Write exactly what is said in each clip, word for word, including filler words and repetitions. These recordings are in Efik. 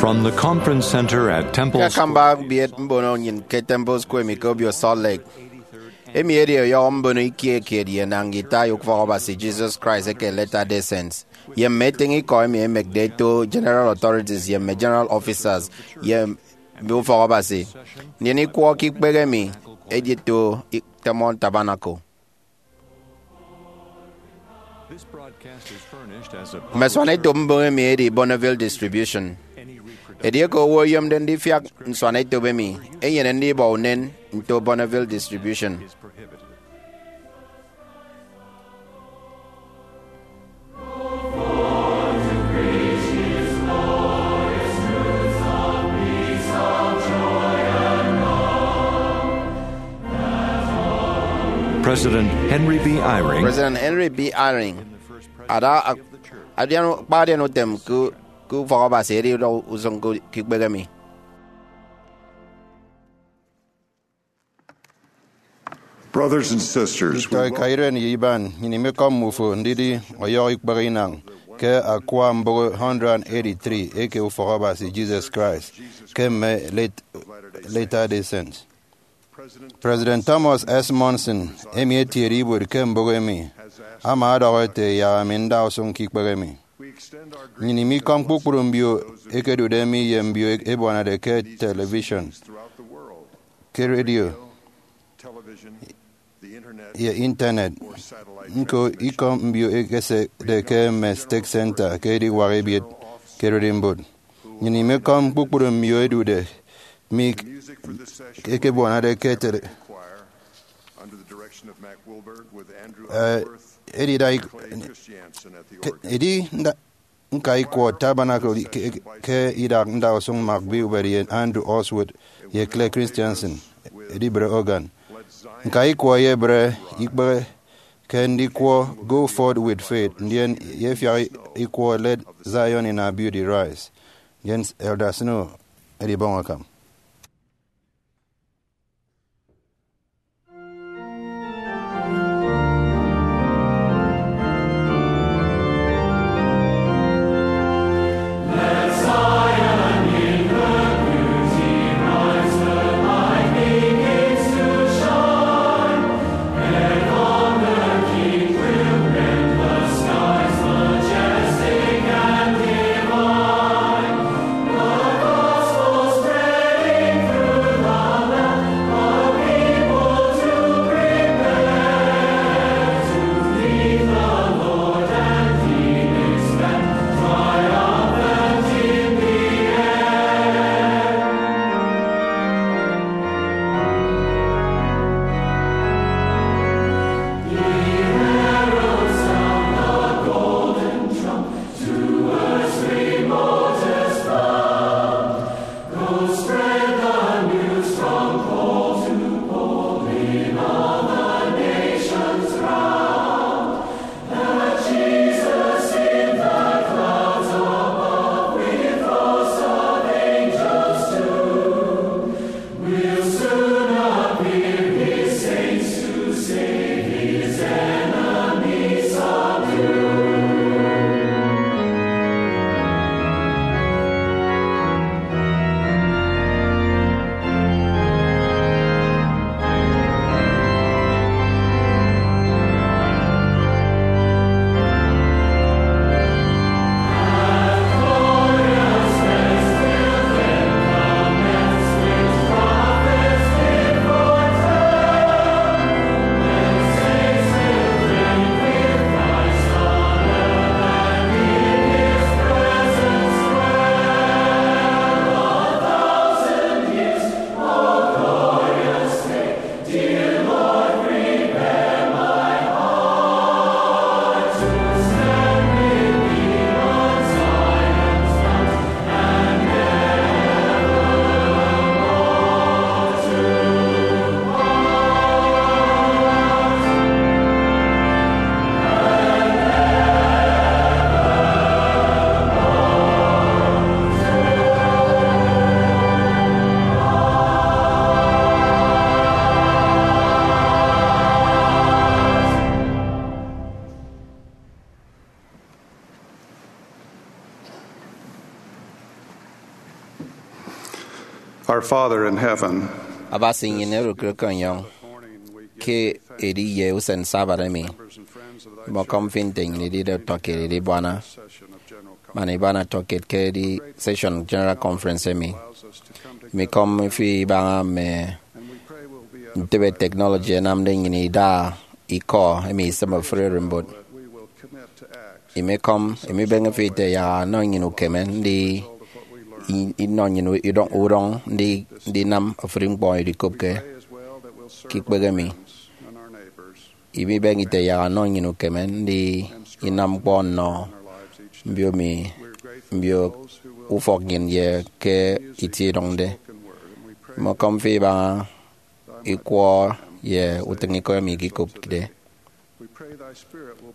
On the Conference Center at Temple Ke Square. Akamba ebiet mbono nnyịn ke Temple Square emi ke obio Salt Lake. Emi edi ọyọhọ mbono ikie kiet ye enañ guitar ye Ufọk Abasi Jesus Christ eke Latter-day Saints, ye mme etịñ ikọ emi ẹmekde ẹto General Authorities ye mme General Officers ye mme Ufọk Abasi. Ndien ikwọ ke ikpehe emi edito Temple Tabernacle. Mme asuanetop mbon emi edi Bonneville Distribution. Edieke owo oyomde ndifiak nsuanetop emi, enyene ndibọ unen nto Bonneville Distribution. President Henry B. Eyring. President Henry B. Eyring ada ak- adian, kpa adian utem ke, ke Ufọk Abasi edi udọ usụñ ke, ke ikpehe emi. Brothers and sisters, we Nditọ eka iren ye iban, nnyịn imekọm mmufo ndidi ọyọhọ ikpehe inañ ke akwa mbụk one hundred eighty-three eke Ufọk Abasi Jesus Christ ke mme Late- Latter-day Saints. President Thomas S. Monson, emi etiede ibuot ke mbụk emi, ama ọdọhọ ete, yak ami nda usụñ ke ikpehe emi. Nnyịn imikọm kpukpru mbio ekedude mi ye mbio ebuanade ke television, ke radio, ye internet. Ñko ikọm mbio ekesede ke mme State Center ke ediwak ebiet ke ererimbot. Nnyịn imekọm kpukpru mbio edude mi ekebuanade ke tele- eh, edida ik- ke- edi nda- ñka ikwọ Tabernacle ke, ke idak ndausụñ Mark Wilberg ye Andrew Oswald ye Claire Christensen edibre organ. Ñka ikwọ eyebre ikpehe ke ndikwọ Go Forth with Faith, ndien ye efiak ikwọ Let Zion in Our Beauty Rise, ndien Elder Snow edibọñ akam. Our Father in heaven, Abasi nnyịn orụk ke ọniọñ ke edi ye usen Sabbath emi, imọkọm fi nte nnyịn idide utọkiet idibuana man ibuana utọkiet ke edi session General Conference emi. Imikọm fi ibaña mme ntịbe technology ẹnamde nnyịn ida ikọ emi isịm ofụri ererimbot. Imikọm, imibeñe fi ite yak ọnọ nnyịn ukeme ndi i- inọ nnyịn udọñ, udọñ ndi ndinam ofụri ñkpọ idikopke ke ikpehe mi. Imibeñe ite yak ọnọ nnyịn ukeme ndi inam ñkpọ nnọ mbio mi, mbio ufọk nnyịn ye ke itie idụñde. Imikọm fi ibaña ikwọ ye utịñikọ emi ikikopde.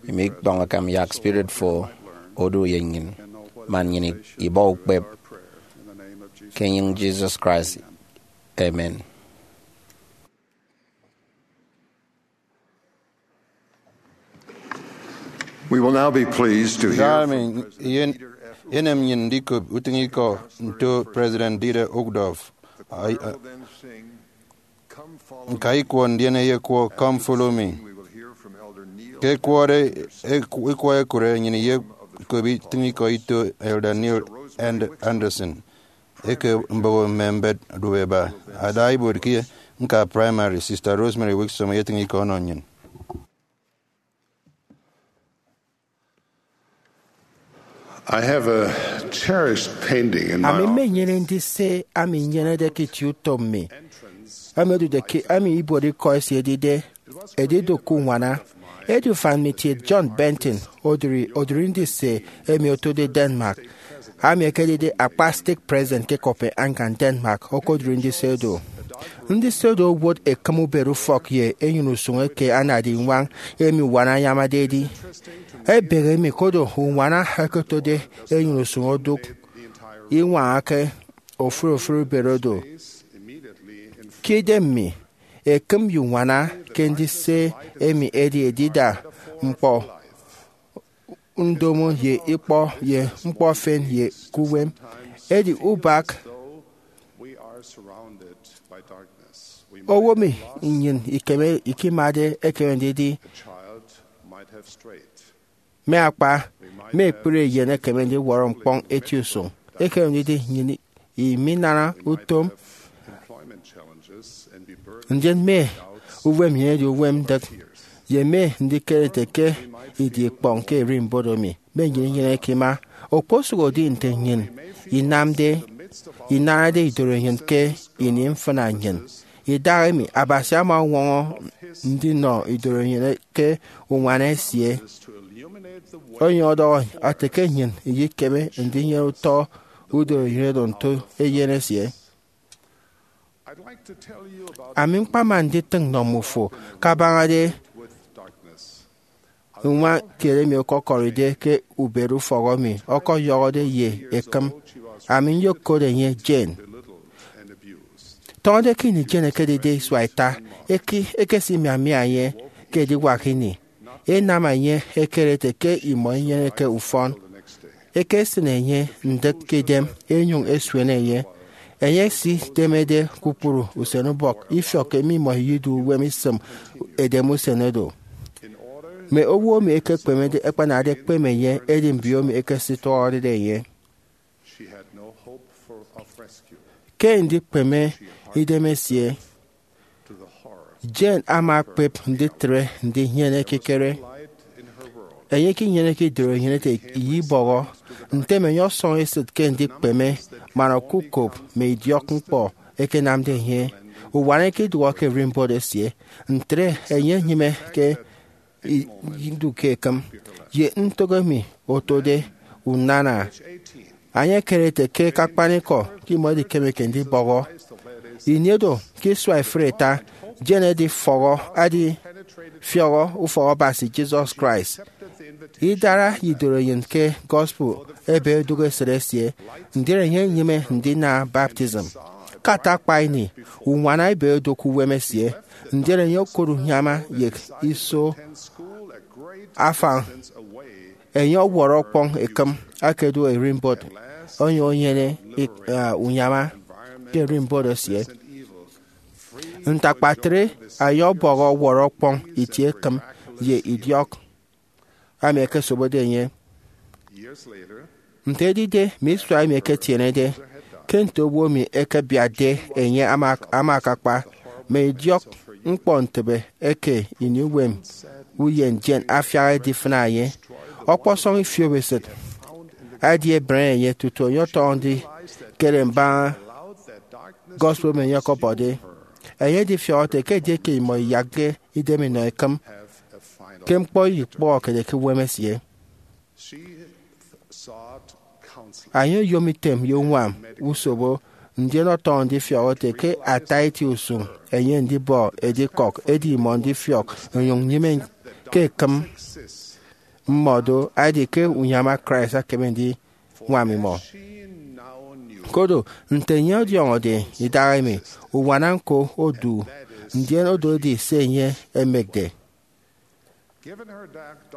Imi ikpọñ akam yak spirit fo odu ye nnyịn, man nnyịn ibọ ukpep, ke enyịñ Jesus Christ. Amen. We will now be pleased to hear Nda emi yen- yenem nnyịn ndikop utịñikọ nto President Dieter Uchtdorf. Ai- a- Nka ikwọ ndien eyekwo Come Follow Me. Ke ẹkwọde ikwọ ekụre, nnyịn iyekop itịñikọ ito Elder Neil Andersen eke mboho mme mbet dubeba. Ada ibuot ke ñka primary, Sister Rosemary Wixom eyetịñ ikọ ọnọ nnyịn. I have a cherished painting in my Ami office. Mmenyene ndise ami nyenede ke itie utom mi, ami odude ke ami ibuot ikọ esie edide Edidụk Uñwana. Edi ufan mi kiet John Benton odụri odụri ndise emi otode Denmark, ami ekedide akpa stake president ke Copenhagen, Denmark, okodụri ndise do. Ndise do owot ekịm ubet ufọk ye enyịn usụñ eke anade iñwañ emi uñwana anyamade edi. Ebehe mi kodo uñwana ekotode enyịn usụñ odụk iñwañake ofụri ofụri ubet odo. Ke idem mi, ekịm ye uñwana ke ndise emi edi edida ñkpọ ndomo ye ikpọ ye ñkpọ efen ye ke uwem. Edi ubak owo mi nnyịn ikeme ikimade ekeme ndidi mme akpa, mme ekpri eyen ekeme ndiwọrọ ñkpọñ eti usụñ, ekeme ndidi nnyịn iminana utom, ndien mme uwem nnyịn edi uwem ndịk, ye mme ndikere ete ke idi ikpọñ ke ererimbot emi mme nnyịn inyeneke ima. Okposụkedi nte nnyịn inamde, inanade idorenyin ke ini mfịna nnyịn, idahaemi Abasi ama ọñwọñọ ndinọ idorenyin ke uñwana esie. Onyụñ ọdọhọ ete ke nnyịn iyekeme ndinyene utọ udorenyin oro nto Eyen esie. Ami ñkpama nditịñ nnọ mmufo kabañade uñwana kiet emi ọkọkọride ke ubet ufọk emi ọkọyọhọde ye ekịm. Ami nyokot enye Jane. Tọñọde ke ini Jane ekedide isua ita, eke- ekesimiamia enye ke ediwak ini. Enam enye ekere ete ke imọ inyeneke ufọn. Ekesịn enye ndịk ke idem, enyụñ esuene enye. Enye esidemede kpukpru usenubọk ifiọk emi imọ idu uwem isịm edem usen oro. Mme owo emi ẹkekpemede ẹkpanade ẹkpeme enye, edi mbiomi ẹkesitọñọde enye. Ke ndikpeme idem esie, Jane ama ekpep nditre ndinyene ekikere. Enye ikinyeneke idorenyin ete iyibọhọ, ntem enye ọsọñ esịt ke ndikpeme man okukop mme idiọkñkpọ ẹkenamde enye. Uñwana ikidụhe ke ererimbot esie, ntre enye enyịme ke i- idu ke ekịm ye ntụk emi otode unana. Enye ekere ete ke ke akpanikọ ke imọ idikemeke ndibọhọ. Ini oro, ke isua ifụre ita, Jane edifọhọ, edifiọhọ ufọk Abasi Jesus Christ. Idara idorenyin ke gospel ebe odụk esịt esie, ndien enye enyịme ndina baptism. Ke ata akpa ini, uñwana ebe odụk uwem esie, ndien enye okot uñyama ye iso afañ. Enye ọwọrọ ọkpọñ ekịm aka edu ererimbot, onyụñ enyene ik- ah, uñyama. ke ererimbot esie. Nte akpatre, enye ọbọhọ ọwọrọ ọkpọñ itie ekịm ye idiọk emi ẹkesobode enye. Nte edide mme isua emi ẹketienede, ke nte owo emi ẹkebiatde enye ama ama akakpa, mme idiọk ñkpọntịbe eke ini uwem uyen Jane afiak edifịna enye. Ọkpọsọñ ifiopesịt edi ebre enye tutu enye ọtọñọ ndikere mbaña gospel emi enye ọkọbọde. Enye edifiọk ete ke edieke imọ iyakde idem inọ ekịm, ke ñkpọ iyikpọhọkede ke uwem esie. Enye oyom item ye uñwam usobo, ndien ọtọñọ ndifiọk ete ke ata itie usụñ enye ndibọ edikọk, edi imọ ndifiọk inyụñ nyịme ke ekịm mmọ do, edi ke unyama Christ ekeme ndiñwam imọ. Koro, nte enye ọdiọñọde idahaemi, uñwana ñko odu, ndien odo edi se enye emekde.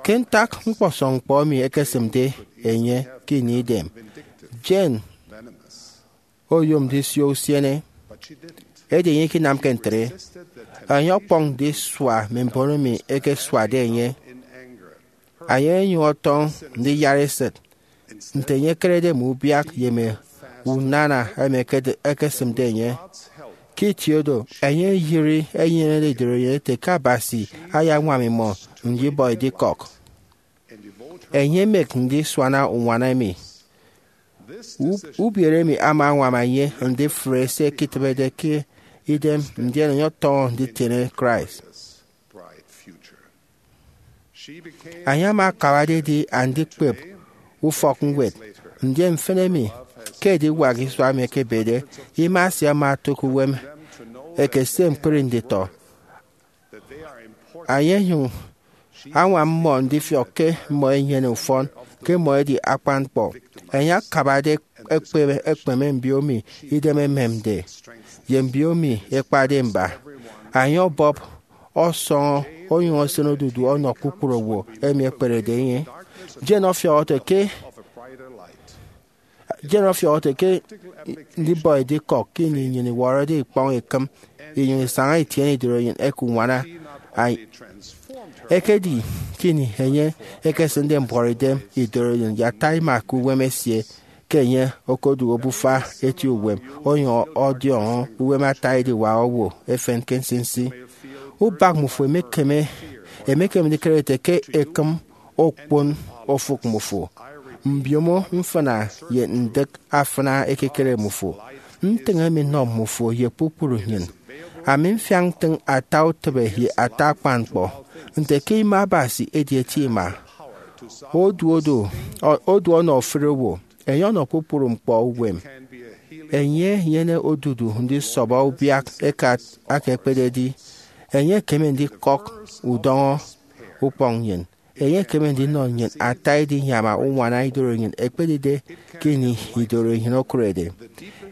Ke ntak ñkpọsọñ ñkpọ emi ekesịmde enye ke ini idem, Jane oyom ndisio usiene. Edi enye ikinamke ntre. Enye ọkpọñ ndisua mme mbon emi ẹkesuade enye. Enye onyụñ ọtọñ ndiyara esịt nte enye ekerede mme ubiak ye mme unana emi ekesịmde enye. Ke itie oro, enye eyịri enyenede idoroenyen ete ke Abasi ayañwam imọ ndibọ edikọk. Enye emek ndisuana uñwana emi. Ubiere emi ama añwam enye ndifre se eketịbede ke idem, ndien enye ọtọñọ nditiene Christ. Enye ama akabade edi andikpep ufọkñwed, ndien mfịn emi, ke ediwak isua emi ẹkebede, ima esie ama otụk uwem ekese ñkpri nditọ. Enye onyụñ añwam mmọ ndifiọk ke mmọ ẹnyene ufọn, ke mmọ ẹdi akpan ñkpọ. Enye akabade ekpeme ekpeme mbiomi idem ememde, ye mbiomi ẹkpade mba. Enye ọbọp ọsọñọ onyụñ esịn odudu ọnọ kpukpru owo emi ẹkperede enye. Jane ọfiọk ete ke Jane ọfiọk ete ke ndibọ edikọk ke ini nnyịn iwọrọde ikpọñ ekịm inyụñ isaña itiene idoroenyen eke uñwana. Ekedi ke ini enye ekesịnde mbuọtidem idoroenyen ye ata ima ke uwem esie ke enye okodu obufa eti uwem, onyụñ ọdiọñọ uwem ata ediwak owo efen ke nsinsi. Ubak mmufo emekeme emekeme ndikere ete ke ekịm okpon ofụk mmufo, mbiomo mfịna ye ndịk afịna ekekere mmufo. Ntịñ emi nnọ mmufo ye kpukpru nnyịn. Ami mfiak ntịñ ata utịbe ye ata akpan ñkpọ nte ke ima Abasi edi eti ima. Oduodu odu ọnọ ofụri owo, enye ọnọ kpukpru ñkpọ uwem. Enye enyene odudu ndisọbọ ubiak eke aka ekpededi. Enye ekeme ndikọk udọñọ ukpọñ nnyịn. Enye ekeme ndinọ nnyịn ata edinyama uñwana idoroenyen ekpedide ke ini idoroenyen okụrede.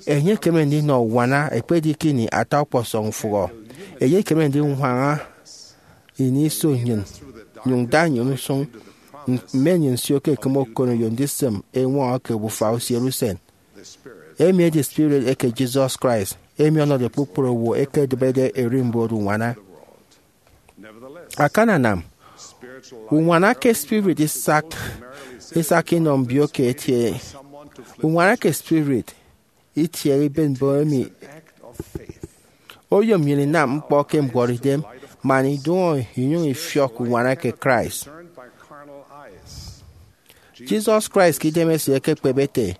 Enye ekeme ndinọ uñwana ekpedi ke ini ata ọkpọsọñ mfụhọ. Enye ekeme ndiñwaña ini iso nnyịn, nyụñ da nnyịn usụñ mme nnyịn nsio ke ekịm okoneyo ndisịm eñwọñọ ke obufa usiere usen. Emi edi spirit eke Jesus Christ, emi ọnọde kpukpru owo ẹkedịbede ererimbot uñwana. Akananam, uñwana ke spirit isak isak inọ mbio ke etie. Uñwana ke spirit itiehe iben mbon emi. Oyom nnyịn inam ñkpọ ke mbuọtidem man idụñọ inyụñ ifiọk uñwana ke Christ. Jesus Christ ke idemesie ekekpep ete,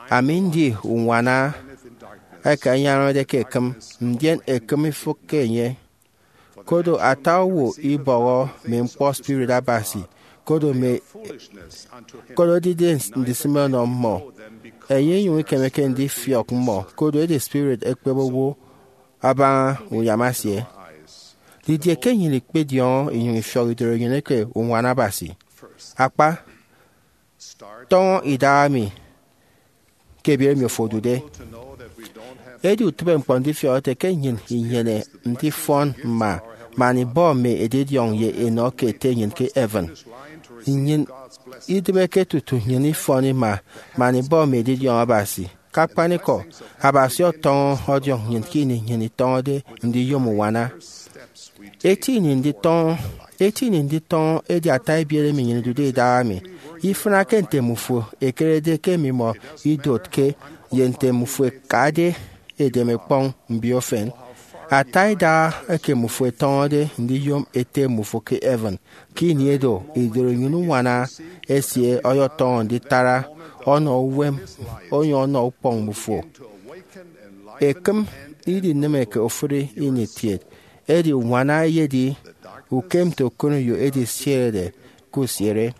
Ami ndi uñwana eke anyanamde ke ekịm, ndien ekịm ifịk ke enye. Kodo ata owo ibọhọ mme ñkpọ spirit Abasi, kodo mme kodo edide ndisịme ọnọ mmọ, enye inyụñ ikemeke ndifiọk mmọ, kodo edi spirit ekpep owo abaña uyama esie. Didie ke nnyịn ikpediọñọ inyụñ ifiọk idoroenyen eke uñwana Abasi? Akpa, tọñọ idahaemi ke ebiet emi ofo odude. Edi utịbeñkpọ ndifiọk ete ke nnyịn inyene ndifọn mma man ibọ mme edidiọñ ye enọ ke Ete nnyịn ke heaven. Nnyịn idịbeke tutu nnyịn ifọn ima man ibọ mme edidiọñ Abasi. Akpanikọ, Abasi ọtọñọ ọdiọñ nnyịn ke ini nnyịn itọñọde ndiyom uñwana. Eti ini nditọñọ, eti ini nditọñọ edi ata ebiet emi nnyịn idude idaha mi. Ifịnake nte mmufo ẹkerede ke mmimọ idotke ye nte mmufo ẹkade edem ẹkpọñ mbiofen. Ata idaha eke mmufo ẹtọñọde ndiyom Ete mmufo ke heaven ke ini edo, idorenyin uñwana esie ọyọtọñọ nditara ọnọ uwem onyụñ ọnọ ukpọñ mmufo. Ekịm idinịm eke ofụri ini kiet, edi uñwana eyedi ukem nte okoneyo edisierede ke usiere.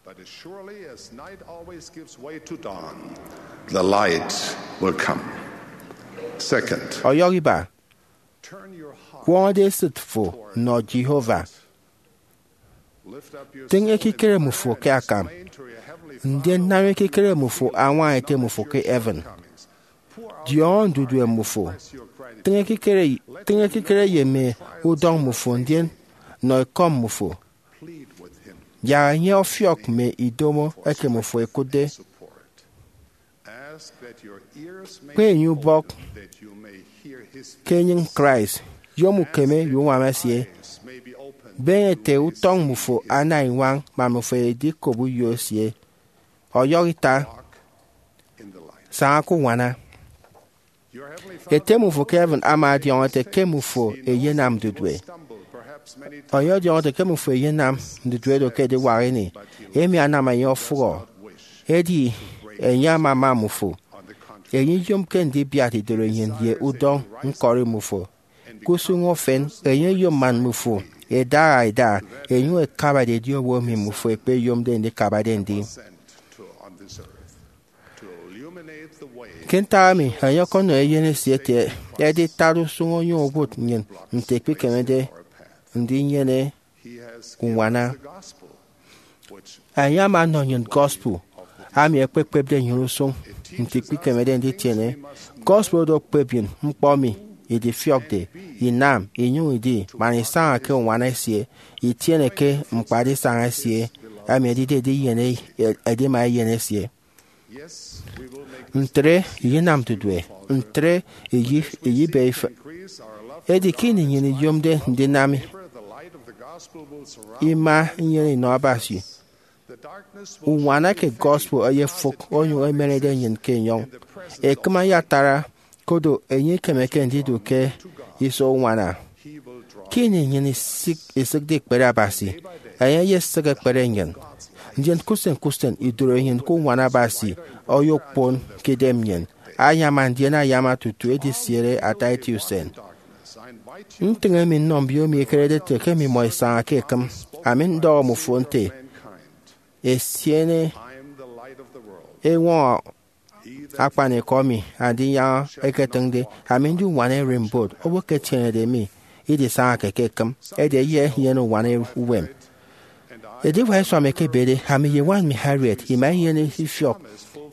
But as surely as night always gives way to dawn, the light will come. Second, Ọyọhọ iba, turn your heart, kwọñọde esịt fo nọ Jehovah. Lift up your Tịñ soul in ekikere mmufo prayer ke and akam, explain to your heavenly ndien Father nam ekikere mmufo añwaña Ete mmufo ke heaven. Diọñọ ndudue mmufo. Tịñ ekikere, tịñ ekikere ye mme udọñ mmufo, ndien nọ ekọm mmufo. Plead with him. Yak enye ọfiọk mme idomo eke mmufo ẹkụtde. Ask that your ears may Kpe enye ubọk that you may hear his ke enyịñ Christ. Yom ukeme ye uñwam esie. Eyes may be opened. Beñe ete utọñ mmufo ana iñwañ man mmufo ẹdikop uyo esie. Ọyọhọ ita, In the light. Saña ke uñwana. Your heavenly Father Ete mmufo ke heaven ama ọdiọñọ ete ke mmufo ẹyenam ndudue. stumble perhaps many times. Enye ọdiọñọ ete ke mmufo ẹyenam ndudue do ke ediwak ini. Emi anam enye ọfụhọ. Edi enye amama mmufo. Enye iyomke ndibiat idorenyin ye udọñ ñkọri mmufo. Ke usụñ efen, enye eyom man mmufo ẹdaha ẹda, ẹnyụñ ẹkabade edi owo emi mmufo ẹkpeyomde ndikabade ndi. Ke ntak emi, enye ọkọnọ eyen esie ete editara usụñ onyụñ owụt nnyịn nte ikpikemede ndinyene uñwana. Enye ama ọnọ nnyịn gospel ami ekpekpepde nnyịn usụñ nte ikpikemede nditiene. Gospel oro okpep nnyịn ñkpọ emi idifiọkde inam inyụñ idi man isaña ke uñwana esie, itiene ke ñkpadisaña esie, emi edide ediyene edima eyen esie. Ntre iyenam ndudue, ntre iyibe ife. Edi ke ini nnyịn iyomde ndinam ima inyene inọ Abasi, uñwana ke gospel eyefụk onyụñ emerede nnyịn ke enyọñ. Ekịm ayatara, koro enye ikemeke ndidu ke iso uñwana. Ke ini nnyịn isịk- isịkde ikpere Abasi, enye eyesịk ekpere nnyịn. Ndien ke usen ke usen, idorenyin ke uñwana Abasi oyokpon ke idem nnyịn, ayama ndien ayama tutu edisiere ata eti usen. Ntịñ emi nnọ mbiomi ekerede ete ke mmimọ isaña ke ekịm. Ami ndọhọ mmufo nte, esiene eñwọñọ akpanikọ emi Andinyaña eketịñde. Ami ndi uñwana ererimbot, owo ke etienede mi idisañake ke ekịm, edi enye enyene uñwana uwem. Ediwak isua mi ekebede, ami ye ñwan mi Harriet ima inyene ifiọk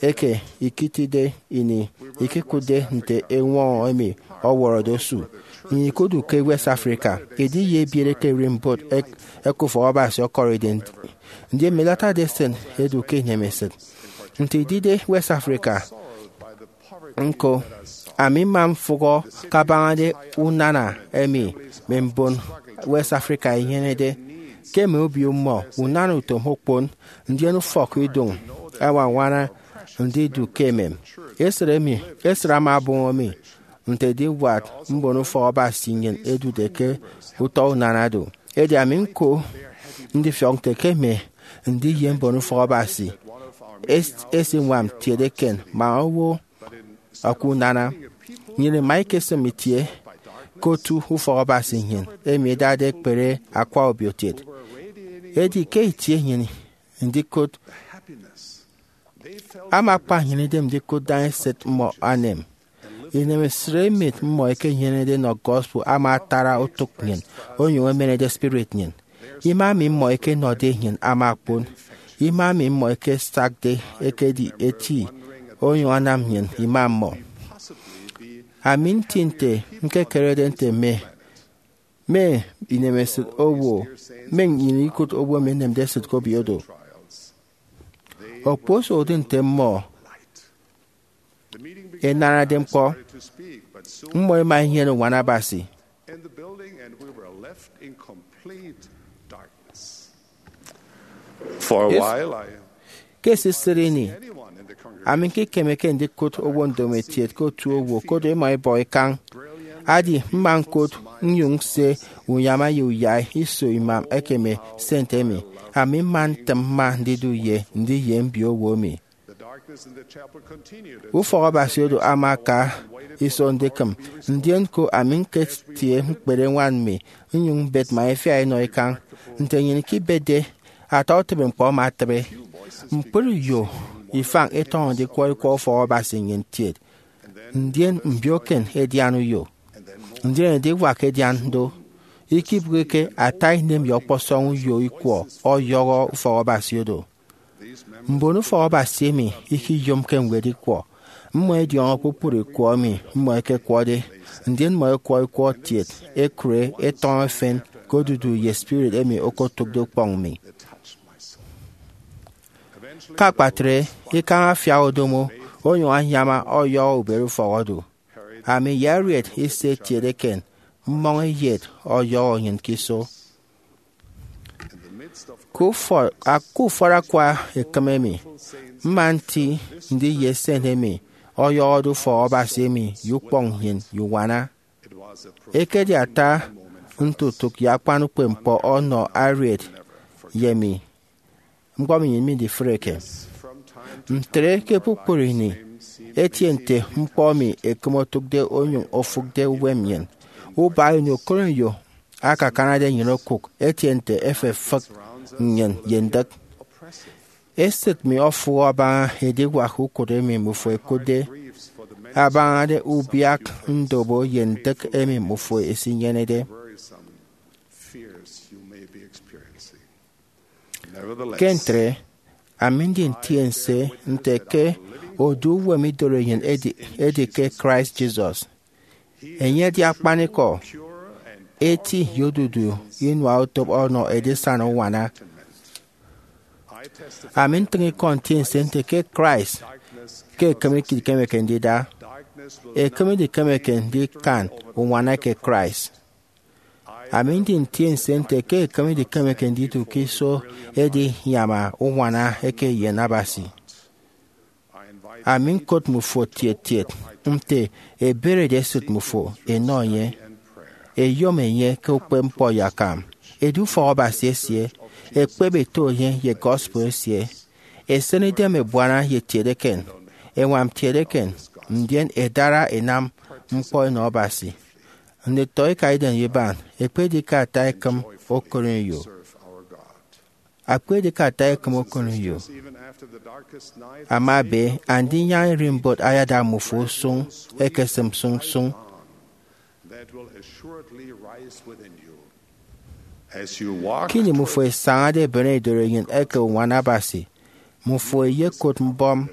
eke ikitide ini ikikụtde nte eñwọñọ emi ọwọrọde osu. Nnyịn ikudu ke West Africa, idi ye ebiere ke ererimbot ẹk- ẹkufọk Abasi ọkọride. Ndien mme latter-day Saint ẹdu ke inemesịt. Nte idide West Africa, ñko, ami mma mfụhọ kabañade unana emi mme mbon West Africa ẹnyenede. Ke mme obio mmọ, unana utom okpon, ndien ufọkidụñ ẹñwañwana ndidu ke emem. Esịt emi, esịt ama ọbọñọ mi nte ediwak mbonufọk Abasi nnyịn ẹdude ke utọ unana do. Edi ami ñko ndifiọk nte ke mme ndiye mbonufọk Abasi es- esiñwam kiet eken man owo aka unana. Nnyịn ima ikesịm itie ke otu ufọk Abasi nnyịn emi ẹdade ẹkpere akwa obio kiet. Edi ke itie nnyịn ndikot ama akpa nnyịn idem ndikụt daña esịt mmọ anem. Inemesịt emi mmọ ẹkenyenede nọ gospel ama atara otụk nnyịn, onyụñ emenede spirit nnyịn. Ima emi mmọ ẹkenọde nnyịn ama okpon. Ima emi mmọ ẹkesakde ekedi eti, onyụñ anam nnyịn ima mmọ. Ami nti nte ñkekerede nte mme mme inemesịt owo, mme nnyịn ikụt owo emi ẹnemde esịt ke obio do. Okposụkde nte mmọ enarade ñkpọ. Mmọ ema enyene uñwana Abasi. Ke esisịt ini, ami ñkikemeke ndikụt owo ndomokiet ke otu owo, koro imọ ibọ ikañ. Adi mma ñkụt nnyụñ nse unyama ye uyai iso imam ekeme sent emi. Ami mma ntịm mma ndidu ye ndi ye mbiowo mi. Ufọk Abasi oro ama aka iso ndikịm, ndien ko ami ñketie ñkpere ñwan mi nnyụñ mbet ma ifia inọ ikañ. Nte nnyịn ikibetde, ata utịbe ñkpọ ama atịbe. Ñkpri uyo ifañ itọñọ ndikwọ ikwọ ufọk Abasi nnyịn kiet, ndien mbioken edian uyo, ndien ediwak edian do. Ikibụkeke ata inem ye ọkpọsọñ uyo ikwọ ọyọhọ ufọk Abasi oro. Mbon ufọk Abasi emi ikiyomke ñwed ikwọ. Mmọ ẹdiọñọ kpukpru ikwọ emi mmọ ẹkekwọde, ndien mmọ ẹkwọ ikwọ kiet, ẹkụre, ẹtọñọ efen ke odudu ye spirit emi okotụkde ukpọñ mi. Ke akpatre, ikañ afiak odomo onyụñ anyama ọyọhọ ubiereufọk odu. Ami ye Harriet ise ẹtiede eken, mmọñ eyet ọyọhọ nnyịn ke iso. Ke ufọt, a- ke ufọt akwa ekịm emi, mma nti ndi ye sent emi ọyọhọde ufọk Abasi emi ye ukpọñ nnyịn ye uñwana. Ekedi ata ntotụk ye akpan ukpepñkpọ ọnọ Harriet ye mi. Ñkpọ emi nnyịn midifreke. Ntre ke kpukpru ini, etie nte ñkpọ emi ekịm otụkde onyụñ ofụkde uwem nnyịn. Ubaña ini okoneyo akakanade nnyịn okụk, etie nte efefịk nnyịn ye ndịk. Esịt mi ofụhọ abaña ediwak ukụt emi mmufo ẹkụtde, abañade ubiak ndobo ye ndịk emi mmufo ẹsinyenede. Ke ntre, ami ndi ntiense nte ke odu uwem idorenyin edi, edi ke Christ Jesus. Enye edi akpanikọ, eti ye odudu inua utịp ọnọ edisana uñwana. Ami ntịñ ikọ ntiense nte ke Christ ke ekịm ikemeke ndida, ekịm idikemeke ndikan uñwana ke Christ. Ami ndi ntiense nte ke ekịm idikemeke ndidu ke iso edinyama uñwana eke eyen Abasi. Ami ñkot mmufo tiet tiet nte eberede esịt mmufo enọ enye, eyom enye ke ukpepñkpọ ye akam, edu ufọk Abasi esie, ekpep eto enye ye gospel esie, esen idem ebuana ye tiet eken, eñwam tiet eken, ndien edara enam ñkpọ enọ Abasi. Nditọ ika idem ye iban, ekpedi ke ata ekịm okoneyo. Akpedi ke ata ekịm okoneyo ama ebe, andinyaña ererimbot ayada mmufo usụñ, ekesịm sụñ sụñ. Ke ini mmufo ẹsañade ẹbene idorenyin eke uñwana Abasi, mmufo ẹyekot mbọm,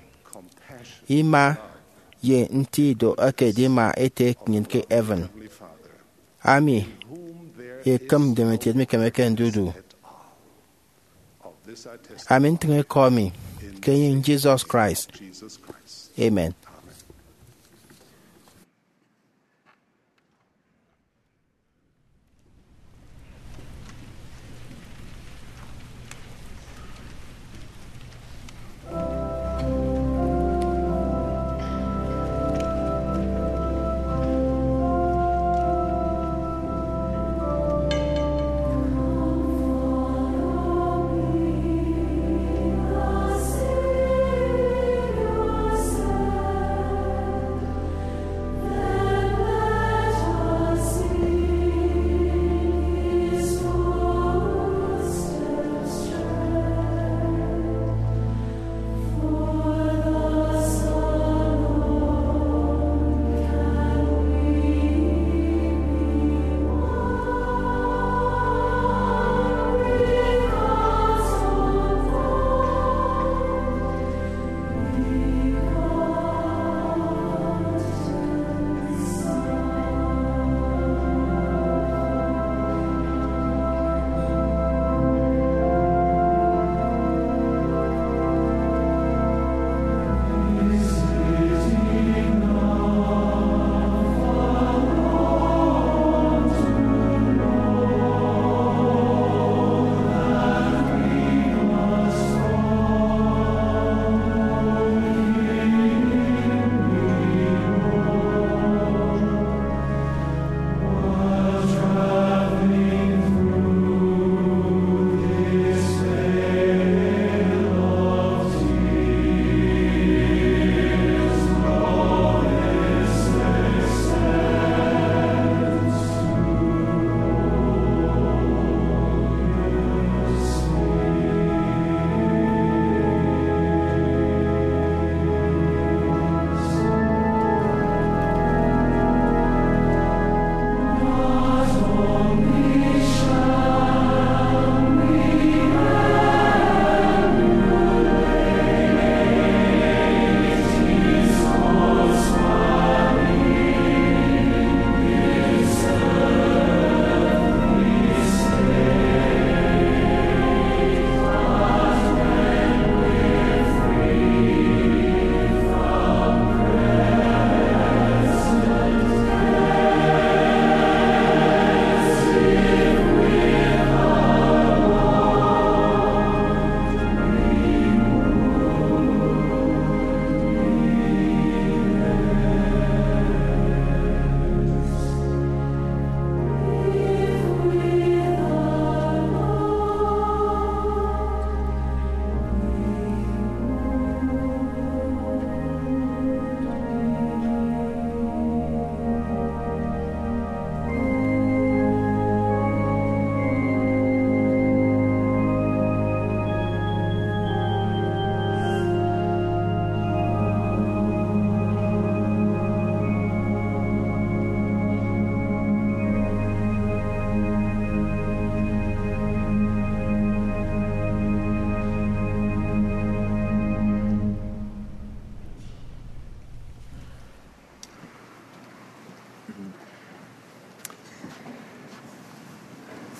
ima, ye nti ido eke edima Ete nnyịn ke heaven, ami ekịm ndomokiet mikemeke ndidu. Ami ntịñ ikọ mi ke enyịñ Jesus Christ. Amen.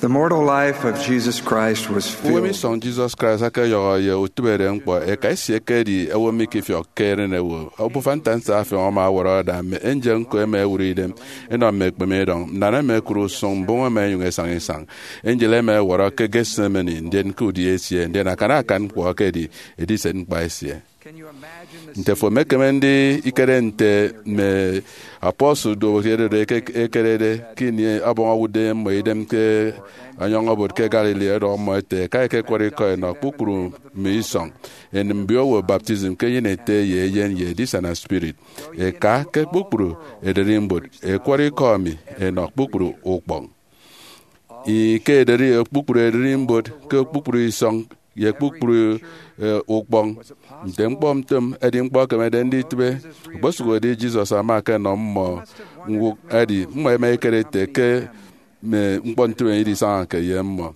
The mortal life of Jesus Christ was filled. Uwem isọñ Jesus Christ akeyọhọ ye utịbeere ñkpọ. Eka esie ekedi owo mikifiọkke erenewo. Obufa ntansa afiọñ ama ọwọrọ ada, mme angel ñko ẹma ẹwụre idem ẹnọ mme ekpeme idọñ. Nnan ẹma ẹkụre usụñ, mbụñ ẹma ẹnyụñ ẹsaña isañ. Angel ẹma ẹwọrọ ke Gethsemane, ndien ke udi esie, ndien akan akan ñkpọ ekedi ediset ñkpa esie. Nte fo emekeme ndikere nte mme apostle duowo ẹdọde ke ekerede ke ini ọbọñ owụtde mmọ idem ke ọnyọñ obot ke Galilee, ẹdọhọ mmọ ẹte, ẹka ẹkekwọrọ ikọ ẹnọ kpukpru mme isọñ, ẹnịm mbiowo baptism ke enyịn Ete ye Eyen ye Edisana Spirit, ẹka ke kpukpru ererimbot, ẹkwọrọ ikọ mi ẹnọ kpukpru ukpọñ? Ih, ke ederi kpukpru ererimbot, ke kpukpru isọñ, ye kpukpru, eh, ukpọñ. Nte ñkpọ ntom, edi ñkpọ ekemede nditịbe. Okposụkedi Jesus ama ọkenọ mmọ ñwụk, edi mmọ ẹma ẹkere ẹte ke mme ñkpọ ntịbe idisañake ye mmọ.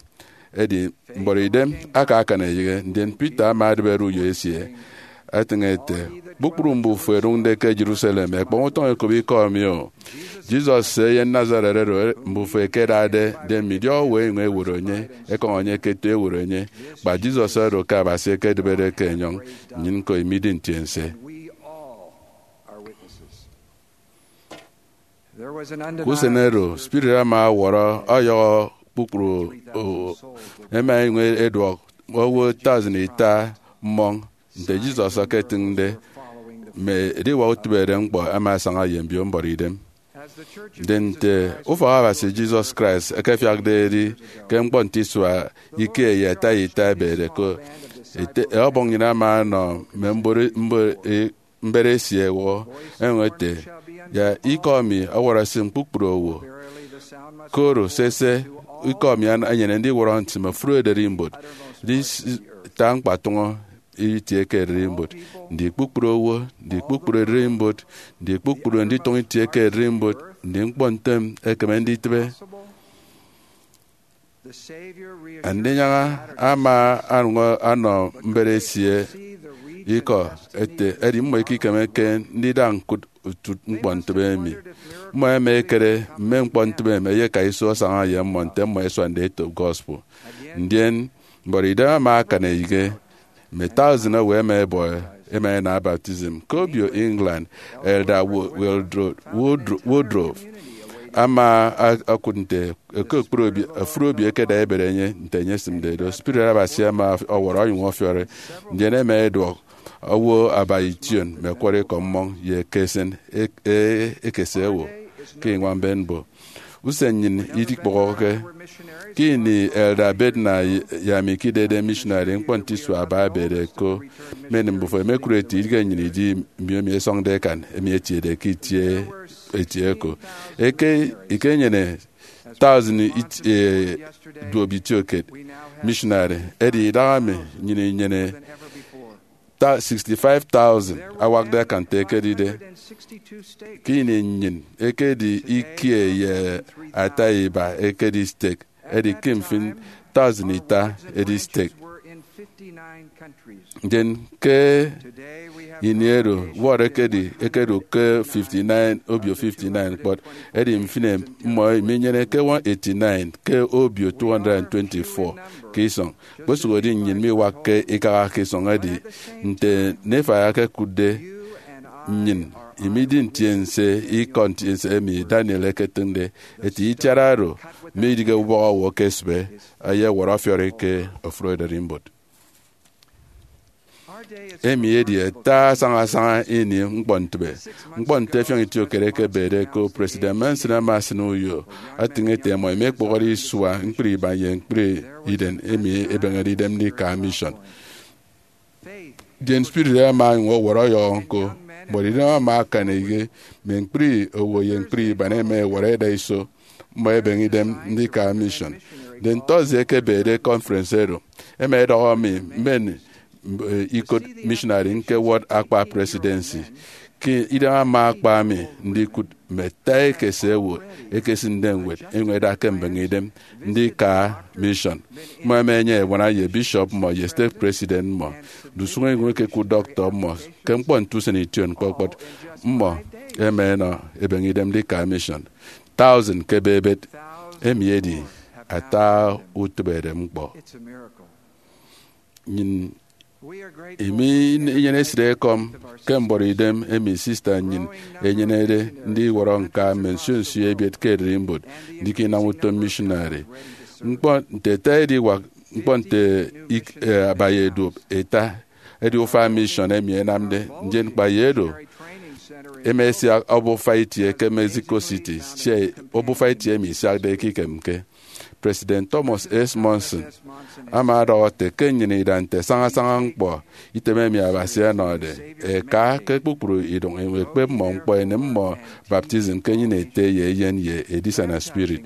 Edi mbọrọidem aka akan eyịghe, ndien Peter ama adịbere uyo esie, etịñ ete, kpukpru mbufo ẹdụñde ke Jerusalem ẹkpọñ utọñ ẹkop ikọ mi o. Jesus se eyen Nazareth oro mbufo ẹkedade, ndien mme idiọk owo ẹnyụñ ẹwot enye, ẹkọñ enye ke eto ẹwot enye. Kpa Jesus oro ke Abasi ekedịbede ke enyọñ, nnyịn ñko imidi ntiense. Ke usen oro, spirit ama ọwọrọ ọyọhọ kpukpru owo, ẹma ẹnyụñ ẹduọk owo thousand ita mmọñ. Nte Jesus eketịñde, mme ediwak utịbeere ñkpọ ẹma ẹsaña ye mbio mbọrọidem. Ndien nte ufọk Abasi Jesus Christ ekefiakde edi ke ñkpọ nte isua ikie ye ata ita ẹbede ko, ete, ọbọñ nnyịn ama ọnọ mme mbere, mbere, mbere esie ẹwọhọ, ẹnyụñ ete, ya ikọ mi ọwọrọ ẹsịm kpukpru owo. Koro sese, ikọ mi ana-, enyene ndiwọrọ ntịme ofụri ererimbot, ndita ñkpatụñọ itie ke ererimbot, ndi kpukpru owo, ndi kpukpru ererimbot, ndi kpukpru nditụñ itie ke ererimbot, ndi ñkpọ ntem ekeme nditịbe. Andinyaña ama añwam ọnọ mbere esie ikọ, ete, edi mmọ ikikemeke ndida ñkụt utụt ñkpọ ntịbe emi. Mmọ ẹma ẹkere mme ñkpọ ntịbe emi ẹyeka iso ẹsaña ye mmọ nte mmọ ẹsuande etop gospel. Ndien, mbọrọidem ama akan eyịghe, mme thousand owo ẹma ẹbọ, ẹma ẹnam baptism. Ke obio England, Elder Wo-, Wildro-, Woodro-, Woodruff ama a-, okụt nte ke okporo obio, ofụri obio ẹkeda ẹbere enye nte enye esịmde do. Spirit Abasi ama ọwọrọ onyụñ ọfiọri, ndien ẹma ẹduọk owo aba ition mme ẹkwọrọ ikọ mmọñ ye ekesịn e-, e-, ekese owo ke iñwañ mbembo. Usen nnyịn idikpọhọke. Ke ini Elder Bednar ye ami ikidede missionary, ñkpọ nte isua aba ẹbede ko, mme mbufo ẹmekụre ete idighe nnyịn idi mbiomi ẹsọñde ẹkan, emi etiede ke itie etie ko. Eke ikenyene thousand it-, eh, duop itiokiet missionary, edi idahaemi nnyịn inyene ta-, sixty-five thousand awakde akan nte ekedide. Ke ini nnyịn ekedi ikie ye ata iba ekedi stek, edi ke mfịn thousand ita edi stek. Ndien ke ini oro, ward ekedi, ekedu ke fifty-nine, obio fifty-nine kpọt, edi mfịn mmọ minyene ke one eighty-nine ke obio two hundred twenty-four ke isọñ. Kpesụhedi nnyịn miwakke ikaha ke isọñ, edi nte Nephi ekekụtde nnyịn, imidi ntiense ikọ ntiense emi Daniel eketịñde, eti itiara oro midịghe ubọk owo ke esịbe, ẹyewọrọ ọfiọri ke ofụri ererimbot. Emi edi ata asaña asaña ini ñkpọ ntịbe. Ñkpọ nte ẹfiọñ itiokiet ẹkebede ko, President Monson ama asịn uyo, atịñ ete ẹmọ ẹmekpụhọre isua ñkpri iban ye ñkpri idem emi ẹbeñede idem ndika mission. Ndien spirit ama ọnyụñ ọwọrọ ọyọhọ ñko. Mbọrọidem ama akan eyịghe, mme ñkpri owo ye ñkpri iban ẹma ẹwọrọ ẹda iso mmọ ẹbeñe idem ndika mission. Ndien Thursday ekebede conference oro, ẹma ẹdọhọ mi mmen, eh, ikot missionary ñkewọt akpa presidency. Ke idem ama akpa mi ndikụt mme ata ekese owo ẹkesịnde ñwed ẹnyụñ ẹda ke mbeñe idem ndika mission. Mmọ ẹma ẹnyene ebuana ye bishop mmọ ye stake president mmọ. Ndusụñ ẹnyụñ ẹkekụt doctor mmọ ke ñkpọ nte usen ition kpọt kpọt. Mmọ ẹma ẹnọ ẹbeñe idem ndika mission. Thousand ke ebebet. Emi edi ata utịberedem ñkpọ. Nnyịn imi inyene esịt ekọm ke mbọrọ idem emi sista nnyịn enyenede ndiwọrọ ñka mme nsio nsio ebiet ke ererimbot ndika inam utom missionary. Ñkpọ nte ete ediwak ñkpọ nte ik- eh, aba ye duop eta edi ufak mission emi enamde, ndien kpa ye do, ema esiak obufa itie ke Mexico City, sia obufa itie emi isiakde ekikemke. President Thomas S. Monson ama ọdọhọ ete ke nnyịn ida nte sañasaña ñkpọ item emi Abasi ọnọde eka ke kpukpru idụñ, ekpep mmọ ñkpọ, enem mmọ baptism ke enyịn Ete ye Eyen ye edisana spirit.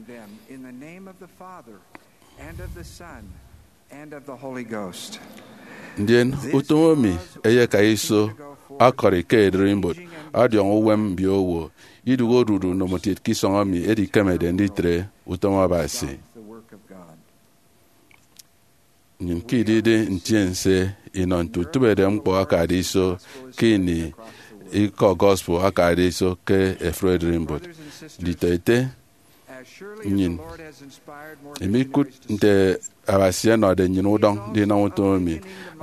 Ndien utom emi eyeka iso ọkọri ke ererimbot ọdiọñ uwem mbiowo, idụhe odudu ndomokiet ke isọñ emi edikemede nditre utom Abasi. Nnyịn ke idide ntiense inọ nte utịberedem ñkpọ akade iso ke ini ikọ gospel akade iso ke efuri ererimbot. Nditọete, nnyịn imikụt nte Abasi ọnọde nnyịn udọñ ndinam utom emi.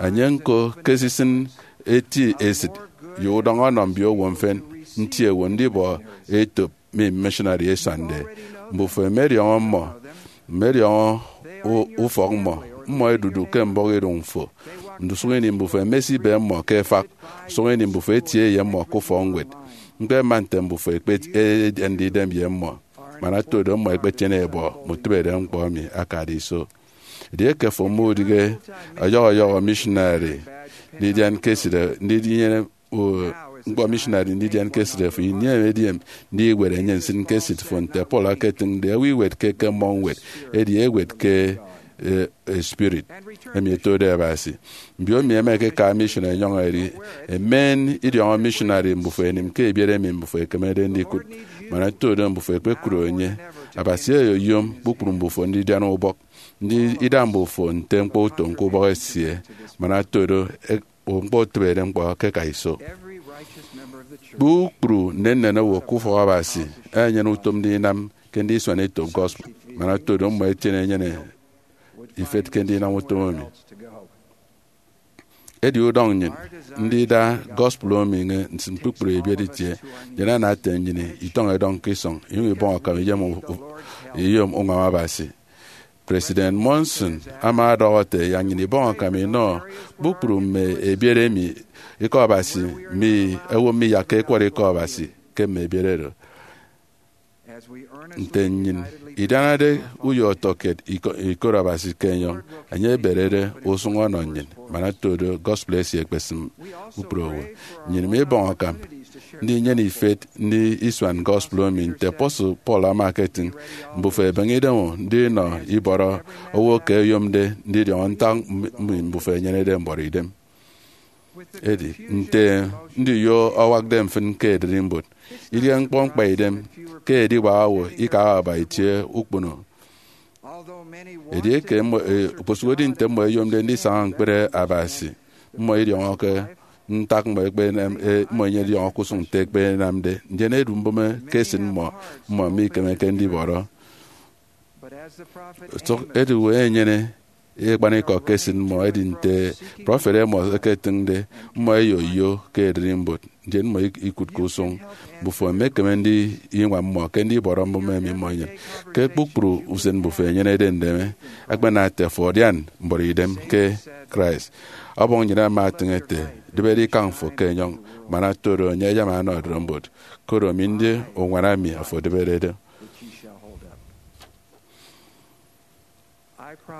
Enye ñko ke esisịn eti esịt ye udọñ ọnọ mbiowo mfịn, nti ewe ndibọ etop mme missionary ẹsuande. Mbufo ẹmediọñọ mmọ, mmediọñọ u- ufọk mmọ. Mmọ ẹdudu ke mbọhọ iduñ fo. Ndusụk ini mbufo ẹmesibe mmọ ke efak, usụk ini mbufo ẹtie ye mmọ ke ufọkñwed. Ñkpema nte mbufo ẹkpet edian idem ye mmọ, man oto do mmọ ẹkpetiene ẹbọ mme utịberedem ñkpọ emi akade iso. Edieke fo mudịghe ọyọhọ ọyọhọ missionary ndidian ke esịt, ndinyene o, ñkpọ missionary ndidian ke esịt fo, ini emi ediyem ndiwet enye nsịn ke esịt fo, nte Paul aketịñde, ewe iwetke ke mmọñ ñwed, edi ewet ke e, e, spirit emi etode Abasi. Mbiomi ẹma ẹkeka mission ẹnyọñ ẹdi, ẹmen idiọñọ missionary mbufo ẹnịm ke ebiet emi mbufo ẹkemede ndikụt. Man oto do mbufo ẹkpekụt enye, Abasi oyoyom kpukpru mbufo ndidian ubọk, ndi ida mbufo nte ñkpọ utom ke ubọk esie, man oto do e- ñkpọ utịberedem ñkpọ ke ẹka iso. Kpukpru nnennen owo ke ufọk Abasi ẹnyene utom ndinam ke ndisuan etop gospel, man oto do mmọ ẹtiene ẹnyene ifet ke ndinam utom emi. Edi udọñ nnyịn ndida gospel emi nsịn kpukpru ebiet itie, ndien ana ete nnyịn itọñ edọñ ke isọñ, inyụñ ibọñ akam iyom u- u- iyom uñwam Abasi. President Monson ama ọdọhọ ete, yak nnyịn ibọñ akam inọ kpukpru mme ebiet emi ikọ Abasi mi, owo miyakke ẹkwọrọ ikọ Abasi ke mme ebiet oro. Nte nnyịn idianade uyo ọtọkiet iko- ikot Abasi ke enyọñ, enye eberede usụñ ọnọ nnyịn, man oto do gospel esie ekpesịm kpukpru owo. Nnyịn mibọñ akam ndinyene ifet ndi isuan gospel emi, nte apostle Paul ama eketịñ, mbufo ẹbeñe idem ndinọ ibọrọ owo ke oyomde ndidiọñọ ntak mme mbufo ẹnyenede mbọrọ idem. Edi nte ndiyo awakde mfịn ke ererimbot, idihe ñkpọ ñkpaidem ke ediwak owo ikaha aba itie ukpono. Edieke mmọ e- okposụkedi nte mmọ ẹyomde ndisaña ñkpere Abasi, mmọ idiọñọke ntak mmọ ekpenam e- mmọ inyene idiọñọ ke usụñ nte ekpenamde, ndien edu mbụme ke esịt mmọ, mmọ mikemeke ndibọrọ. Sụk ediwe enyene ekpanikọ ke esịt mmọ, edi nte prọfet Amos eketịñde, mmọ ẹyoyo ke ererimbot, ndien mmọ ik- ikụtke usụñ. Mbufo ẹmekeme ndiñwam mmọ ke ndibọrọ mbụme emi mmọ inyene. Ke kpukpru usen mbufo ẹnyenede ndeme, akpana ete fo adian mbọrọ idem ke Christ. Ọbọñ nnyịn ama etịñ ete, dịbede ikañ fo ke enyọñ, man oto do enye ayama anọ ererimbot, koro mi ndi uñwana mi afo edịberede.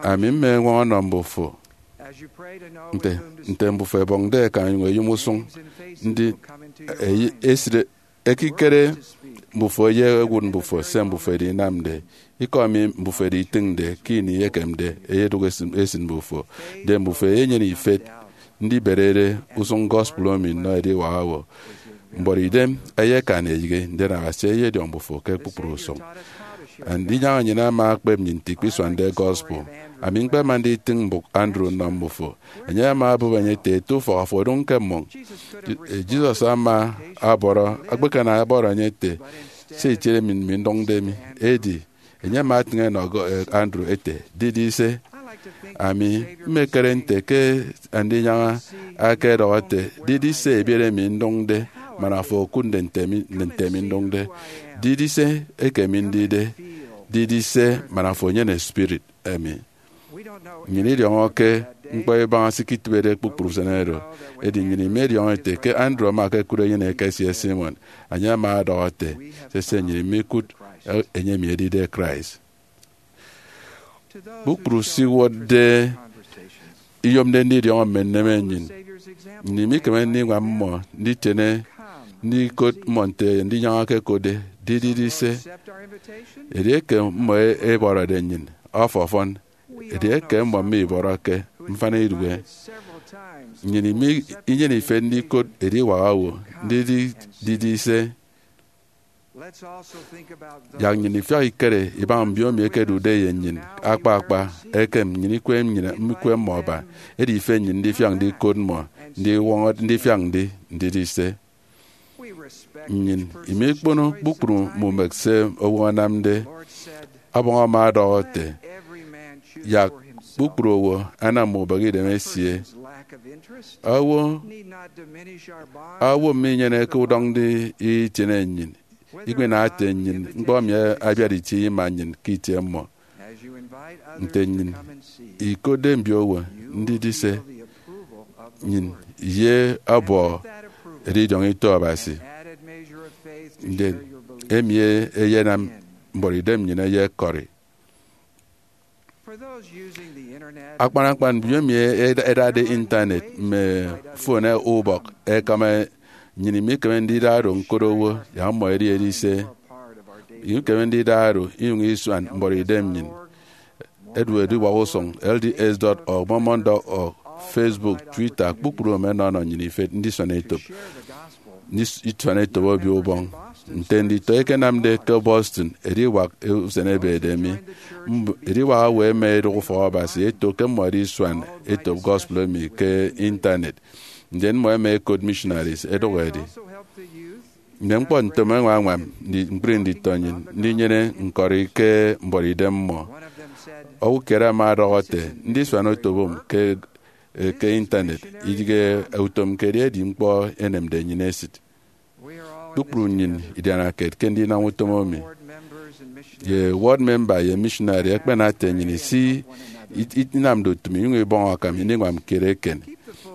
Ami mma eñwọñọ nnọ mbufo nte, nte mbufo ẹbọñde ẹkan ẹnyụñ ẹyom usụñ, ndi eyi- esịt ekikere mbufo ye ẹwụt mbufo se mbufo ẹdinamde. Ikọ emi mbufo ẹditịñde ke ini ekemde eyedụk esịt, esịt mbufo, ndien mbufo ẹyenyene ifet ndiberede usụñ gospel emi nnọ ediwak owo. Mbọrọ idem ẹyekan eyịghe, ndien Abasi eyediọñ mbufo ke kpukpru usụñ. Andinyaña nnyịn ama ekpep nnyịn nte ikpisuande gospel. Ami ñkpema nditịñ mbụk Andrew nnọ mbufo. Enye ama obụp enye ete, ete ufọk, afo odụñ ke mmọñ. Je- Jesus ama ọbọrọ, ekpekan ọbọrọ enye ete, se itiede mi, mi ndụñde mi, edi Enye ama atịñ enọ Andrew ete, didise? Ami mmekere nte ke Andinyaña aka edọhọ ete, didise ebiere mi ndụñde, man afo okụtde nte mi ndụñde? Didise eke mi ndide? Didise man afo enyene spirit emi? Nnyịn idiọñọke ñkpọ ibaña se iketịbede kpukpru usen oro, edi nnyịn imediọñọ ete ke Andrew ama ekụt enyịn eke esie Simon. Enye ama ọdọhọ ete, sese, nnyịn imikụt enye emi edide Christ. Kpukpru se iwụtde iyomde ndidiọñọ mme nneme nnyịn. Nnyịn imikeme ndiñwam mmọ nditiene ndikot mmọ nte Andinyaña ekekotde, didise? Edieke mmọ ebọrọde nnyịn, ọfọn. Edieke mmọ mibọrọke, mfana iduhe. Nnyịn inyene ifet ndikot ediwak owo ndidi, didise? Yak nnyịn ifiọk ikere ibaña mbiomi ẹkedude ye nnyịn akpa akpa ekem nnyịn ikwe nnyịn ikwe mmọ aba, edi ifet nnyịn ndifiak ndikot mmọ, ndiwọñọ ndifiak ndi, ndidise? Nnyịn imikpono kpukpru mme umek se owo anamde. Ọbọñ ama ọdọhọ ete, yak kpukpru owo anam mme ubịghidem esie. Owo, owo minyeneke udọñ nditiene nnyịn, ikpinam ete nnyịn ñkpọ emi abiat itie ima nnyịn ke itie mmọ. Nte nnyịn ikotde mbiowo ndidise, nnyịn ye ọbọ edidiọñ ito Abasi. Ndien emi eyenam mbuọtidem nnyịn eyekọri. Akpan akpan mbiomi ẹdade Intanet mme fon ubọk ẹkama, nnyịn imikeme ndida oro ñkot owo, yak mmọ ẹdi ẹdise. Ikeme ndida oro inyụñ isuan mbuọtidem nnyịn. Edu ediwak usụñ, L D S dot org, Mormon dot org, Facebook, Twitter, kpukpru mme ẹnọnọ nnyịn ifet ndisuan etop, ndisuan etop Obio Ubọñ. Nte nditọ ẹkenamde ke Boston, ediwak usen ebede mi, ediwak owo ẹma ẹdụk ufọk Abasi ẹto ke mmọ ẹdisuan etop gospel emi ke Intanet, ndien mmọ ẹma ẹkot missionaries ẹdụk ẹdi. Mme ñkpọ ntomo ẹñwañwam ñkpri nditọ nnyịn ndinyene ñkọri ke mbuọtidem mmọ. Owo kiet ama ọdọhọ ete, ndisuan otop ke, ke Intanet idịghe utom ke edi ñkpọ enemde nnyịn esịt. Kpukpru nnyịn idianakiet ke ndinam utom emi. Ye ward member ye missionary ẹkpena ete nnyịn isi inamde utom inyụñ ibọñ akam, ininwam kiet eken.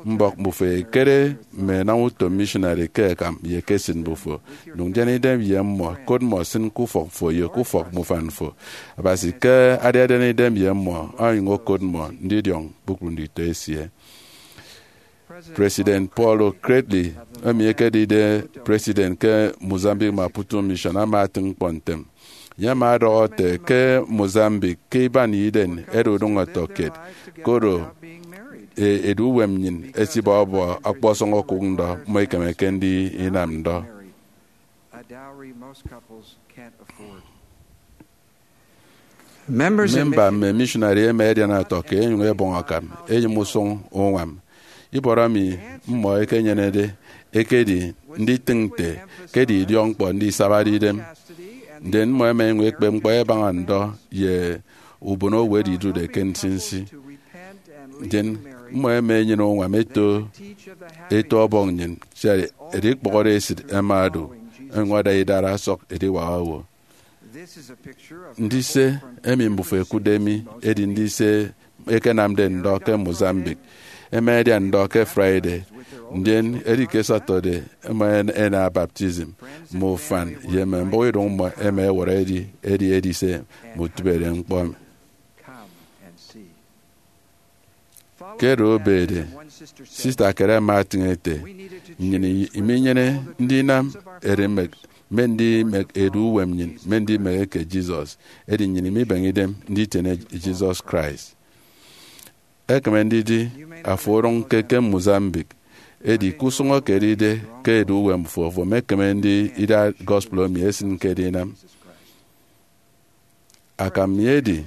Mbọk mbufo ẹkere mme ẹnam utom missionary ke ẹkam ye ke esịt mbufo. Nyụñ dian idem ye mmọ, kot mmọ, sịn ke ufọk fo ye ke ufọk mufan fo. Abasi ke adidian idem ye mmọ, onyụñ okot mmọ ndidiọñ kpukpru nditọ esie. President Paul O'Cradley, emi ekedide president ke Mozambique Maputo Mission, ama atịñ ñkpọ ntem. Enye ama ọdọhọ ete, ke Mozambique, ke iban iden, ẹda udụñ ọtọkiet, koro e, edu uwem nnyịn esibọbọ ọkpọsọñ okụk ndọ, mmọ ikemeke ndinam ndọ. Memba mme missionary ẹma ẹdian ọtọkiet ẹnyụñ ẹbọñ akam ẹyịm usụñ uñwam. Ibọrọ emi mmọ ẹkenyenede ekedi nditịñ nte ke edi idiọkñkpọ ndisabade idem. Ndien mmọ ẹma ẹnyụñ ẹkpep ñkpọ ẹbaña ndọ ye ubonowo oro idude ke nsinsi. Ndien mmọ ẹma ẹnyene uñwam ẹto eto ọbọñ nnyịn, sia edikpọhọde esịt ẹma ẹdu, ẹnyụñ ẹda idara ẹsọk ediwak owo. Ndise emi mbufo ẹkụtde mi edi ndise ẹkenamde ndọ ke Mozambique. Ẹma ẹdian ndọ ke Friday, ndien edi ke Saturday ẹma ẹna baptism. Mme ufan ye mme mbụk idụñ mmọ ẹma ẹwọrọ edi edi edise mme utịbede ñkpọ emi. Ke oro ebede, sista kiet ama atịñ ete, nnyịn iminyene ndinam erimek mme ndimek edu uwem nnyịn mme ndimek eke Jesus, edi nnyịn imibeñe idem nditiene Jesus Christ. Ekeme ndidi afo orụñke ke Mozambique, edi ke usụñ eke edide ke edu uwem fo, afo emekeme ndida gospel emi esịn ke edinam. Akam mi edi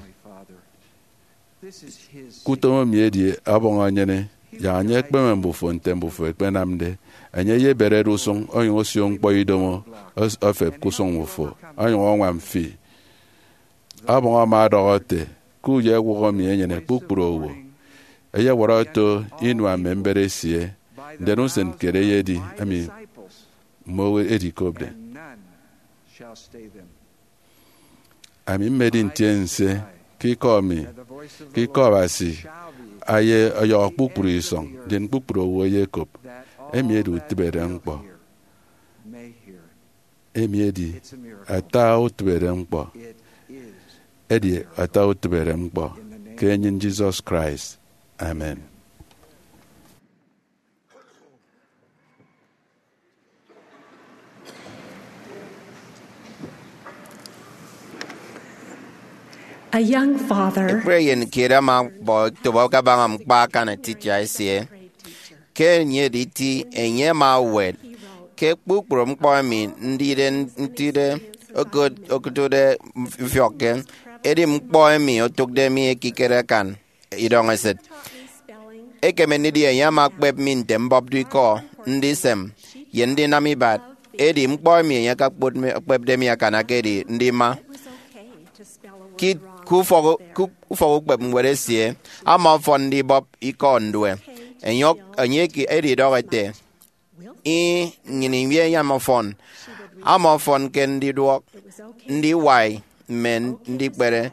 ke utom emi edi ọbọñ enyene, yak enye ekpeme mbufo nte mbufo ẹkpenamde. Enye eyeberede usụñ onyụñ osio ñkpọ idomo, os- ofep ke usụñ mmufo, onyụñ añwam fi. Ọbọñ ama ọdọhọ ete, ke uyo ewụhọ mi enyene kpukpru owo, eyewọrọ oto inua mme mbet esie, ndien usen kiet eyedi emi mme owo edikopde. Ami mmedi ntiense ke ikọ mi, ke ikọ Abasi, aye ọyọhọ kpukpru isọñ, ndien kpukpru owo eyekop. Emi edi utịbereñkpọ. Emi edi ata utịbereñkpọ. Edi ata utịbereñkpọ ke enyịn Jesus Christ. Amen. A young father. Ekpri eyen kiet ama ọkpọ etop kabaña ñkpa akan titia esie. Ke enye editi, enye ama ewet ke kpukpru ñkpọ emi ndide ntide okụt-, okụtde mfiọkke, edi ñkpọ emi otụkde mi ekikere akan idọñ esịt. Ekeme ndidi enye ama ekpep mi nte mbọpde ikọ, ndisem, ye ndinam ibat. Edi ñkpọ emi enye akakpot mi, ekpepde mi akan aka edi ndima. Ke, ke ufọk, ke ufọk ukpep ñwed esie, ama ọfọn ndibọp ikọ ndue. Enye, enye eke edidọhọ ete, "Ih, nnyịn iwie inyam ọfọn." Ama ọfọn ke ndiduọk, ndiwai, mme ndikpere.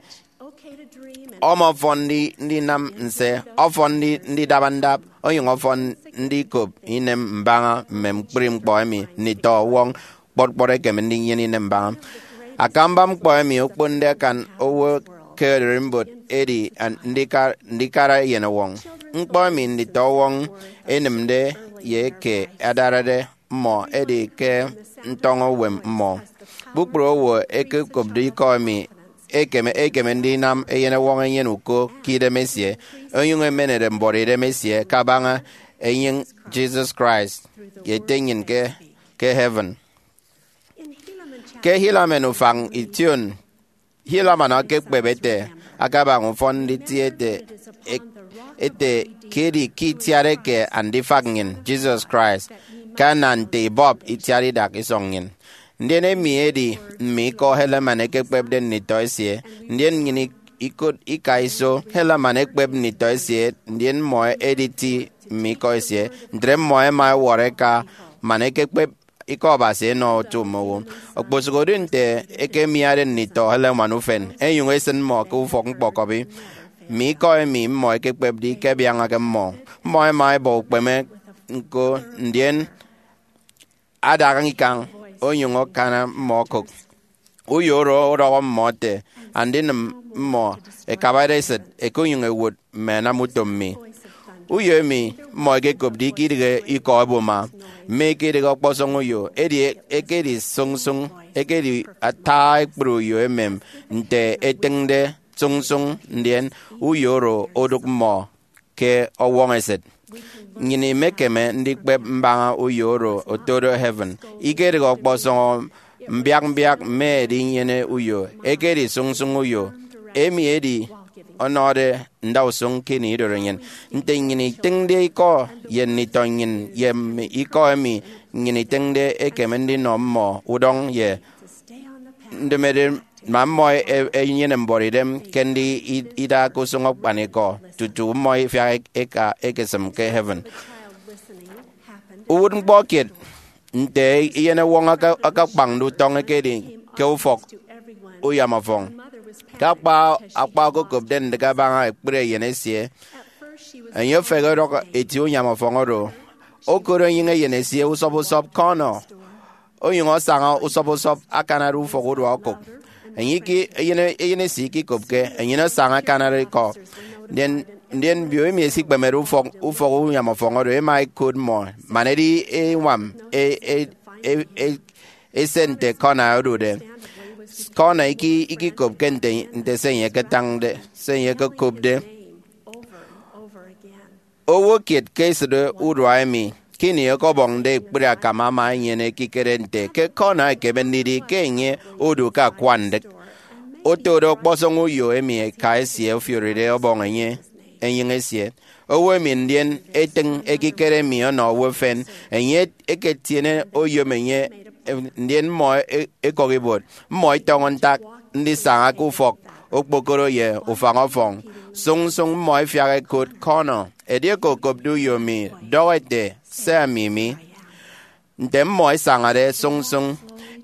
Ama ọfọn ndi-, ndinam nse, ọfọn ndi-, ndidaba ndap, onyụñ ọfọn ndikop inem mbaña mme ñkpri ñkpọ emi nditọ ọwọñ kpọt kpọt ekeme ndinyene inem mbaña. Akamba ñkpọ emi okponde akan owo ke ererimbot edi an-, ndika-, ndikara eyenọwọñ. Ñkpọ emi nditọ ọwọñ ẹnịmde ye eke adarade mmọ edi ke ntọñọ uwem mmọ. Kpukpru owo ẹkekopde ikọ emi ekeme, ekeme ndinam eyenọwọñ enyene uko ke idem esie, onyụñ emenede mbuọtidem esie kabaña enyịñ Jesus Christ ye Ete nnyịn ke, ke heaven. Ke Helaman ufañ ition, Helaman ekekpep ete, akabaña ufọn nditie ete, e-, ete ke edi ke itiat eke Andifak nnyịn, Jesus Christ, ke ana nte ibọp itiat idak isọñ nnyịn. Ndien emi edi mme ikọ Helaman ekekpepde nditọ esie, ndien nnyịn ik-, ikot ika iso Helaman ekpep nditọ esie, ndien mmọ ẹditi mme ikọ esie, ntre mmọ ẹma ẹwọrọ ẹka man ẹkekpep ikọ Abasi ẹnọ otu mme owo. Okposụkedi nte ẹkemiade nditọ Helaman ufen, ẹnyụñ ẹsịn mmọ ke ufọk ñkpọkọbi, mme ikọ emi mmọ ẹkekpepde ikebiañake mmọ. Mmọ ẹma ẹbọ ukpeme ñko, ndien adaña ikañ onyụñ akana mmọ okụk. Uyo oro ọdọhọ mmọ ete, "Andinịm mmọ ẹkabade esịt, ẹkenyụñ ẹwụt mme anam utom mi." Uyo emi mmọ ẹkekopde ikedịghe ikọ ẹboma, mme ikedịghe ọkpọsọñ uyo, edi ekedi sụñsụñ, ekedi ata ekpri uyo emem nte etịñde sụñsụñ, ndien uyo oro odụk mmọ ke ọwọñ esịt. Nnyịn imekeme ndikpep mbaña uyo oro otodo heaven. Ikedịghe ọkpọsọñ mbiak mbiak mme edinyene uyo, ekedi sụñsụñ uyo. Emi edi ọnọde ndausụñ ke ini idorenyin. Nte nnyịn itịñde ikọ ye nditọ nnyịn ye mme ikọ emi nnyịn itịñde ekeme ndinọ mmọ udọñ ye ndemede, ma mmọ e-, enyene mbuọtidem ke ndi i-, ida ke usụñ akpanikọ tutu mmọ ifiak eka ekesịm ke heaven. Uwụtñkpọ kiet nte eyenọwọñ aka-, akakpañde utọñ ekedi ke ufọk uyamọfọñ. Ke akpa, akpa okokopde ndịk abaña ekpri eyen esie, enye ofehe ọdọk eti uyamọfọñ oro. Okot enyịñ eyen esie usọp usọp, Connor. Onyụñ asaña usọp usọp akanade ufọk urua okụk. Enye iki-, eyen, eyen esie ikikopke, enyịn asaña akanade ikọ. Ndien, ndien mbio emi ẹsikpemede ufọk, ufọk uyamọfọñ oro, ẹma ẹkot mmọ, man edi eñwam e-, e-, e-, e-, ese nte Connor odude. Connor iki-, ikikopke nte, nte se enye eketañde, se enye ekekopde. Owo kiet ke esịt urua emi ke ini ọkọbọñde ekpri akam ama enyene ekikere nte ke Connor ekeme ndidi ke enye odu ke akwa ndịk. Otode ọkpọsọñ uyo emi eka esie ofioride ọbọñ enye enyịñ esie. Owo emi ndien etịñ ekikere emi ọnọ owo efen, enye eketiene oyom enye, ndien mmọ e-, ekọk ibuot. Mmọ itọñọ ntak ndisaña ke ufọk okpokoro ye ufañ-ọfọñ. Sụñsụñ mmọ ẹfiak ẹkot Connor, edieke okopde uyo mi, dọhọ ete, "Se ami mi." Nte mmọ ẹsañade sụñsụñ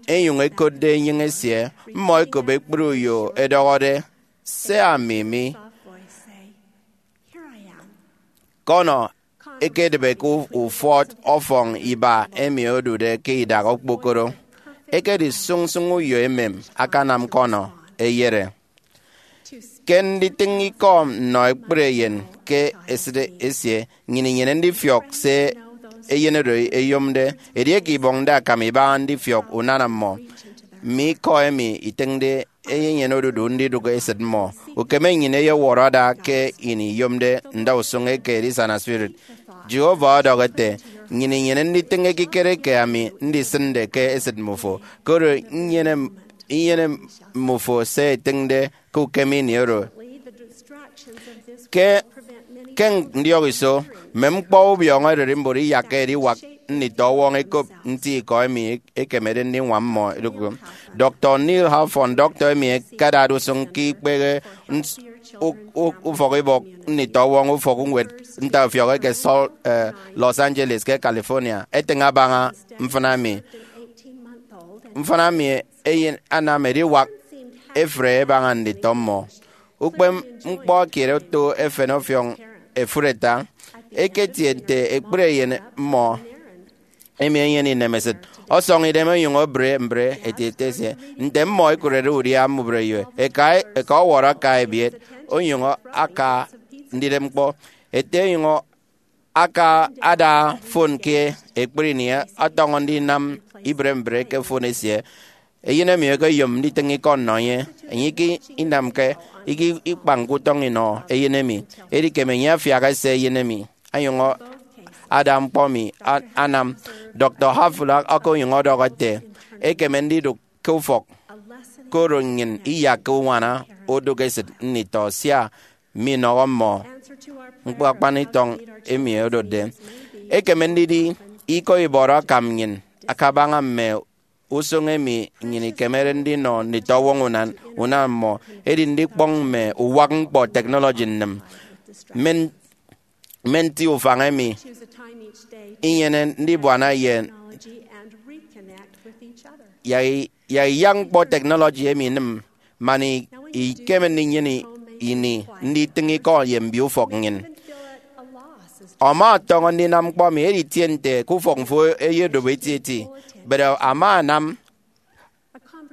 ẹnyụñ ẹkotde enyịñ esie, mmọ ẹkop ekpri uyo ẹdọhọde, "Se ami mi." Connor ekedịbe ke ufọt ọfọñ iba emi odude ke idak okpokoro. Ekedi sụñsụñ uyo emem akanam Connor eyere. Ke nditịñ ikọ nnọ ekpri eyen ke esịt esie, nnyịn inyene ndifiọk se eyen oro eyomde. Edieke ibọñde akam ibaña ndifiọk unana mmọ, mme ikọ emi itịñde eyenyene odudu ndidụk esịt mmọ. Ukeme nnyịn eyewọrọ ada ke ini iyomde ndausụñ eke edisana spirit. Jehovah ọdọhọ ete, "Nnyịn inyene nditịñ ekikere ke ami ndisịnde ke esịt mmufo, koro inyene, inyene mmufo se etịñde ke ukem ini oro." Ke, ke ndiọk iso, mme ñkpọ ubiọñọ ererimbot iyakke ediwak nditọwọñ ẹkop nti ikọ emi ekemede ndiñwam mmọ edukụk. Doctor Neil Halfon, dọktọ emi ẹkedade usụñ ke ikpehe ns-, u-, u-, ufọkibọk nditọwọñ ufọkñwed ntaifiọk eke Sol-, eh, Los Angeles ke California, etịñ abaña mfịna emi. Mfịna emi eyen anam ediwak efre ebaña nditọ mmọ. Ukpepñkpọ kiet oto efen ọfiọñ efụt eta. Eketie nte ekpri eyen mmọ emi enyene inemesịt, ọsọñ idem onyụñ ebre mbre etieti esie. Nte mmọ ẹkụrede udia mbubreyo, eka, eka ọwọrọ aka ebiet, onyụñ aka ndidep ñkpọ. Ete onyụñ aka ada fon ke ekpri ini, ọtọñọ ndinam ibre mbre ke fon esie. Eyen emi ekeyom nditịñ ikọ nnọ enye. Enye eke inamke, eke ikpañke utọñ inọ eyen emi, edikem enye afiak ese eyen emi, onyụñ ada ñkpọ emi a-, anam. Doctor Halfon aka onyụñ ọdọhọ ete, "Ekeme ndidụk ke ufọk, koro nnyịn iyakke uñwana odụk esịt nditọ sia minọhọ mmọ ñkpọ akpan itọñ emi odotde." Ekeme ndidi ikọ ibọrọ akam nnyịn akabaña mme usụñ emi nnyịn ikemede ndinọ nditọwọñ unan, unan mmọ, edi ndikpọñ mme uwak ñkpọ technology nnịm. Mme, mme nti ufañ emi inyene ndibuana ye yak i-, yak iyak ñkpọ technology emi inịm, man i-, ikeme ndinyene ini nditịñ ikọ ye mbioufọk nnyịn. Ama ọtọñọ ndinam ñkpọ emi, edi itie nte ke ufọk mfo eyedobo etieti, but ama anam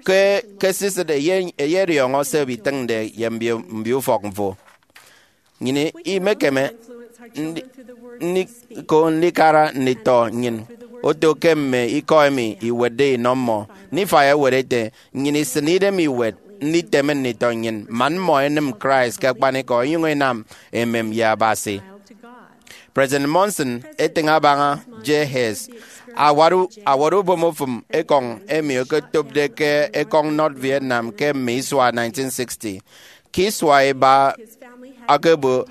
ke, ke esisịt eye, eyediọñọ se ibitịñde ye mbio, mbioufọk mfo. Nnyịn imekeme ndi-, ndi-, ko ndikara nditọ nnyịn oto ke mme ikọ emi iwetde inọ mmọ. Nifai ewet ete, "Nnyịn isịn idem iwet nditeme nditọ nnyịn, man mmọ ẹnịm Christ ke akpanikọ, ẹnyụñ ẹnam emem ye Abasi." President Monson etịñ abaña J. Hess, awat u-, awat ubom ofụm ekọñ emi okotopde ke ekọñ North Vietnam ke mme isua nineteen sixty. Ke isua iba akebo,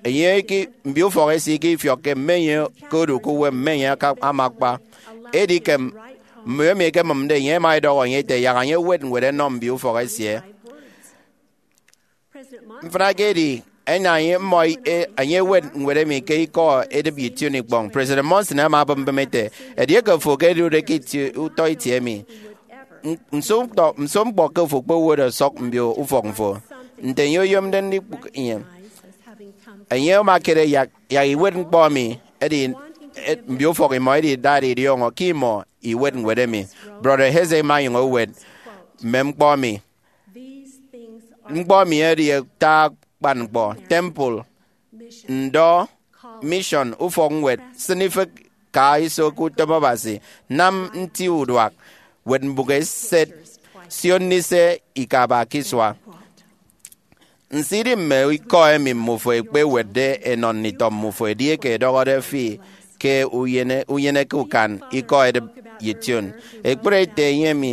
enye eke, mbioufọk esie eke ifiọkke mme enye ke odu ke uwem, mme enye aka-, ama akpa. Edikem mme emi ẹkemịmde enye ẹma ẹdọhọ enye ẹte yak enye ewet ñwed ẹnọ mbioufọk esie. Mfịna ke edi, ẹnam enye mmọ e-, enye ewet ñwed emi ke ikọ edịp ye ition ikpọñ. President Monson ama obụp mbịm ete, "Edieke fo ke edude ke itie, utọ itie emi, n-, nso utọ, nso ñkpọ ke fo kpowot ọsọk mbio ufọk mfo?" Nte enye oyomde ndikpụk enye, enye ama ekere yak, yak iwet ñkpọ emi, edi, e, mbio ufọk imọ edi idade idiọñọ ke imọ iwet ñwed emi. Brother Hesse ima onyụñ owet mme ñkpọ emi. Ñkpọ emi edi ata akpan ñkpọ: temple, ndọ, mission, ufọkñwed, sịn ifịk, ka iso ke utom Abasi, nam nti uduak, wet mbụk eset, sio ndise ikaba ke isua. Nso idi mme ikọ emi mmufo ẹkpewetde ẹnọ nditọ mmufo edieke ẹdọhọde fi ke unyene, unyeneke ukan ikọ edịp ye ition? Ekpere ete enye emi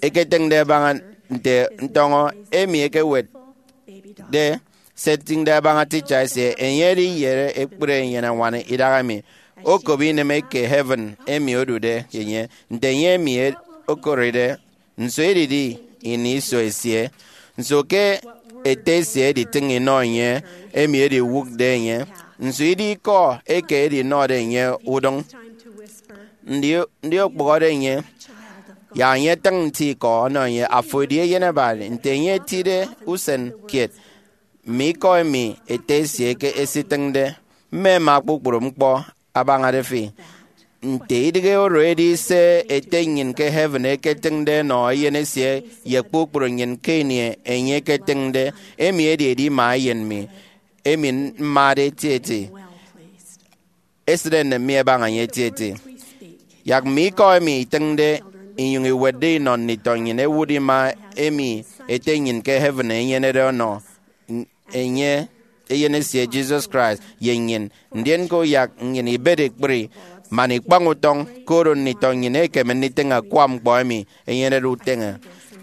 eketịñde ẹbaña nte ntọñọ emi ekewetde se etịñde ẹbaña teacher esie, enye ediyere ekpri enyene-ñwan idahaemi, okop ineme ke heaven emi odude enye, nte enye emi e-, okoride. Nso edidi ini iso esie. Nso ke ete esie editịñ inọ enye emi ediwụkde enye? Nso idi ikọ eke edinọde enye udụñ? Ndi, ndi okpụhọde enye? Yak enye etịñ nti ikọ ọnọ enye, "Afo edi eyen abañade." Nte enye etide usen kiet, mme ikọ emi ete esie ke esitịñde, mme ẹma kpukpru ñkpọ abañade fi. Nte idịghe oro edi se Ete nnyịn ke heaven eketịñde enọ Eyen esie ye kpukpru nnyịn ke ini enye eketịñde, emi edi edima Eyen mi, emi mmade etieti? Esịt enem mi ẹbaña enye etieti. Yak mme ikọ emi itịñde inyụñ iwetde inọ nditọ nnyịn ẹwụt ima emi Ete nnyịn ke heaven enyenede ọnọ enye, Eyen esie Jesus Christ, ye nnyịn. Ndien ke uyak nnyịn ibet ekpri man ikpañ utọñ, koro nditọ nnyịn ẹkeme nditịñ akwa ñkpọ emi enyenede uteñe.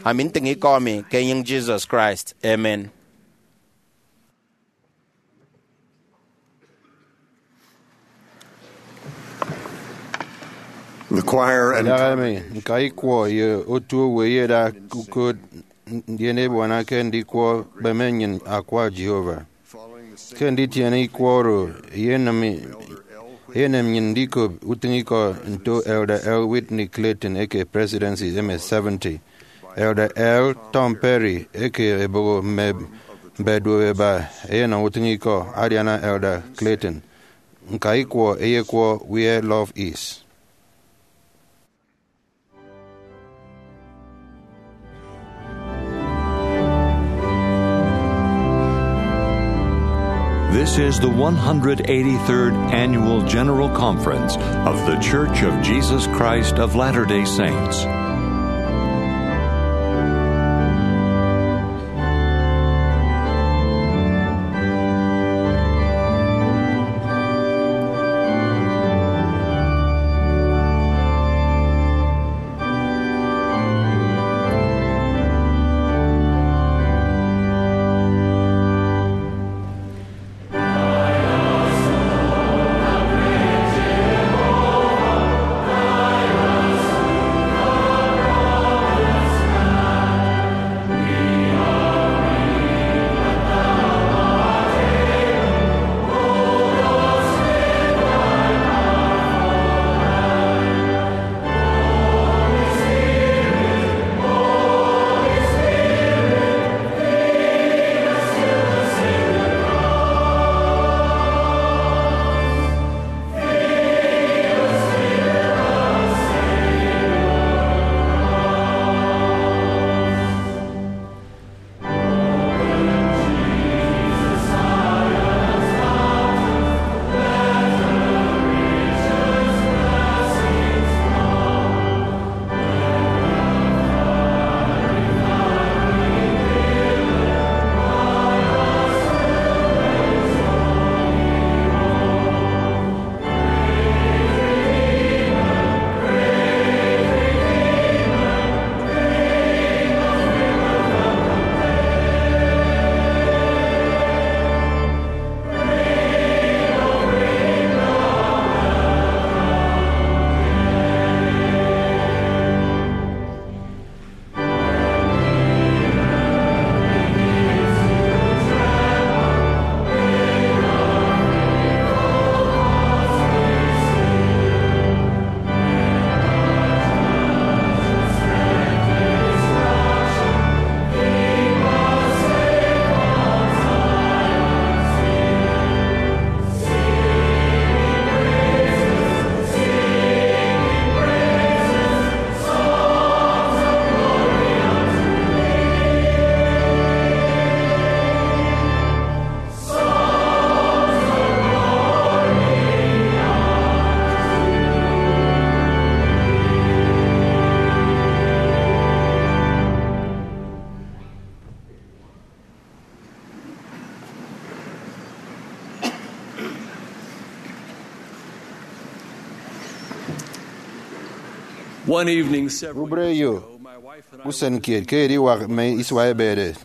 Ami ntịñ ikọ mi ke enyịñ Jesus Christ. Amen. The choir and Ẹdaha emi, ñka ikwọ ye otu owo ẹyeda ukot, ndien ẹbuana ke ndikwọ kpeme nnyịn akwa Jehovah. Ke nditiene ikwọ oro, eyenem, eyenem nnyịn ndikop utịñikọ nto Elder L. Whitney Clayton eke Presidency M S seventy. Elder L. Tom Perry eke eboho mme mbeduoho ẹba ẹyenọ utịñikọ adiana Elder Clayton. Ñka ikwọ ẹyekwọ Where Love Is. This is the one hundred eighty-third Annual General Conference of The Church of Jesus Christ of Latter-day Saints. One evening, several Ubreyo years ago, my wife and I usen kiet ke ediwak mme isua ebede,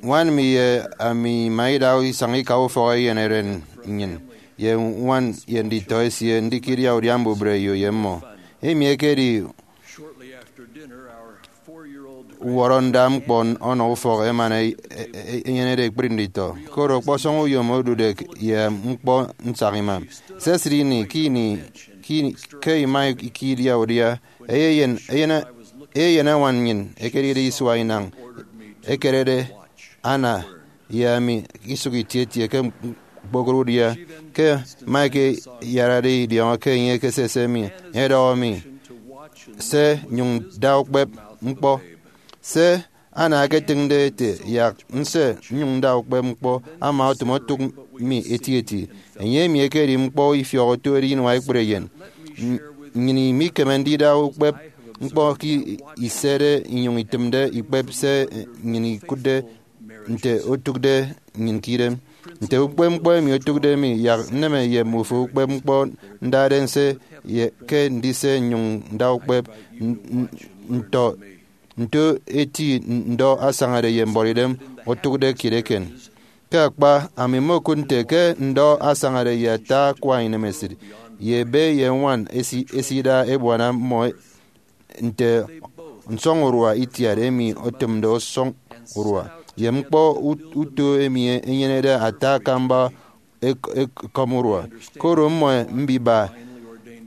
ñwan mi ye ami ima ida isañ ika ufọk eyen eren nnyịn ye ñwan ye nditọ esie ndikidia udia mbubreyo ye mmọ. Emi ekedi Shortly after dinner, our four-year-old uwọrọ nda ñkpọ ọnọ ufọk emana e- e- e- enyenede ekpri nditọ. Koro ọkpọsọñ uyom odude k- ye ñkpọ nsak imam. Sesịt ini ke ini ke ini- ke ima ikidia udia, eyeyen eyen eyeyen añwan nnyịn ekedide isua inañ ekerede Ana ye ami isụk itietie ke ñkpokoro udia. Ke Mike iyarade idiọñọ ke enye ekese se mi, edọhọ mi se nyụñ da ukpep ñkpọ. Se Ana eketịñde ete yak nse nnyụñ nda ukpep ñkpọ ama otịm otụk mi etieti. Enye emi ekedi ñkpọ ifiọk otuede inua ekpri eyen. Nnyịn imikeme ndida ukpep ñkpọ ke isede inyụñ itịmde ikpep se nnyịn ikụtde nte otụkde nnyịn ke idem. Nte ukpep ñkpọ emi otụkde mi, yak nneme ye mmufo ukpep ñkpọ ndade nse ye ke ndise nnyụñ nda ukpep n- n- nto nto eti ndọ asañade ye mbuọtidem otụkde kiet eken. Ke akpa, ami mmokụt nte ke ndọ asañade ye ata akwa inemesịt ye ebe ye ñwan esi- esida ebuana mmọ nte nsọñurua itiat emi otịmde ọsọñ urua ye ñkpọ ut- uto emi enyenede ata akamba ek- ek- ekọmurua. Koro mmọ mbiba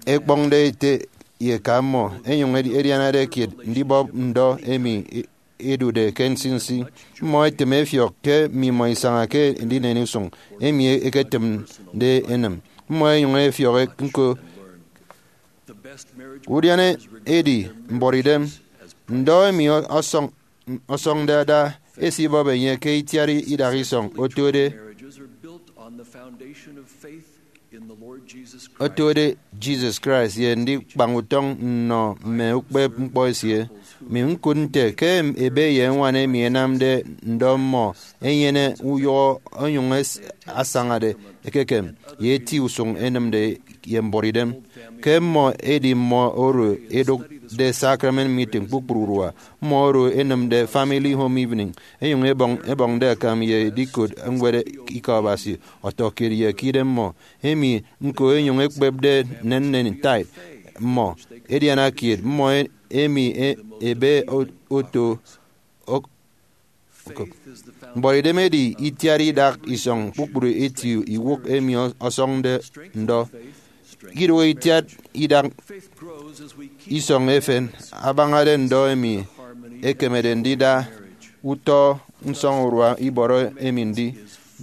ẹkpọñde ete ye eka mmọ, ẹnyụñ ẹdi- ẹdianade kiet ndibọp ndọ emi e- edude ke nsinsi. Mmọ ẹtịm ẹfiọk ke mmimọ isaña ke ndinen usụñ emi eketịmde enịm. Mmọ ẹnyụñ ẹfiọk ñko. Udiana edi mbuọtidem. Ndọ emi ọsọñ- ọsọñde ada esibọp enye ke itiat idak isọñ otode otode Jesus Christ ye ndikpañ utọñ nnọ mme ukpep ñkpọ esie. Mi ñkụt nte ke ebe ye ñwan emi ẹnamde ndọ mmọ ẹnyene uyụhọ onyụñ es- asañade ekekem ye eti usụñ ẹnịmde ye mbuọtidem. Ke mmọ edi mmọ oro ẹdụkde sacrament meeting kpukpru urua, mmọ oro ẹnịmde family home evening, ẹnyụñ ẹbọñ- ẹbọñde akam ye edikot ñwed Ikọ Abasi ọtọkiet ye ke idemmọ, emi ñko ẹnyụñ ẹkpepde nnennen tithe mmọ, ẹdiana kiet mmọ emi e- ebe o- oto ok- Mbuọtidem edi itiat idak isọñ kpukpru eti iwụk emi ọ- ọsọñde ndọ. Idụhe itiat idak isọñ efen abañade ndọ emi ekemede ndida utọ nsọñurua ibọrọ emi ndi.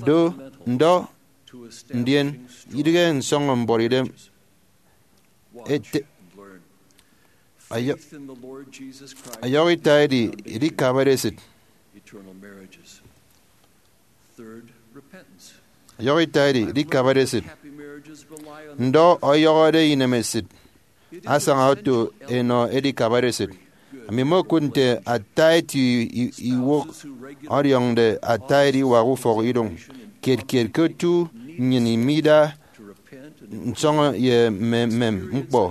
Do, ndọ, ndien, idịghe nsọñọ mbuọtidem ete. Ọyọ- ọyọhọ ita edi edikabade esịt. Ọyọhọ ita edi edikabade esịt. Ndọ ọyọhọde inemesịt asaña oto enọ edikabade esịt. Ami mmokụt nte ata eti i- iwụk ọdiọñde ata ediwak ufọk idụñ kiet kiet ke otu nnyịn imida nsọñọ ye mme mmem ñkpọ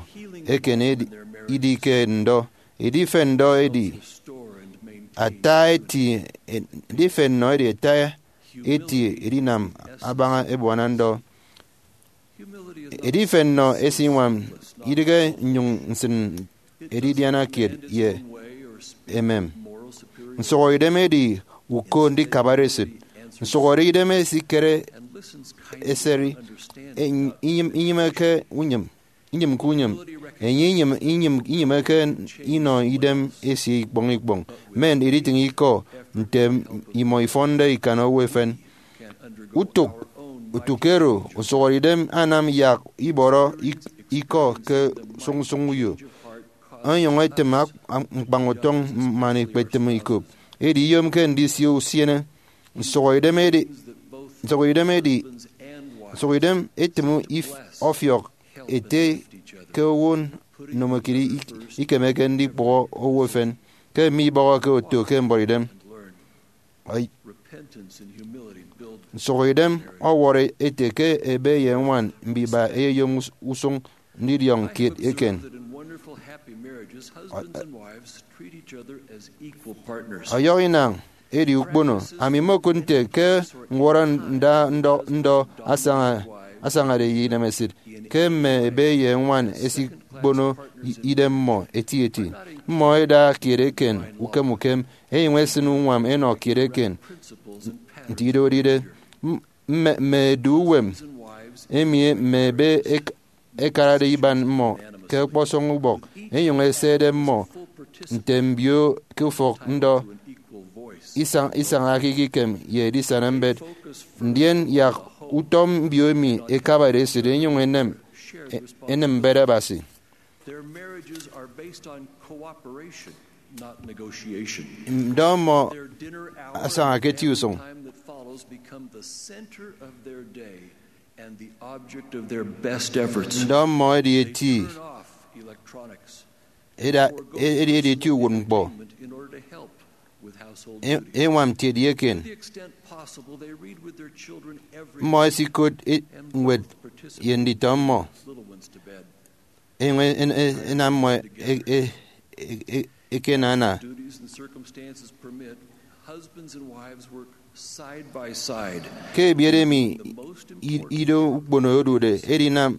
eken edi- idi ke ndọ. Edifen ndọ edi ata eti edifen nnọ edi ata eti edinam abaña ebuana ndọ. Edifen nnọ esiñwam idịghe nnyụñ nsịn edidiana kiet ye emem. Nsụhọidem edi uko ndikabade esịt. Nsụhọdeidem esikere eseri, inyịm- inyịmeke unyịm inyịmke unyịm. Enye inyịm- inyịm- inyịmeke inọ idem esie ikpọñ ikpọñ. Men editịñ ikọ nte imọ ifọnde ikan owo efen. Utuk utuk ero, usụhọdeidem anam yak ibọrọ ik- ikọ ke sụñsụñ uyo, onyụñ etịm ak- ñkpañ utọñ man ekpetịm ikop. Edi iyomke ndisio usiene. Nsụhọidem edi nsụhọidem edi nsụhọidem etịm if- ọfiọk ete ke owo ndomokiet ik- ikemeke ndikpụhọ owo efen ke mme ibọhọke oto ke mbuọtidem. Nsụhọidem ọwọrọ ete ke ebe ye ñwan mbiba ẹyeyom us- usụñ ndidiọñ kiet eken. Ọyọhọ inañ edi ukpono. Ami mmokụt nte ke ñwọrọ nda ndọ ndọ asaña- asañade ye inemesịt ke mme ebe ye ñwan esi- ukpono i- idem mmọ etieti. Mmọ ẹda kiet eken ukem ukem, ẹnyụñ ẹsịn uñwam ẹnọ kiet eken nte idoride. M- mme, mme edu uwem emi mme ebe ẹk- ẹkarade iban mmọ ke ọkpọsọñ ubọk, ẹnyụñ ẹsede mmọ nte mbio ke ufọk ndọ isañ- isañake ikem ye edisana mbet. Ndien yak utọ mbio emi ẹkabade esịt ẹnyụñ ẹnem, e- enem mbet Abasi. Their marriages are based on cooperation, not negotiation. Ndọ mmọ Their dinner hour asaña ke and eti usụñ. Time that follows become the center of their day and the object of their best efforts. Ndọ mmọ edi eti. Turn off electronics. Eda- e- edi edi eti uwụtñkpọ. In order to help with household E- duties. Eñwam ntiede eken. To the extent possible, they read with their children every Mmọ esikot e- ñwed ye nditọ mmọ. Little ones to bed. Eñwam en- en- enam mmọ e- e- e- e- ekenana. Duties and circumstances permit, husbands and wives work side by side. Ke ebiet emi i- ido ukpono odude, edinam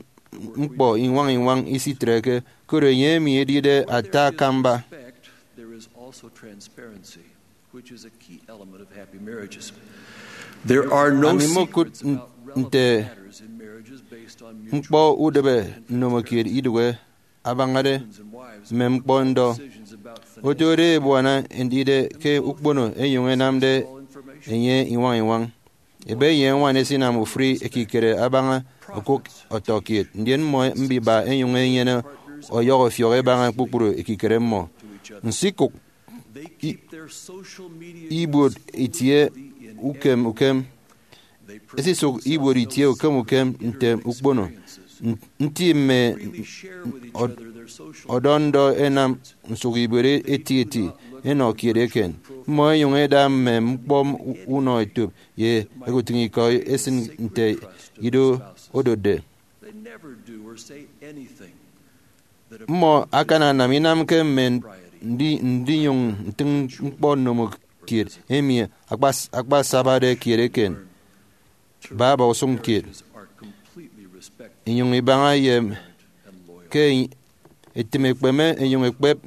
ñkpọ iñwañ iñwañ isitreke, koro enye emi edide ata akamba. There is also transparency, which is a key element of happy marriages. There are no Ami mmokụt secrets about relevant nte matters in marriages based on mutual ñkpọ udịbe nnomokiet idụhe abañade mme ñkpọ ndọ. Otode ebuana ndide ke ukpono ẹnyụñ ẹnamde enye iñwañ iñwañ. Ebe ye ñwan ẹsinam ofụri ekikere abaña okụk ọtọkiet, ndien mmọ mbiba ẹnyụñ ẹnyene ọyọhọ ifiọk ẹbaña kpukpru ekikere mmọ. Nsikụk i- ibuot itie ukem ukem. Esisụk ibuot itie ukem ukem nte ukpono. N- nti mme ọd- ọdọ ndọ ẹnam nsụk ibuot eti eti ẹnọ kiet eken. Mmọ ẹnyụñ ẹda mme ñkpọ unọ etop ye ẹkutịñ ikọ ẹsịn nte ido odotde. They never do or say anything that Mmọ akananam inamke mme ndi- ndinyụñ ntịñ ñkpọ nnomokiet emi akpas- akpasabade kiet eken. Baba usụñ kiet. Are completely respectful inyụñ ibaña ye and loyal. Ke etịm ekpeme enyụñ ekpep.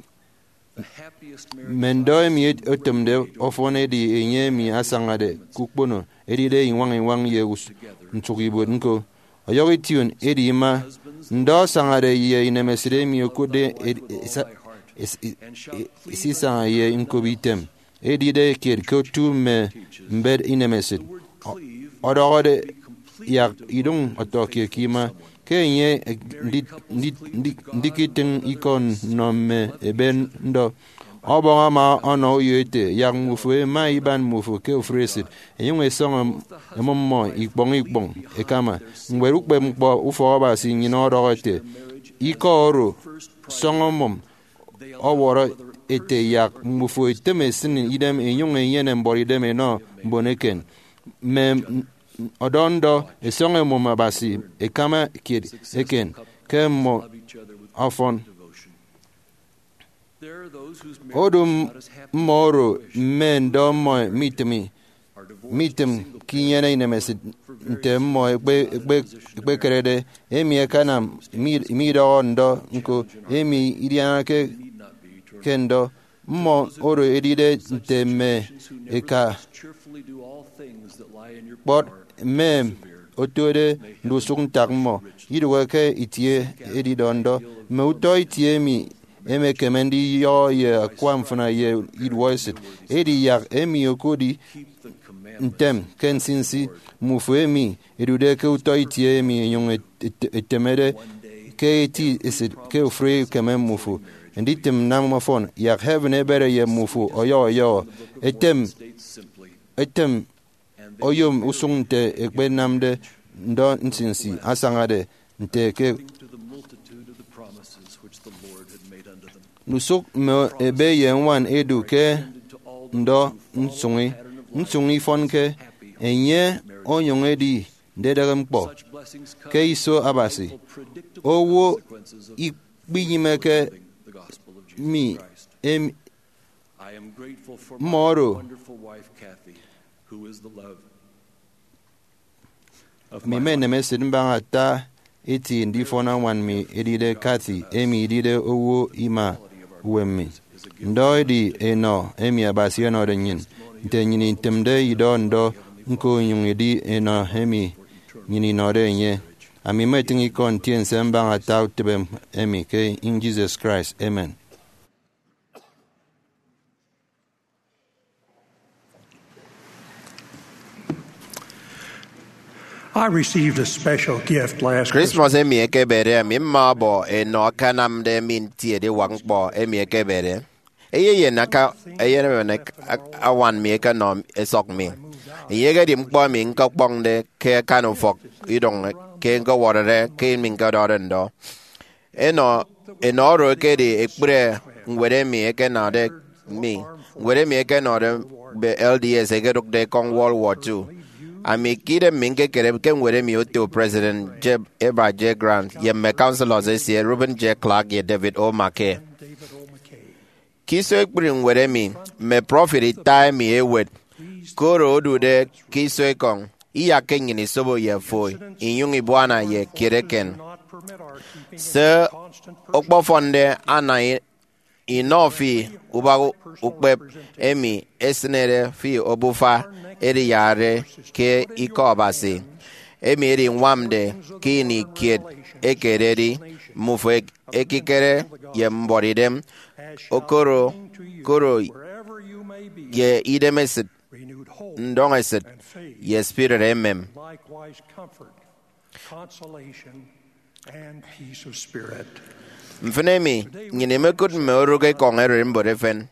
Mme ndọ emi otịmde ọfọn edi enye emi asañade ke ukpono, edide iñwañ iñwañ ye us- nsụk ibuot ñko. Ọyọhọ ition edi ima. Ndọ asañade ye inemesịt emi okụtde ed- esa- es- e- e- esisaña ye ñkop item. Edide kiet ke otu mme mbet inemesịt. Ọ- ọdọhọde yak idụñ ọtọkiet ke ima, ke enye ndi- ndi- ndi- ndikitịñ ikọ nnọ mme ebe ndọ. Ọbọñ ama ọnọ uyo ete, yak mmufo ẹma iban mmufo ke ofụri esịt, ẹnyụñ ẹsọñọ ẹmụm mmọ ikpọñ ikpọñ ẹkama. Ñwed ukpepñkpọ Ufọk Abasi nnyịn ọdọhọ ete, ikọ oro sọñọ ẹmụm ọwọrọ ete yak mmufo ẹtem ẹsịn idem ẹnyụñ ẹnyene mbuọtidem ẹnọ mbon eken. Mme ọdọ ndọ ẹsọñọ ẹmụm Abasi ẹkama kiet eken ke mmọ ọfọn. Odu mmọ oro mme ndọ mmọ mitịmi mitịm ke inyene inemesịt nte mmọ ekpe- ekpe- ekpekerede, emi akanam mi- midọhọ ndọ ñko emi idianake ke ndọ. Mmọ oro edide nte mme eka kpọt mme otode ndusụk ntak mmọ idụhe ke itie edidọ ndọ. Mme utọ itie emi emekeme ndiyọhọ ye akwa mfịna ye iduọesịt edi yak emi okụtde ntem ke nsinsi. Mmufo emi ẹdude ke utọ itie emi ẹnyụñ ẹt- ẹt- ẹtemede ke eti esịt ke ofụri ukeme mmufo nditịm nnam ọfọn, yak heaven ebede ye mmufo ọyọhọ ọyọhọ. Etem etem oyom usụñ nte ẹkpenamde ndọ nsinsi asañade nte ke ndusụk mme ebe ye ñwan ẹdu ke ndọ nsụñi. Nsụñi ifọnke enye onyụñ edi ndedịghe ñkpọ ke iso Abasi. Owo ikpinyịmeke mi em- mmọ oro mmeme enemesịt mbaña ata eti ndifọn añwan mi edide Kathy, emi idide owo ima uwem mi. Ndọ edi enọ emi Abasi ọnọde nnyịn. Nte nnyịn itịmde idọ ndọ, ñko onyụñ edi enọ emi nnyịn inọde enye. Ami mmetịñ ikọ ntiense mbaña ata utịbe emi ke enyịñ Jesus Christ. Amen. I received a special gift last Christmas. Christmas emi ekebede, ami mma ọbọ enọ akanamde mi nti ediwak ñkpọ emi ekebede. Eyeyen aka eyenemen ek- ak- awan mi ekenọ esọk mi. Enye ekedi ñkpọ emi ñkọkpọñde ke akan ufọk idụñ ke ñkọwọrọde ke emi ñkọdọhọde ndọ. Enọ enọ oro ekedi ekpri ñwed emi ekenọde mi. Ñwed emi ekenọde mme L D S ekedụkde ekọñ World War Two. Ami ke idem mi ñkekere ke ñwed emi oto President J- Heber J. Grant ye mme councilors esie Reuben J. Clark ye David O. McKay. Ke iso ekpri ñwed emi, mme prophet ita emi ewet, koro odude ke iso ekọñ, iyakke nnyịn isobo ye fo, inyụñ ibuana ye kiet eken. Se okpofọnde ana i- inọ fi ubak ukpep emi esịnede fi obufa ediyarade ke Ikọ Abasi, emi edinwamde ke ini kiet ekededi, mmufo ek- ekikere ye mbuọtidem, okoro koro ye idemesit, ndọñesịt, ye spirit emem. Likewise, comfort, consolation, and peace of spirit. Mfịn emi, nnyịn imekụt mme orụk ekọñ ererimbot efen.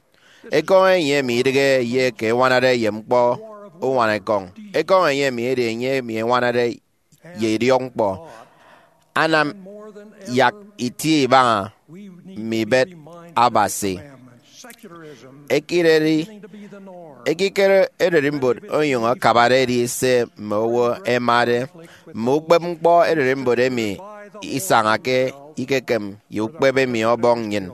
Ekọñ enye emi idịghe ye eke eñwanade ye ñkpọ uñwana ekọñ. Ekọñ enye emi edi enye emi eñwanade ye idiọkñkpọ. Anam yak itie ibaña mme ibet Abasi. Ekireri ekikere ererimbot onyụñ akabade edi se mme owo ẹmade. Mme ukpep ñkpọ ererimbot emi isañake ikekem ye ukpep emi Ọbọñ nnyịn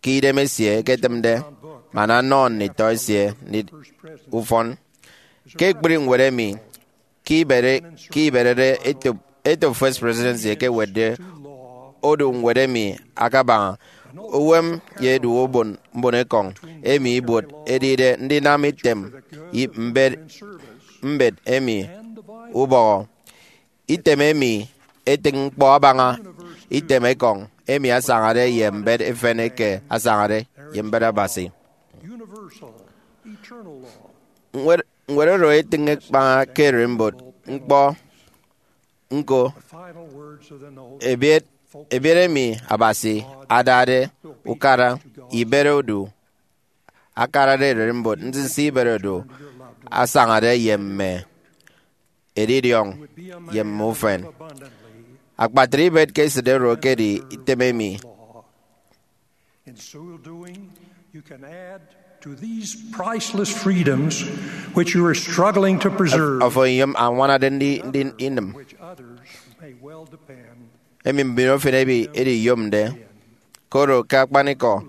ke idemesie eketịmde, man anọ nditọ esie ndi- ufọn. Ke ekpri ñwed emi, ke ibere- ke iberede etop etop First Presidency ekewetde odu ñwed emi akabaña uwem ye edu ubon mbonekọñ emi ibuot edide ndinam item i- mbet mbet emi ubọhọ. Item emi etịñ ñkpọ abaña item ekọñ emi asañade ye mbet efen eke asañade ye mbet Abasi. Universal, eternal law. Ñwed, ñwed oro etịñ ekpaña ke ererimbot ñkpọ. Ñko, ebiet ebiet emi Abasi adade ukara ibet odu, akarade ererimbot nsinsi ibet odu asañade ye mme edidiọñ ye mme ufen. Akpatre ibet ke esịt oro ekedi item emi. In so doing, you can add to these priceless freedoms which you are struggling to preserve, Afo iyom añwanade ndi ndi inịm, which others may well depend. Emi mbin efen emi ediyomde, koro ke akpanikọ,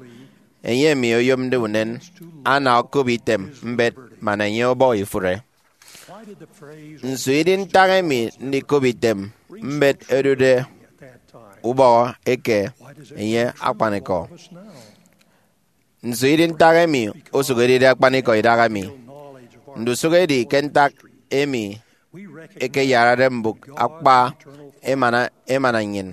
enye emi oyomde unen ana okop item mbet man enye ọbọhọ ifụre. Nso idi ntak emi ndikop item mbet odude ubọhọ eke enye akpanikọ? Nso idi ntak emi osụk edide akpanikọ idahaemi? Ndusụk edi ke ntak emi ekeyarade mbụk akpa emana emana nnyịn.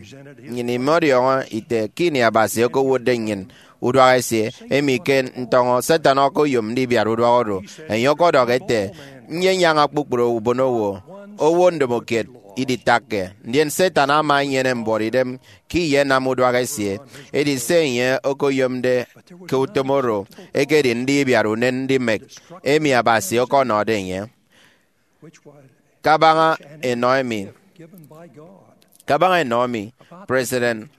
Nnyịn imọdiọñọ ite ke ini Abasi okowotde nnyịn uduak esie, emi ke ntọñọ Satan okoyom ndibiat uduak oro. Enye ọkọdọhọ ete, Nyenyaña kpukpru ubonowo, owo ndomokiet iditakke. Ndien Satan ama enyene mbuọtidem ke iyenam uduak esie. Edi se enye okoyomde ke utom oro ekedi ndibiat unen ndimek emi Abasi ọkọnọde enye. Kabaña enọ emi, kabaña enọ emi, President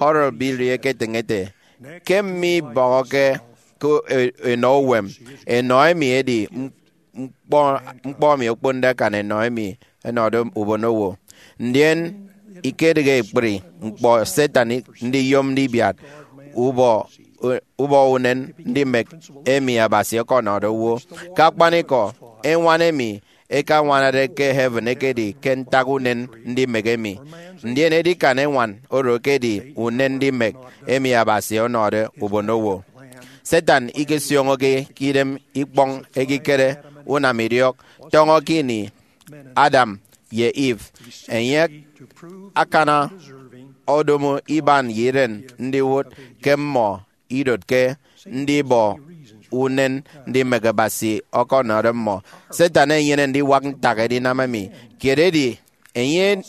Harold B. Lee eketịñ ete, ke mme ibọhọke ke e- enọ uwem, enọ emi edi m- ñkpọ ñkpọ emi okponde akan enọ emi ẹnọde ubonowo. Ndien ikedịghe ekpri ñkpọ Satan ndiyom ndibiat ubọ ubọ unen ndimek emi Abasi ọkọnọde owo. Ke akpanikọ, eñwan emi eke añwanade ke heaven ekedi ke ntak unen ndimek emi. Ndien edikan eñwan oro ekedi unen ndimek emi Abasi ọnọde ubonowo. Satan ikesioñoke ke idem ikpọñ ekikere unam idiọk tọñọ ke ini Adam ye Eve. Enye akana odomo iban ye iren ndiwụt ke mmọ idotke ndibọ unen ndimek Abasi ọkọnọde mmọ. Satan enyene ndiwak ntak edinam emi. Kiet edi, enye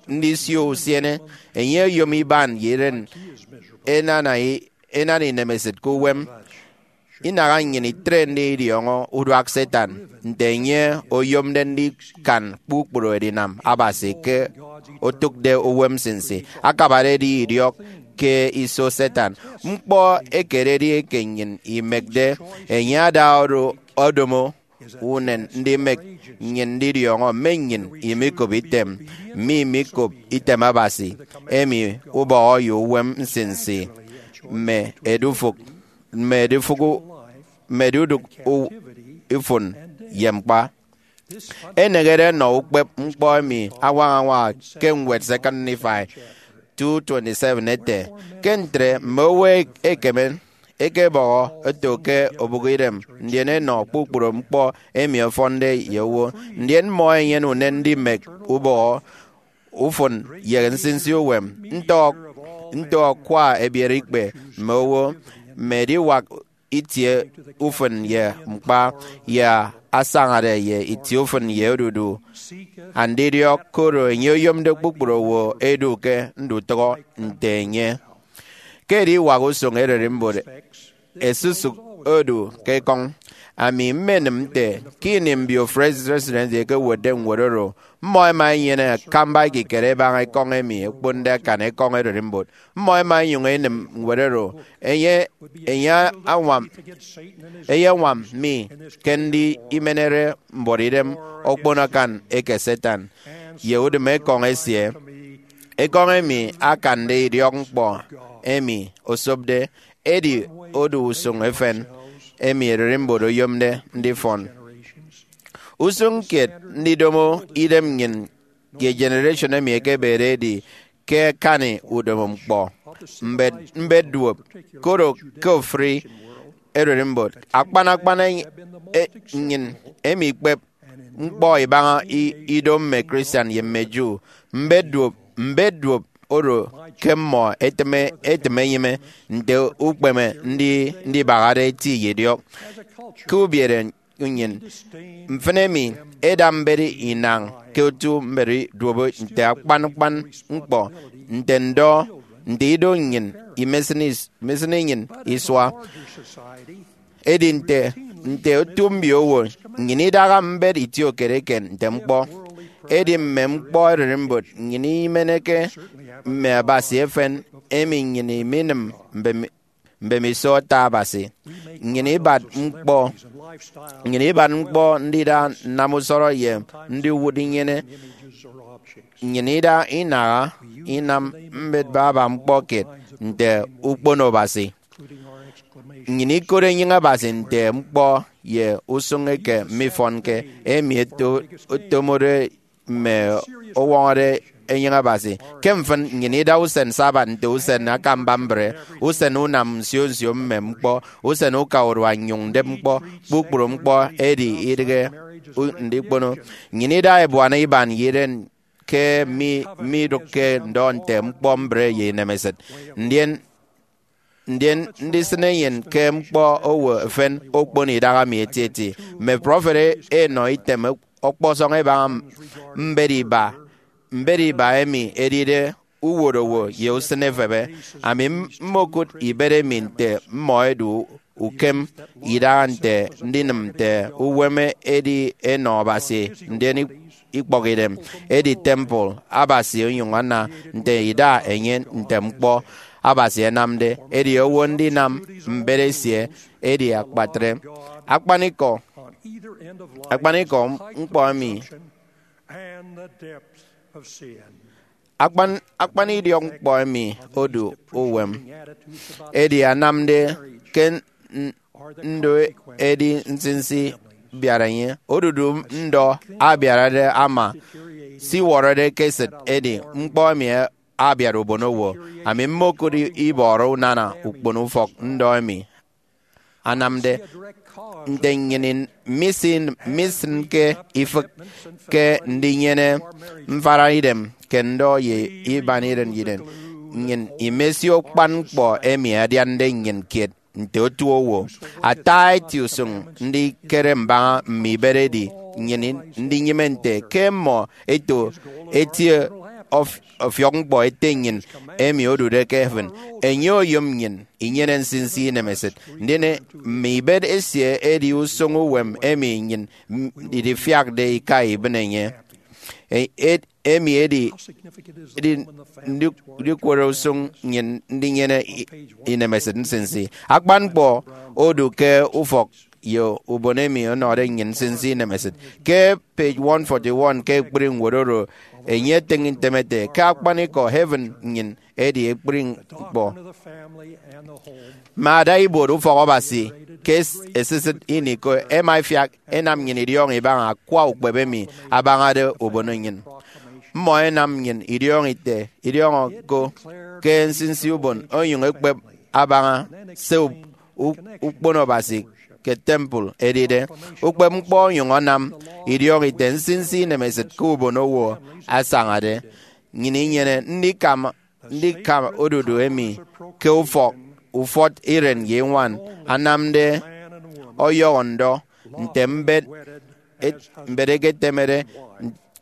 ndisio usiene. Enye oyom iban ye iren enana i- enana inemesịt ke uwem. Inaha nnyịn itrende idiọñọ uduak Satan nte enye oyomde ndikan kpukpru edinam Abasi ke otụkde uwem nsinsi. Akabade edi idiọk ke iso Satan. Ñkpọ ekededi eke nnyịn imekde, enye ada oro odomo unen ndimek nnyịn ndidiọñọ mme nnyịn imikop item, mme imikop item Abasi, emi ubọhọ ye uwem nsinsi, mme edufụk mme edufụk u- mme edudụk u- ifụn ye mkpa. Enehede nnọ ukpep ñkpọ emi añwaña añwaña ke ñwed Second Nephi two twenty-seven ete, ke ntre mme owo ekeme ekebọhọ eto ke obụk idem, ndien enọ kpukpru ñkpọ emi ọfọnde ye owo, ndien mmọ enyene unen ndimek ubọhọ, ufụn, ye nsinsi uwem, nte ọk- nte ọkwa ebiere ikpe mme owo, mme ediwak itie ufụn ye mkpa, ye asañade ye itie ufụn ye odudu andidiọk, koro enye oyomde kpukpru owo edu ke ndutụhọ nte enye. Ke ediwak usụñ ererimbot esusụk odu ke ekọñ, ami mmenịm nte ke ini mbio First Presidency ẹkewetde ñwed oro, mmọ ẹma ẹnyene akamba ekikere ẹbaña ekọñ emi okponde akan ekọñ ererimbot. Mmọ ẹma ẹnyụñ ẹnịm ñwed oro. Enye, enye añwam, eyeñwam mi ke ndi imenere mbuọtidem okpono akan eke Satan ye udịm ekọñ esie. Ekọñ emi akande idiọk ñkpọ emi osopde, edi odu usụñ efen emi ererimbot oyomde ndifọn. Usụñ kiet ndidomo idem nnyịn ye generation emi ekebede edi ke akani udomo ñkpọ mbet, mbet duop, koro ke ofụri ererimbot, akpan akpan e- e- nnyịn emi ikpep ñkpọ ibaña i- ido mme Christian ye mme Jew. Mbet duop, mbet duop oro ke mmọ etịme, etịme enyịme nte ukpeme ndi- ndibahade eti ye idiọk. Ke ubiere nnyịn, mfịn emi eda mbet inañ ke otu mbet duop nte akpan akpan ñkpọ, nte ndọ, nte ido nnyịn imesịn is- imesịn inyịn isua. Edi nte, nte otu mbiowo, nnyịn idaha mbet itiokiet eken nte ñkpọ. Edi mme ñkpọ ererimbot nnyịn imeneke mme abasi efen emi nnyịn iminịm mbem- mbemiso ata Abasi. Nnyịn ibat ñkpọ, nnyịn ibat ñkpọ ndida nnam usọrọ ye ndiwụt inyene. Nnyịn ida inaha inam mbet baba ñkpọ kiet nte ukpono Abasi. Nnyịn ikot enyịñ Abasi nte ñkpọ ye usụñ eke mifọnke, emi eto- etomode mme ọwọñọde enyịñ Abasi. Ke mfịn, nnyịn ida usen Sabbath nte usen akamba mbre, usen unam nsio nsio mme ñkpọ, usen uka urua nnyụñ ndep ñkpọ. Kpukpru ñkpọ edi idịghe u- ndikpono. Nnyịn ida ebuana iban ye iren ke mi midụkke ndọ nte ñkpọ mbre ye inemesịt. Ndien, ndien ndisịn enyịn ke ñkpọ owo efen okpon idaha mi etieti. Mme prọfet e- enọ item ọkpọsọñ ẹbaña mbet iba, mbet iba emi edide uwotowo ye usịn efebe. Ami m- mmokụt ibet emi nte mmọ ẹdu ukem idaha nte ndinịm nte uwem edi enọ Abasi, ndien ik- ikpọkidem edi temple Abasi, onyụñ ana nte ida enye nte ñkpọ Abasi ẹnamde. Edi owo ndinam mbet esie edi akpatre. Akpanikọ, akpanikọ ñkpọ emi, akpan, akpan idiọk ñkpọ emi odu uwem, edi anamde ke n- ndo edi nsinsi abiara enye. Odudu ndọ abiarade ama siwọrọde ke esịt, edi ñkpọ emi abiara ubonowo. Ami mmokụt ibọrọ unana ukpono ufọk ndọ emi anamde nte nnyịn in- misin- misịnke ifịk ke ndinyene mfara idem ke ndọ ye iban iren iren. Nnyịn imesio kpan ñkpọ emi adiande nnyịn kiet nte otuowo. Ata eti usụñ ndikere mbaña mme ibet edi nnyịn ndinyịme nte ke mmọ eto etie ọf- ọfiọk ñkpọ Ete nnyịn emi odude ke heaven. Enye oyom nnyịn inyene nsinsi inemesịt, ndien mme ibet esie edi usụñ uwem emi nnyịn m- idifiakde ika ibịne enye. E- ed- emi edi edi ndi- ndikwere usụñ nnyịn ndinyene i- inemesịt nsinsi. Akpan ñkpọ odu ke ufọk ye ubon emi ọnọde nnyịn nsinsi inemesịt. Ke page one forty-one ke ekpri ñwed oro, enye etịñ ntem ete, ke akpanikọ heaven nnyịn edi ekpri ñkpọ. Mme ada ibuot ufọk Abasi ke es- esisịt ini ko ẹma ẹfiak ẹnam nnyịn idiọñọ ibaña akwa ukpep emi abañade ubono nnyịn. Mmọ ẹnam nnyịn idiọñọ ite idiọñọ ko ke nsinsi ubon, onyụñ ekpep abaña se u- u- ukpono Abasi ke temple edide. Ukpep ñkpọ onyụñ anam idiọñọ ite nsinsi inemesịt ke ubonowo asañade. Nnyịn inyene ndikama ndikama odudu emi ke ufọk ufọt iren ye iñwan, anamde ọyọhọ ndọ nte mbet et- mbet eketemede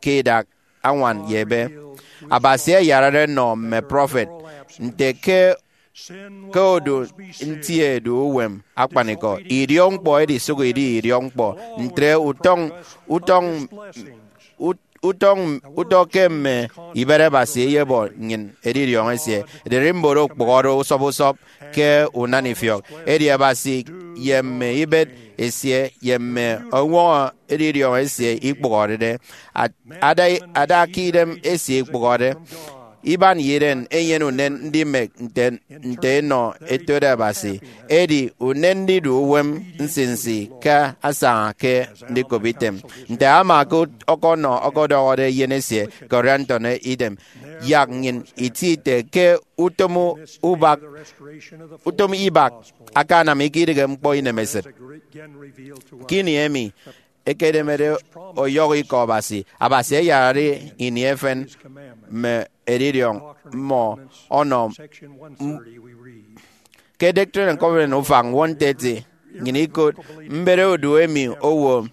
ke idak añwan ye ebe. Abasi ayarade nnọ mme prọfet nte ke ke odu nti edu uwem akpanikọ, idiọkñkpọ edisụk idi idiọkñkpọ. Ntre utọñ utọñ ut- utọñ utọ ke mme ibet Abasi eyebọ nnyịn edidiọñ esie. Ererimbot okpụhọde usọp usọp ke unana ifiọk, edi Abasi ye mme ibet esie ye mme ọñwọñọ edidiọñ esie ikpụhọrede. At- ada ada ke idem esie ikpụhọde. Iban ye iren enyene unen ndimek nte nte enọ etode Abasi, edi unen ndidu uwem nsinsi ke asaña ke ndikop item. Nte ama ke ọkọnọ ọkọdọhọde eyen esie Corianton idem, yak nnyịn itie ite ke utom ubak utom ibak akanam ikidịghe ñkpọ inemesịt. Ke ini emi ekedemede ọyọhọ ikọ Abasi, Abasi ayarade ini efen mme edidiọñ mmọ ọnọ m- ke Doctrine and Covenants ufañ one thirty, nnyịn ikot mbet odu emi owo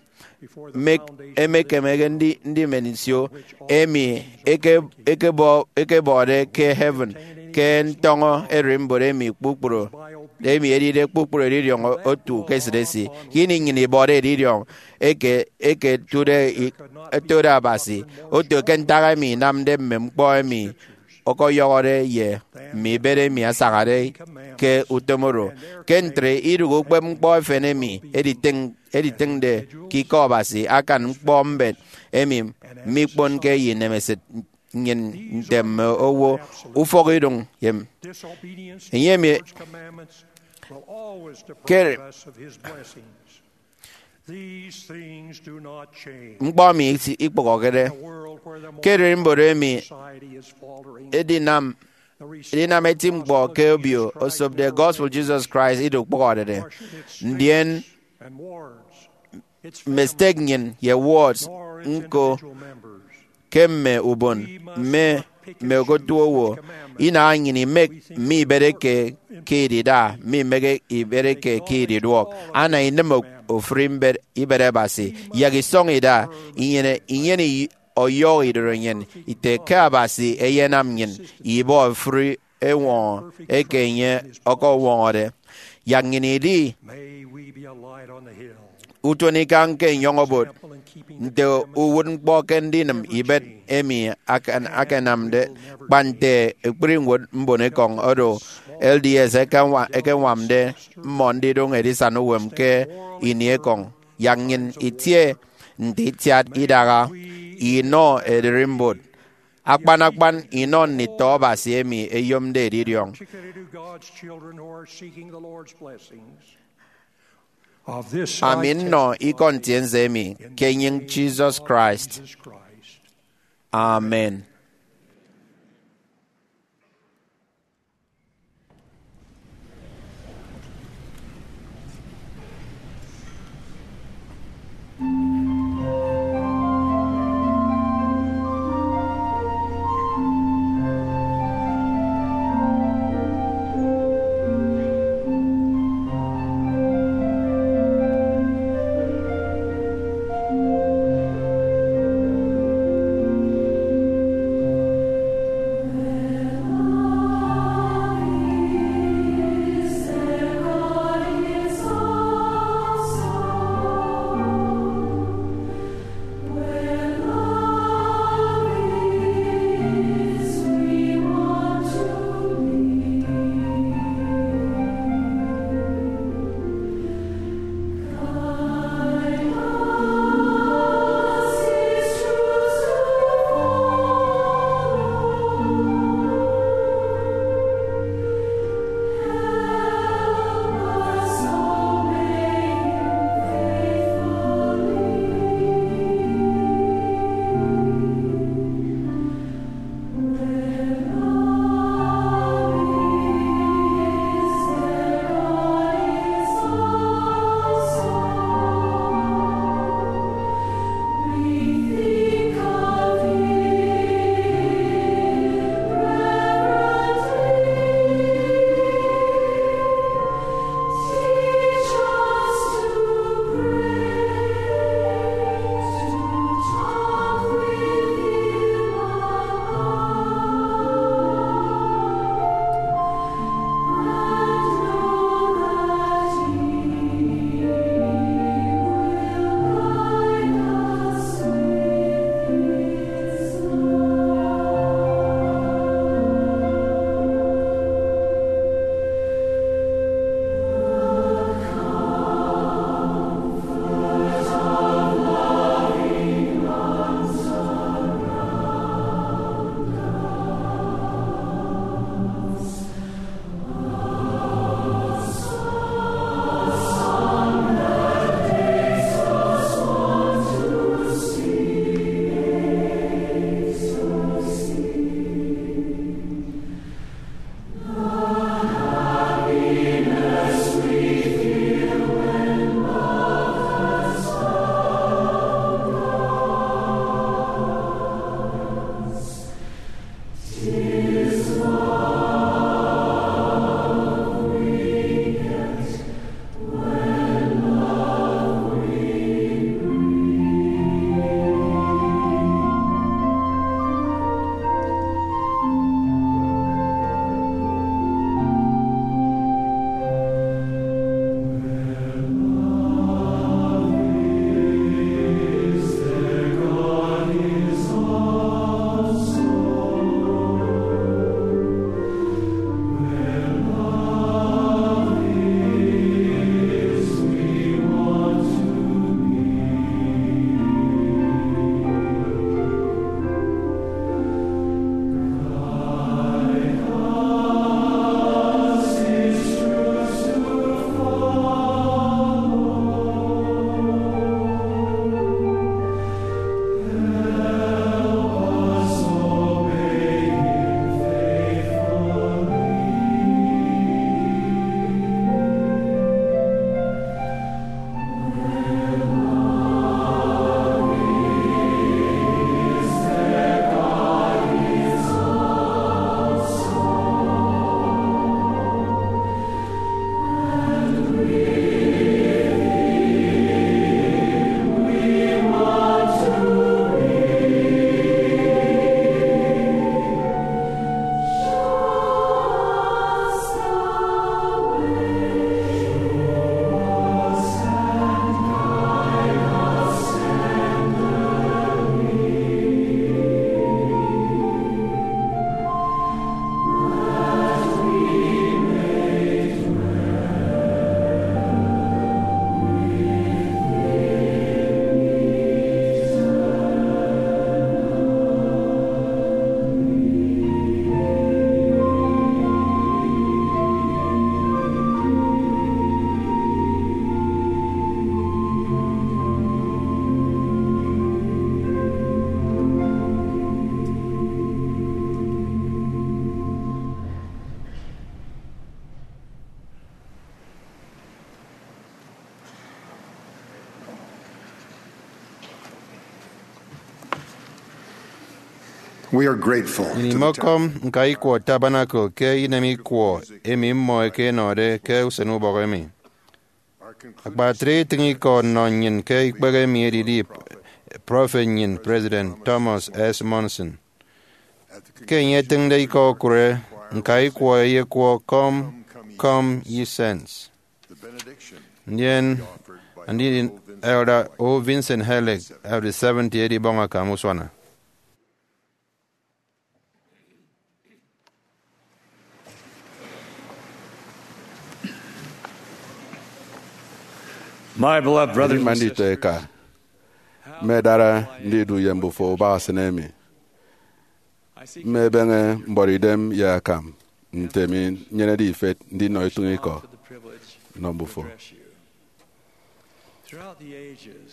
mek- emekemeke ndi- ndimen nsio, emi eke- ekebọ- ekebọde ke heaven, ke ntọñọ ererimbot emi kpukpru emi edide kpukpru edidiọñ otu ke esịt esi. Ke ini nnyịn ibọde edidiọñ eke eke etude i- etode Abasi, oto ke ntak emi inamde mme ñkpọ emi ọkọyọhọde ye mme ibet emi asañade ke utom oro. Ke ntre, idụhe ukpep ñkpọ efen emi editịñ- editịñde ke ikọ Abasi akan ñkpọ mbet emi mikponke ye inemesịt nnyịn nte mme owo ufọkidụñ ye enye emi ke These things do not change. Ñkpọ emi isi- ikpụhọkede. Ke ererimbot emi edinam edinam eti ñkpọ ke obio osopde gospel Jesus Christ ido ukpụhọrede, ndien mme stek nnyịn ye wards ñko ke mme ubon mme mme okotuowo, inaha nnyịn imek mme ibet eke ke idida mme imek ibet eke ke ididuọk. Ana inịm ofụri mbet ibet Abasi, yak isọñ ida inyene inyene i- ọyọhọ idoro nnyịn ite ke Abasi eyenam nnyịn ibọ ofụri eñwọñọ eke enye ọkọwọñọde. Yak nnyịn idi utụnikana ke enyọñ obot nte uwụtñkpọ ke ndinịm ibet emi akan- akanamde, kpa nte ekpri ñwed mbonekọñ oro L D S ekeñwa- ekeñwamde mmọ ndidụñ edisana uwem ke ini ekọñ. Yak nnyịn itie nte itiat idaha inọ ererimbot akpan akpan inọ nditọ Abasi emi ẹyomde edidiọñ. Ami nnọ ikọ ntiense emi ke enyịñ Jesus Christ. Amen. We are grateful. Nnyịn to the imọkọm nka ikwọ Tabernacle ke inem ikwọ emi mmọ eke ẹnọde ke usen ubọk emi. Akpatre itịñ ikọ nnọ nnyịn ke ikpehe emi edidi prọfet nnyịn, President Thomas S. Monson. Ke enye etịñde ikọ okụre, nka ikwọ eyekwọ, "Come, come, ye saints." Ndien andidi Elder O. Vincent Hellick of the seventy edibọñ akam usuana. My beloved brothers Ndima and sisters, nditọeka, mme dara ndidu ye mbufo ubak esịn emi. Mmebeñe mbọrọidem ye akam nte mi nyenede ifet ndinọ itụñ ikọ nnọ mbufo.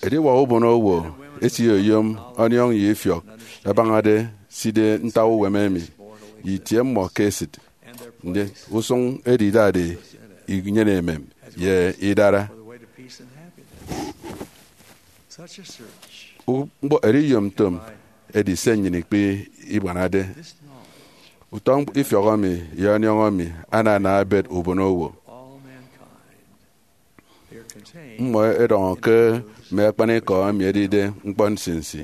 Ediwak ubonowo esiyom ọniọñ ye ifiọk ẹbañade side ntak uwem emi, ye itie mmọ ke esịt. Ndien usụñ edi idade inyene emem ye idara. Ñkpọ eriyomtom edi se nnyịn ikpe ibuanade. Utọ ifiọk emi ye ọniọñ emi anana ebet ubonowo. Mmọ ẹdọñọ ke mme akpanikọ emi ẹdide ñkpọ nsinsi.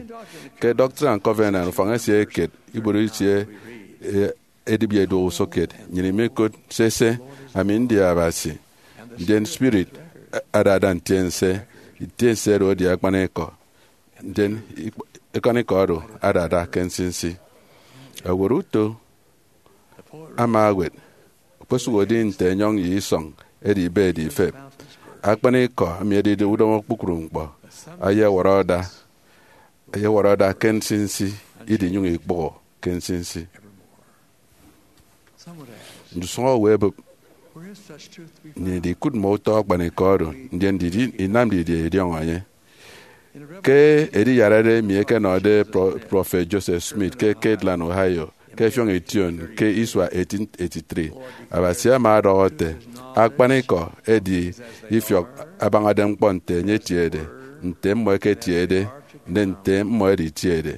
Ke Doctrine and Covenants, ufañ esie eket, ibuot itie, e, edịbi ẹduọk usụkkiet, nnyịn imikụt sese, "Ami ndi Abasi, ndien spirit adada ntiense, ntiense oro edi akpanikọ, ndien ikp-, akpanikọ oro adada ke nsinsi." Ewet uto ama ewet, okposụkedi nte enyọñ ye isọñ edi ibe edi ifep, akpanikọ emi edide udomo kpukpru ñkpọ ayewọrọ ada, ayewọrọ ada ke nsinsi, idinyụñ ikpụhọ ke nsinsi. Ndusụñ owo ẹbụp, "Nnyịn idikụt mme utọ akpanikọ oro, ndien didie inam didie idiọñọ enye?" Ke ediyarare emi ẹkenọde Pro-, Prọfet Joseph Smith ke Kirtland, Ohio, ke ẹfiọñ ition ke isua eighteen eighty-three, Abasi ama ọdọhọ ete, "Akpanikọ edi ifiọk abañade ñkpọ nte enye etiede, nte mmọ ẹketiede, ndien nte mmọ ẹditiede."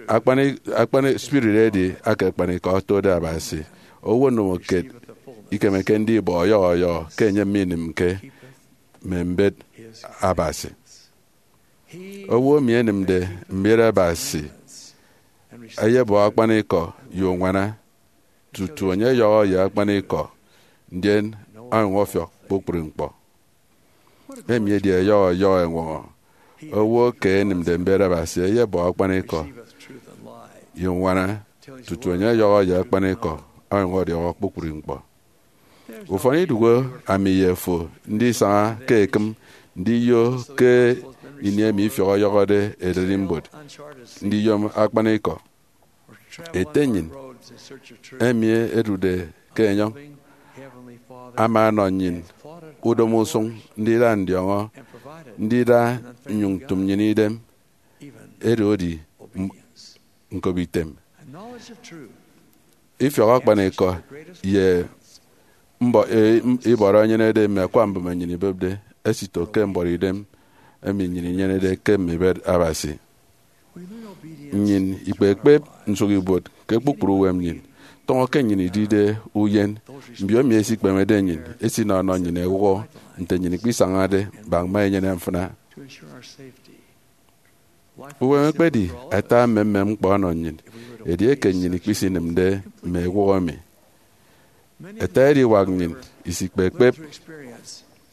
Akpani, akpani spirit edi aka akpanikọ otode Abasi. Owo ndomokiet ikemeke ndibọ ọyọhọ ọyọhọ ke enye minịmke mme mbet Abasi. Owo emi enịmde mbet Abasi eyebọ akpanikọ ye uñwana tutu enye ọyọhọ ye akpanikọ, ndien onyụñ ọfiọk kpukpru ñkpọ. Emi edi ẹyọhọ ẹyọhọ ẹñwọñọ. Owo ke enịmde mbet Abasi eyebọ akpanikọ ye uñwana tutu enye ọyọhọ ye akpanikọ onyụñ ọdiọhọ kpukpru ñkpọ. Ufọn idụhe ami ye fo ndisaña ke ekịm ndiyo ke ini emi ifiọk ọyọhọde ererimbot ndiyom akpanikọ. Ete nnyịn emi edude ke enyọñ ama ọnọ nnyịn udomo usụñ ndida ndiọñọ, ndida nnyụñ ntụm nnyịn idem, edi odi m-, ñkobitem. Ifiọk akpanikọ ye mbọ-, e, m-, ibọrọ enyenede mme akwa mbụme nnyịn ibepde esito ke mbọrọidem emi nnyịn inyenede ke mme ibet Abasi. Nnyịn ikpekpep nsụkibuot ke kpukpru uwem nnyịn, tọñọ ke nnyịn idide uyen. Mbiomi esikpemede nnyịn, esinọ ọnọ nnyịn ewụhọ nte nnyịn ikpisañade bak mme enyene mfịna. Uwem ekpedi ata mmemmem ñkpọ ọnọ nnyịn, edieke nnyịn ikpisinịmde mme ewụhọ emi. Ete ediwak nnyịn isikpekpep,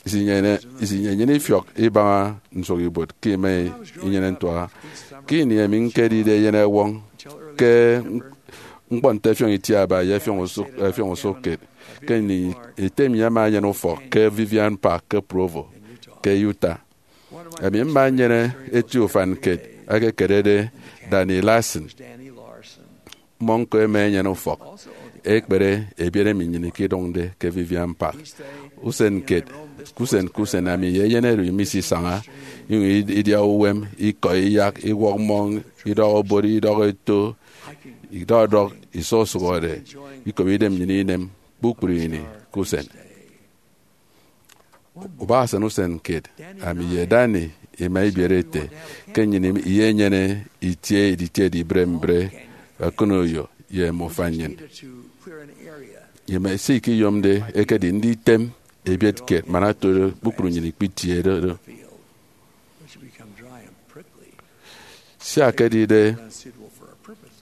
isinyene, isinyenyene ifiọk ibaña nsụkibuot ke ima inyene ntuaha. Ke ini emi ñkedide eyenewọñ ke ñkpọ nte ẹfiọñ itiaba ye ẹfiọñ usụk, ẹfiọñ usụkkiet, ke ini ete mi ama enyene ufọk ke Vivian Park ke Provo, ke Utah. Emi mma nnyene eti ufan kiet ekekerede Danny Larson. Mmọ ñko ẹma ẹnyene ufọk ekpere ebiet emi nnyịn ikidụñde ke Vivian Park. Usen kiet, ke usen ke usen, ami ye eyen oro imisisaña, inyụñ id-, idia uwem, ikọ iyak, iwọk mmọñ, idọk obot, idọk eto, idọdọk, isọsụhọde, ikop idem nnyịn inem kpukpru ini ke usen. Ubak esan usen kiet, ami ye Danny ima ibiere ete ke nnyịn iyenyene itie editiede ibre mbre ọkụnoyo ye mme ufan nnyịn. Ye mme se ikiyomde ekedi nditem ebiet kiet man otodo kpukpru nnyịn ikpitiede do. Sia ekedide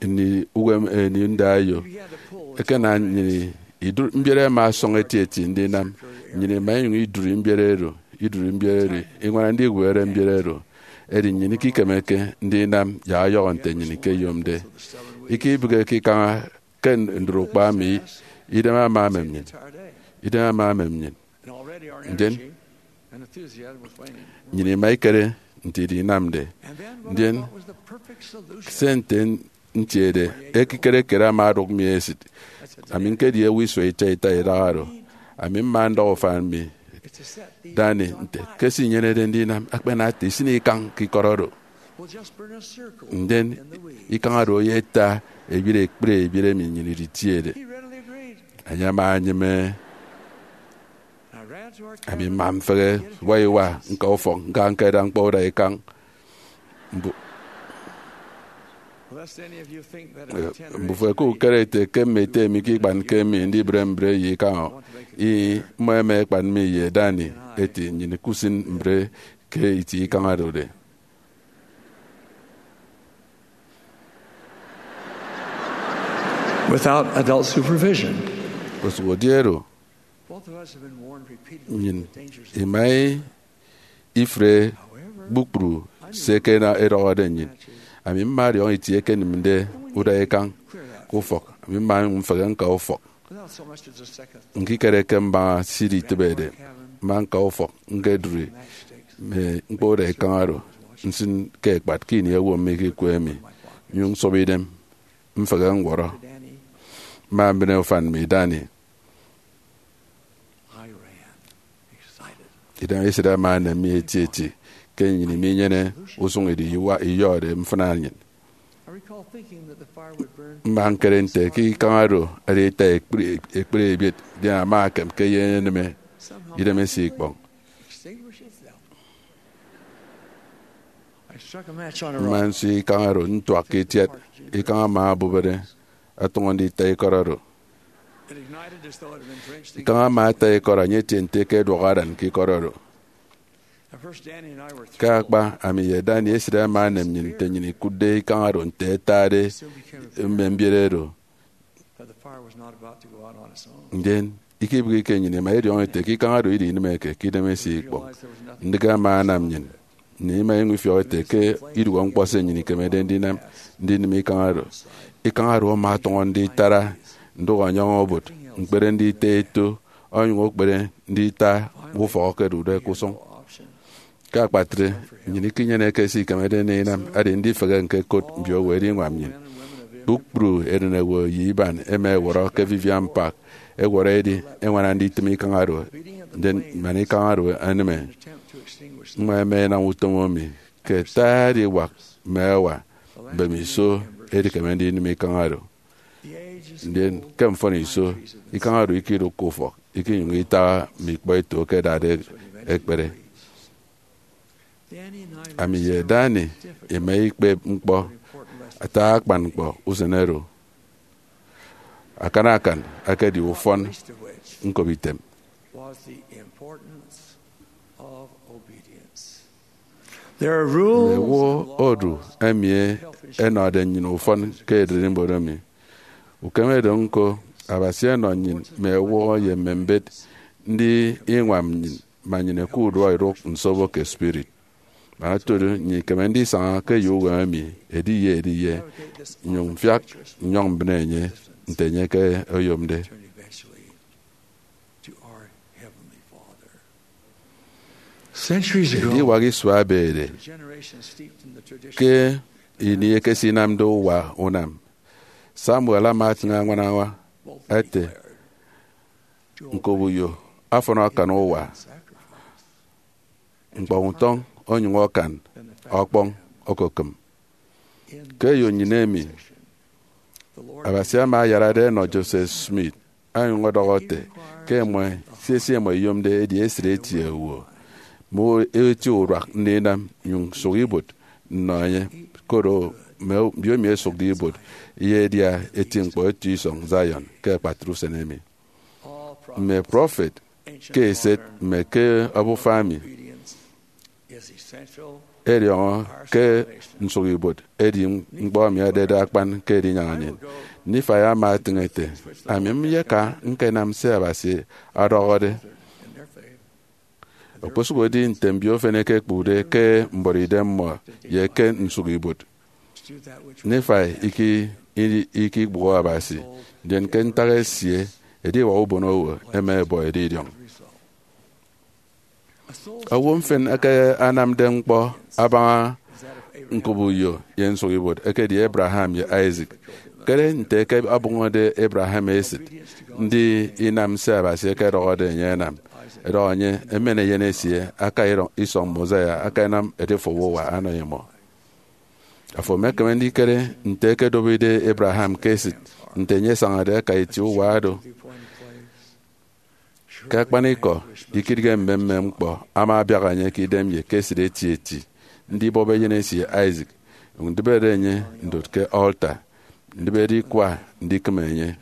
ini uwem ini ndayo, ekena nnyịn idu mbiere ẹma ọsọñ etieti ndinam. Nnyịn ima inyụñ idụri mbiere oro, idụri mbiere oro, iñwana ndiwere mbiere oro. Edi nnyịn ikikemeke ndinam yak ọyọhọ nte nnyịn ikeyomde. Ikibịghike ikaña ke ndụt ukpa mi, idem ama emem nnyịn. Idem ama emem nnyịn. Ndien nnyịn ima ikere nte idinamde. Ndien se nte ntiede, ekikere kiet ama odụk mi esịt. Ami ñkedi owo isua ita ita idaha oro. Ami mma ndọhọ ufan mi, Danny, nte ke se inyenede ndinam akpana ata isịn ikañ ke ikọt oro. Ndien ikañ oro oyeta ebiet ekpri ebiet emi nnyịn iditiede. Enye ama enyịme. Ami mma mfehe iwa iwa ñka ufọk ñka ñkeda ñkpọ uda ikañ. Mbu- Mbufo ẹkukere ete ke mme ete mi ke ikpanke mi ndibre mbre ye ikañ. Ih, mmọ ẹma ẹkpan mi ye Danny ete nnyịn kusịn mbre ke itie ikañ oro. Without adult supervision. Kosụk edi oro, nnyịn ima ifre kpukpru se ke edọhọde nnyịn. Ami mma ọdiọñ itie ekenịmde uda ikañ ke ufọk. Ami mma mfehe ñka ufọk. Ñkikere ke mbaña se iditịbede, mma ñka ufọk ñkedụri mme ñkpọ uda ikañ oro, nsịn ke ekpat ke ini owo mi ikikwe mi, nnyụñ nsọp idem mfehe ñwọrọ. Mma mbịne ufan mi, Danny. Idem esịt ama enem mi etieti ke nnyịn iminyene usụñ idi iwa iyọde mfịna nnyịn. Mma ñkere nte ke ikañ oro ada ita ekpri ekpri ebiet, ndien ama ekem ke eyeneme idemesie ikpọñ. Mma nsio ikañ oro ntuak ke itiat, ikañ ama obubede, ọtọñọ ndita ikọt oro. Ikañ ama ata ikọt, enye etie nte ke ẹduọk aran ke ikọt oro. Ke akpa, ami ye Danny esịt ama enem nnyịn nte nnyịn ikụtde ikañ oro nte ẹtade mme mbiet oro. Ndien ikibịghike nnyịn ima idiọñọ ete ke ikañ oro idinịmeke ke idemesie ikpọñ. Ndịk ama anam nnyịn, nnyịn ima inyụñ ifiọk ete ke idụhe ñkpọ se nnyịn ikemede ndinam ndinịm ikañ oro. Ikañ oro ama ọtọñọ nditara ndụk ọnyọñ obot, ñkpere ndita eto, onyụñ okpere ndita ufọk ẹkedude ke usụñ. Ke akpatre, nnyịn ikinyeneke se ikemede ndinam, edi ndifehe ñkekot mbiowo ẹdiñwam nnyịn. Kpukpru eren owo ye iban ẹma ẹwọrọ ke Vivian Park, ẹwọrọ edi ẹñwana nditịm ikañ oro, ndien man ikañ oro enịme, mmọ ẹma ẹnam utom emi ke ẹta ediwak mme ẹwa mbemiso ẹdikeme ndinịm ikañ oro. Ndien ke mfọn iso, ikañ oro ikidụk ke ufọk, ikinyụñ itaha mme ikpọ eto ke ẹdade ẹkpere. Ami ye Danny ima ikpep ñkpọ ata akpan ñkpọ usen oro. Akan akan ekedi ufọn ñkopitem. Mme owo odu ẹmi ẹnọde nnyịn ufọn ke ererimbot emi. Ukem edo ñko, Abasi ọnọ nnyịn mme ewụhọ ye mme mbet ndiñwam nnyịn, man nnyịn ẹkụt urua idụk nsobo ke spirit. Man otodu, nnyịn ikeme ndisaña ke eyo uwem emi ediye ediye, nnyụñ mfiak nnyọñ mbịne enye nte enye ke oyomde. Ediwak isua ebede, ke ini ekesinamde uwa unam, Samuel ama atịñ añwan añwa ete, ñkobuyo afọn akan uwa, ñkpọñ utọñ onyụñ akan ọkpọñ okokịm. Ke eyo nnyịn emi, Abasi ama ayarade ẹnọ Joseph Smith, onyụñ ọdọhọ ete ke ẹma ẹsịn se imọ iyomde edi esịt eti owo, mme eti uduak ndinam, nyụñ sụk ibuot nnọ enye. Koro mme mbiomi ẹsụkde ibuot ye ẹdia eti ñkpọ eto isọñ Zion ke akpatre usen emi. Mme prọfet ke eset mme ke obufa emi ẹdiọñọ ke nsụkibuot edi ñkpọ emi edede akpan ke edinyaña nnyịn. Nifai ama etịñ ete, ami nyeka ñkenam se Abasi ọdọhọde. Okposụkedi nte mbio efen ẹkekpụkde ke mbuọtidem mmọ ye ke nsụkibuot, Nifai iki-, ikikpụhọ Abasi, ndien ke ntak esie, ediwak ubonowo ẹma ẹbọ edidiọñ. Owo mfịn eke anamde ñkpọ abaña ñkop uyo ye nsụkibuot ekedi Abraham ye Isaac. Kere nte ke ọbụñọde Abraham esịt ndi inam se Abasi ekedọhọde enye anam, ẹdọhọ enye emen eyen esie aka isọñ Mosiah aka ẹnam edife uwa anọ imọ. Afo emekeme ndikere nte ẹkedobide Abraham ke esịt nte enye asañade aka eti uwa do. Ke akpanikọ, ikidige mmemmem ñkpọ ama abiak enye ke idem ye ke esịt etieti, ndibọp eyen esie Isaac, ndịbede enye ndot ke altar, ndịbede ikwa ndikịm enye.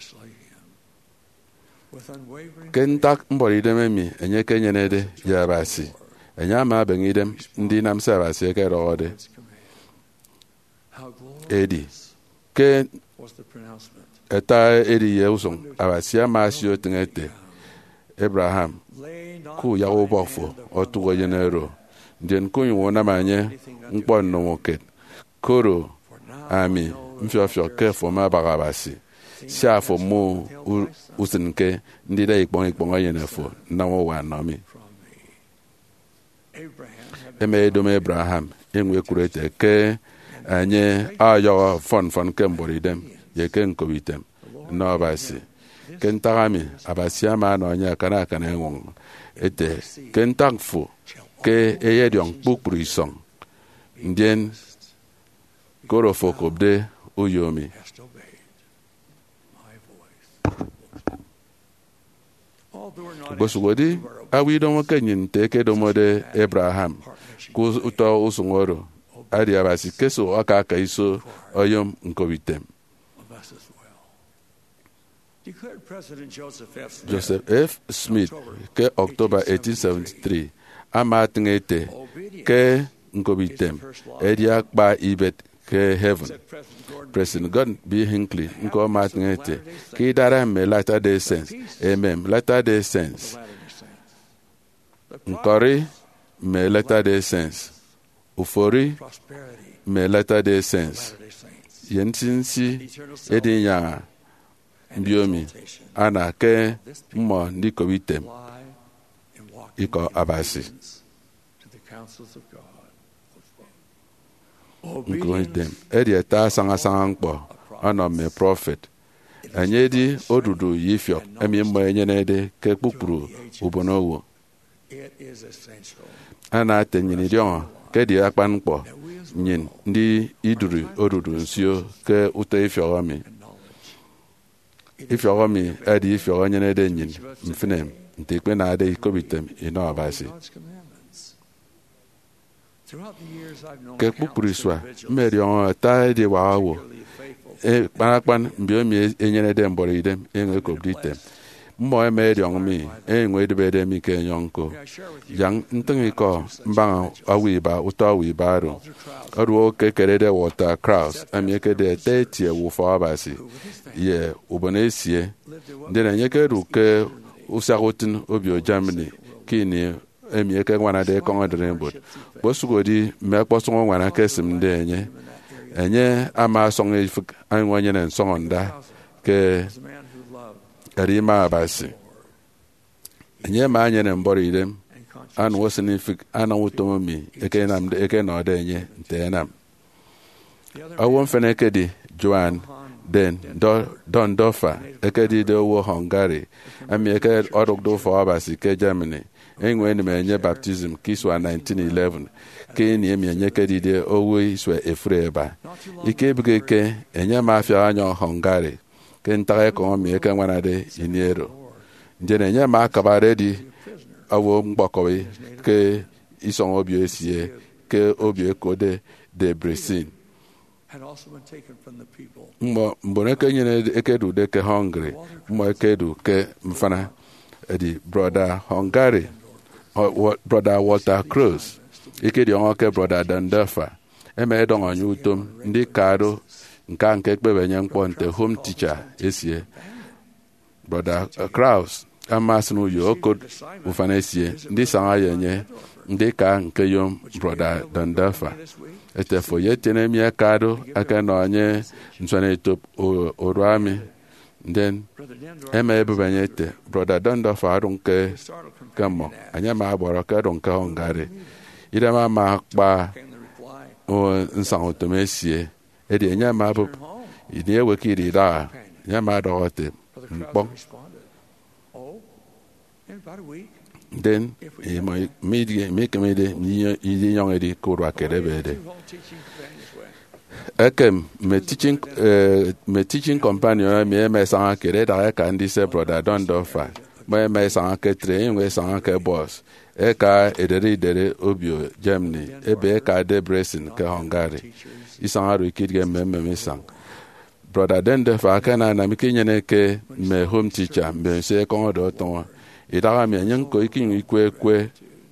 Ke ntak mbuọtidem emi enye ekenyenede ye Abasi, enye ama ebeñe idem ndinam se Abasi ekedọhọde. Edi ke ata edi ye usụñ, Abasi ama asio etịñ ete, Abraham, kuyak ubọk fo otụk eyen oro, ndien kunyụñ unam enye ñkpọ ndomokiet, koro ami mfiọfiọk ke fo mme abaña Abasi, sia fo mme u-, usịnke ndida ikpọñ ikpọñ enyene fo nnam uwa nnọ mi. Ẹma ẹdom Abraham, enyụñ ẹkụt ete ke enye ọyọhọ mfọn mfọn ke mbuọtidem ye ke ñkopitem nnọ Abasi. Ke ntak emi, Abasi ama ọnọ enye akana akana eñwọñọ ete, ke ntak fo ke eyediọñ kpukpru isọñ, ndien koro fo okopde uyo mi. Okposụkedi awa idomoke nnyịn nte ẹkedomode Abraham ke utọ usụñ oro, edi Abasi ke esop aka aka iso oyom ñkopitem. Joseph F. Smith ke October eighteen seventy-three ama etịñ ete ke ñkopitem edi akpa ibet ke heaven. President Gordon B. Hinckley ñko ama etịñ ete ke idara mme Latter-day Saints, emem Latter-day Saints, ñkọri mme Latter-day Saints, ufori mme Latter-day Saints, ye nsinsi edinyaña mbiomi ana ke mmọ ndikop item ikọ Abasi. Ñkopitem edi ata asaña asaña ñkpọ ọnọ mme prọfet. Enye edi odudu ye ifiọk emi mmọ ẹnyenede ke kpukpru ubonowo. Ana ete nnyịn idiọñọ ke edi akpan ñkpọ nnyịn ndi idụri odudu nsio ke utọ ifiọk emi. Ifiọk emi edi ifiọk enyenede nnyịn mfịna nte ikpenade ikopitem inọ Abasi. Ke kpukpru isua, mmediọñọ ata ediwak owo. Akpan akpan mbiomi enyenede mbuọtidem enyụñ ekopde item. Mmọ ẹma ẹdiọñ mi, ẹnyụñ ẹdịbede mi ke enyọñ ñko. Yak ntịñ ikọ mbaña owo iba, utọ owo iba oro. Oduoho ke ekerede Walter Krause, emi ekedi ata eti owo Ufọk Abasi ye ubon esie, ndien enye ekedu ke usiaha utịn obio Germany ke ini emi ẹkeñwanade ekọñ ererimbot. Kpọsụkedi mme ọkpọsọñ uñwana ẹkesịmde enye, enye ama ọsọñ ifịk onyụñ enyene nsọñọnda ke erima Abasi. Enye ama enyene mbuọtidem, anam usịn ifịk anam utom emi ẹkenamde, ẹkenọde enye nte ẹnam. Owo mfịn ekedi Johann den Do-, Dondorfer, ekedide owo Hungary, emi eke ọdụkde Ufọk Abasi ke Germany. Enyụñ enịm enye baptism ke isua nineteen eleven, ke ini emi enye ekedide owo isua efuri eba. Ikebịghike, enye ama afiak ọnyọñ Hungary ke ntak ekọñ emi ẹkeñwanade ini oro. Ndien enye ama akabade edi owo ñkpọkọbi ke isọñ obio esie ke obio ẹkotde Debrecen. Mmọ mbon eke nnyịn ekedude ke Hungary, mmọ ekedu ke mfịna. Edi brọda Hungary, brọda Walter Krause, ikediọñọke brọda Denndorfer, ẹma ẹdọñ enye utom ndika do ñka ñkekpep enye ñkpọ nte home teacher esie. Brọda Krause ama asịn uyo okot ufan esie ndisaña ye enye ndika ñkeyom brọda Denndorfer ete, "Fo ye etiene emi ẹka do ẹkenọ enye nsuan etop urua mi." Ndien ẹma ẹbụp enye ẹte, "Brọda Denndorfer odụñ ke, ke mmọñ." Enye ama ọbọrọ ke odụñ ke Hungary. Idem ama akpa nsaña utom esie. Edi enye ama obụp ini ewe ke idaha? Enye ama ọdọhọ ete, "Ñkpọñ." Ndien imọ mikemede ndinyọñ edi ke urua kiet ebede. Ekem mme teaching, eh, mme teaching companion emi ẹma ẹsaña kiet ẹdaha ẹka ndise brọda Denndorfer. Mmọ ẹma ẹsaña ke train, ẹnyụñ ẹsaña ke bus, ẹka edere idere obio Germany, ebe ẹka Debrecen ke Hungary. Isañ oro ikidịghe mmemmem isañ. Brọda Denndorfer akananam ke inyeneke mme home teacher mbemiso ẹkọñọde ọtọñọ. Idaha emi enye ñko ikinyụñ ikwe ekwe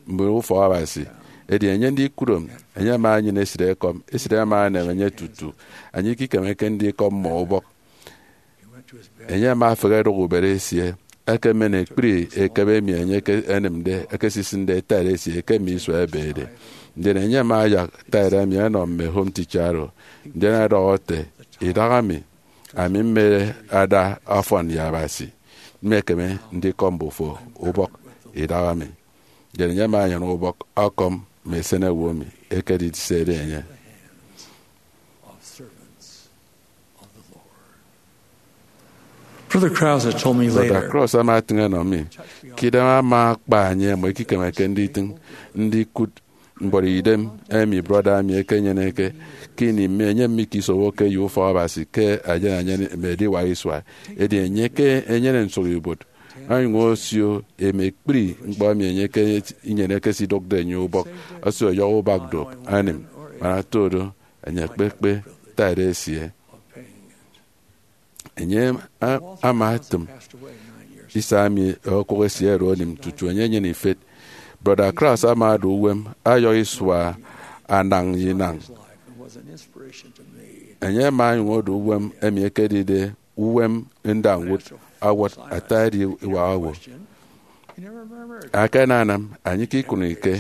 mme ufọk Abasi. Edi enye ndikudom, enye ama enyene esịt ekọm, esịt ama enem enye tutu enye ikikemeke ndikọp mmọ ubọk. Enye ama efehe ẹdụk ubet esie, ekemen ekpri ekebe emi enye enịmde, ekesisịnde tithe esie ke mme isua ẹbede. Ndien enye ama ayak tithe emi ẹnọ mme home teacher oro. Ndien ọdọhọ ete, "Idaha mi, ami mme ada ọfọn ye Abasi, mmekeme ndikọp mbufo ubọk idaha mi." Ndien enye ama enyene ubọk ọkọm mme esenewo emi ẹkedisede enye. Brother Krause told me Brọda later, Krause ama etịñ enọ mi ke idem ama akpa enye, "Mmọ ikikemeke nditịñ ndikụt ñkpọri idem emi brọda emi ekenyeneke ke ini mme enye mikisowoke ye ufọk Abasi ke eyen eyen mme ediwak isua. Edi enye ke enyene nsụhibuot, onyụñ osio eme ekpri ñkpọ emi enye ke inyeneke esidụkde enye ubọk, osio ọyọhọ ubak duop, anịm, man ata do enye ekpekpe tithe esie." Enye a-, ama etịm isa emi okụk esie oro onịm tutu enye enyene ifet. Brọda Krause ama odu uwem ọyọhọ isua anañ ye inañ. Enye ama onyụñ odu uwem emi ekedide uwem ndañwụt ọwọt ata ediwak owo. Akananam enye ke ikụnike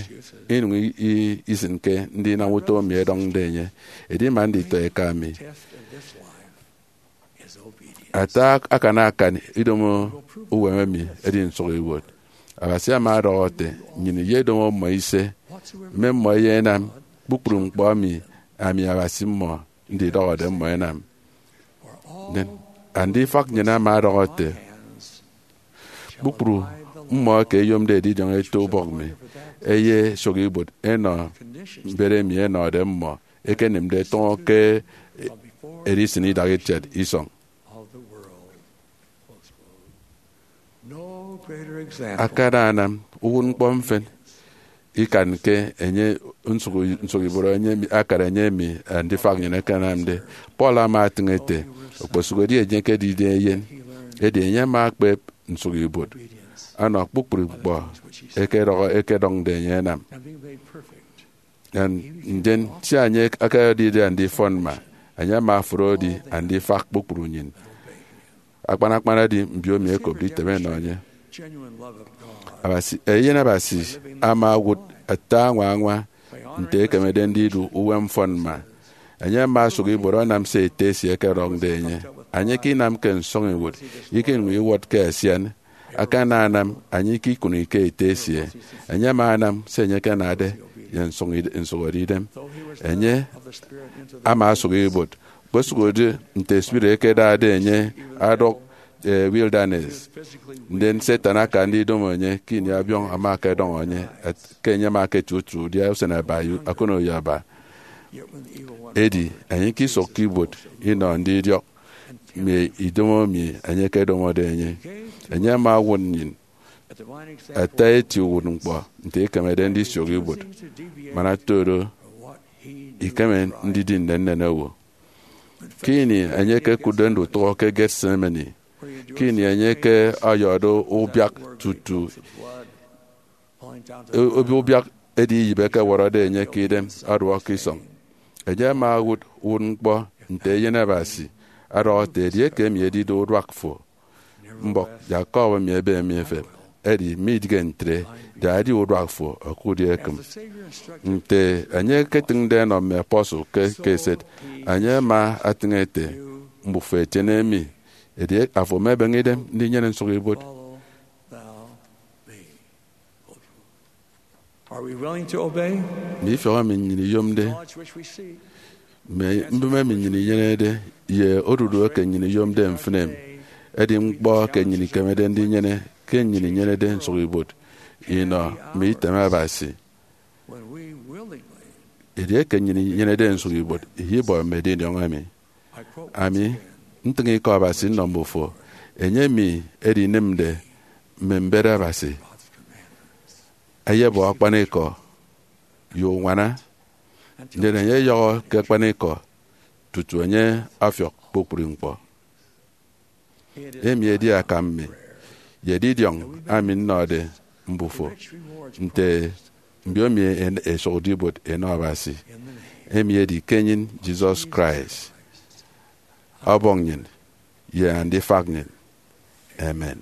inụñ i-, i-, isịnke ndinam utọ emi ẹdọñde enye, edi ima nditọ eka mi. Ata akana akan idomo uwem emi edi nsụhọ ibuot. Abasi ama ọdọhọ ete, "Nnyịn iyedomo mmọ ise, mme mmọ eyenam kpukpru ñkpọ emi ami Abasi mmọ ndidọhọde mmọ ẹnam." Ndien andifak nnyịn ama ọdọhọ ete, "Kpukpru mmọ eke ẹyomde edidiọñ eto ubọk mi, ẹyesụk ibuot ẹnọ mbet emi ẹnọde mmọ ekenịmde tọñọ ke edisịn idak itiat isọñ." Akananam uwụtñkpọ mfịn ikan ke enye nsụk, nsụk ibuot enye mi, akara enye emi andifak nnyịn ẹkenamde. Paul ama etịñ ete, "Okposụkedi enye ekedide eyen, edi enye ama ekpep nsụk ibuot ọnọ kpukpru ñkpọ ẹkedọhọ, ẹkedọñde enye ẹnam." Ndien sia enye akedide andifọn mma, enye ama ofụri edi andifak kpukpru nnyịn, akpan akpan edi mbiomi ẹkopde item ẹnọ enye. Abasi, eyen Abasi ama owụt ata añwa añwa nte ekemede ndidu uwem mfọn mma. Enye ama osụk ibuot ọnam se ete esie ẹkedọñde enye. Enye ke inamke nsọñiwụt, ikinyụñ iwọtke asian. Akananam enye ke ikụnike ete esie, enye ama anam se enye ekenade ye nsụhọde idem. Enye ama osụk ibuot, kpesụkedi nte spirit ekedade enye adụk eh, wilderness. Ndien Satan aka ndidomo enye ke ini abiọñ ama akedọñọ enye, ke enye ama eketie utu udia usen aba ye akụnọyọ aba. Edi enye ikisụkke ibuot inọ ndidiọk mme idomo emi enye ekedomode enye. Enye ama owụt nnyịn ata eti uwụtñkpọ nte ikemede ndisụk ibuot, man ata do ikeme ndidi nnennen owo. Ke ini enye ekekụtde ndutụhọ ke Gethsemane, ke ini enye ke ọyọde ubiak tutu e-, obio ubiak edi iyịp ekewọrọde enye ke idem ọduọk ke isọñ, enye ama owụt uwụtñkpọ nte Eyen Abasi, ọdọhọ ete, edieke emi edide uduak fo, mbọk yak kọbọ mi ebe mi efep. Edi midịghe ntre, da edi uduak fo okụt ye ekịm. Nte enye eketịñde ẹnọ mme apostle ke, ke eset, enye ama atịñ ete, mbufo ẹtiene mi, edi afo emebeñe idem ndinyene nsụkibuot. Are we willing to obey? Mme ifiọk emi nnyịn iyomde, mme mbụme emi nnyịn inyenede, ye odudu eke nnyịn iyomde mfịn emi, edi ñkpọ eke nnyịn ikemede ndinyene ke nnyịn inyenede nsụkibuot inọ mme item Abasi. When we willingly Edieke nnyịn inyenede nsụkibuot, iyibọ mme edindiọñ emi. Ami ntịñ ikọ Abasi nnọ mbufo, enye emi edinịmde mme mbet Abasi, eyebọ akpanikọ ye uñwana, ndien enye eyọhọ ke akpanikọ tutu enye ọfiọk kpukpru ñkpọ. Emi edi akam mi ye edidiọñ ami nnọde mbufo, nte mbiomi en-, ẹsụkde ibuot ẹnọ Abasi. Emi edi ke enyịn Jesus Christ, Ọbọñ nnyịn ye Andifak nnyịn. Amen.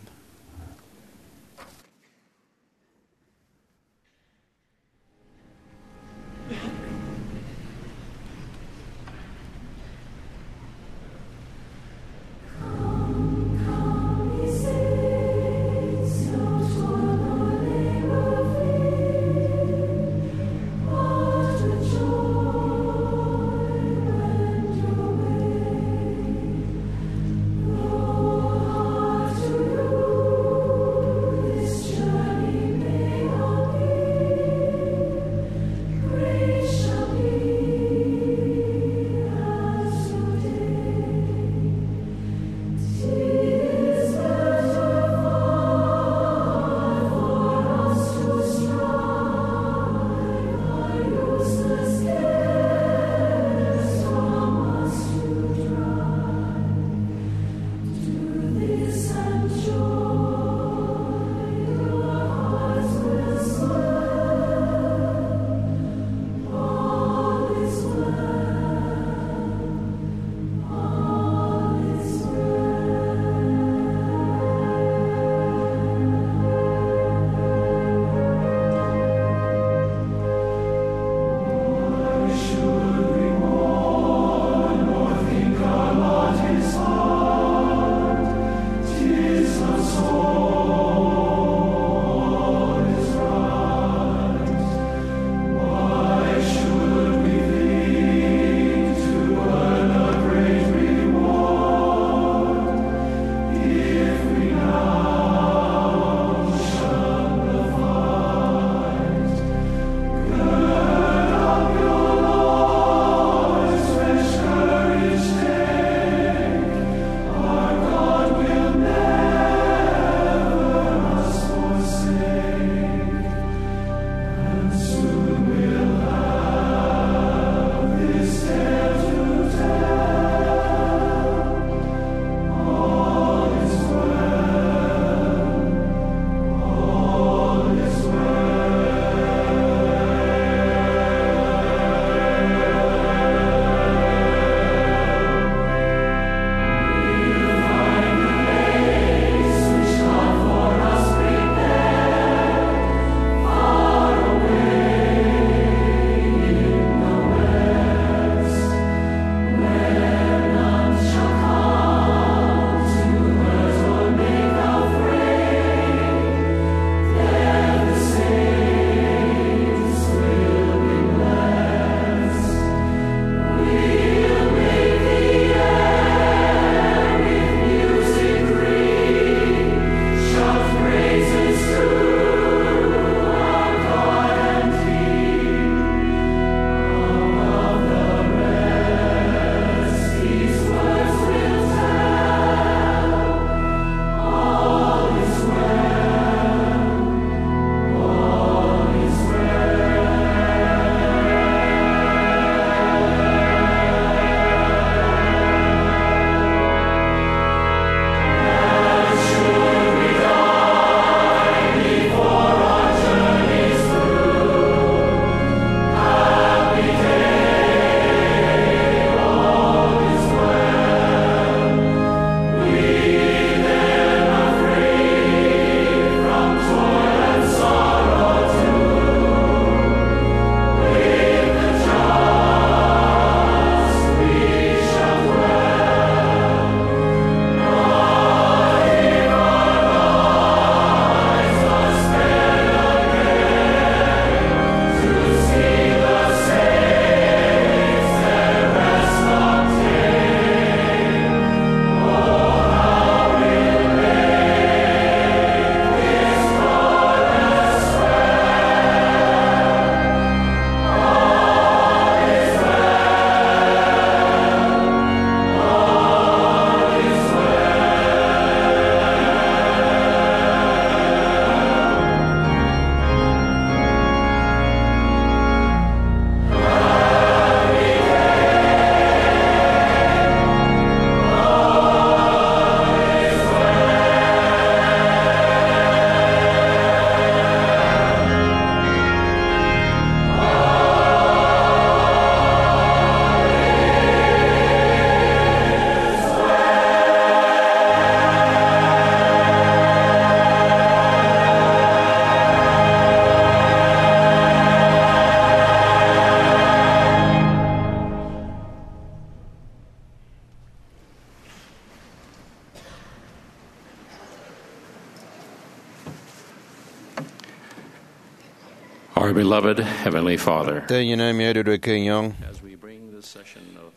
Our beloved Heavenly Father, Nte nnyịn emi odude ke enyọñ, as we bring this session of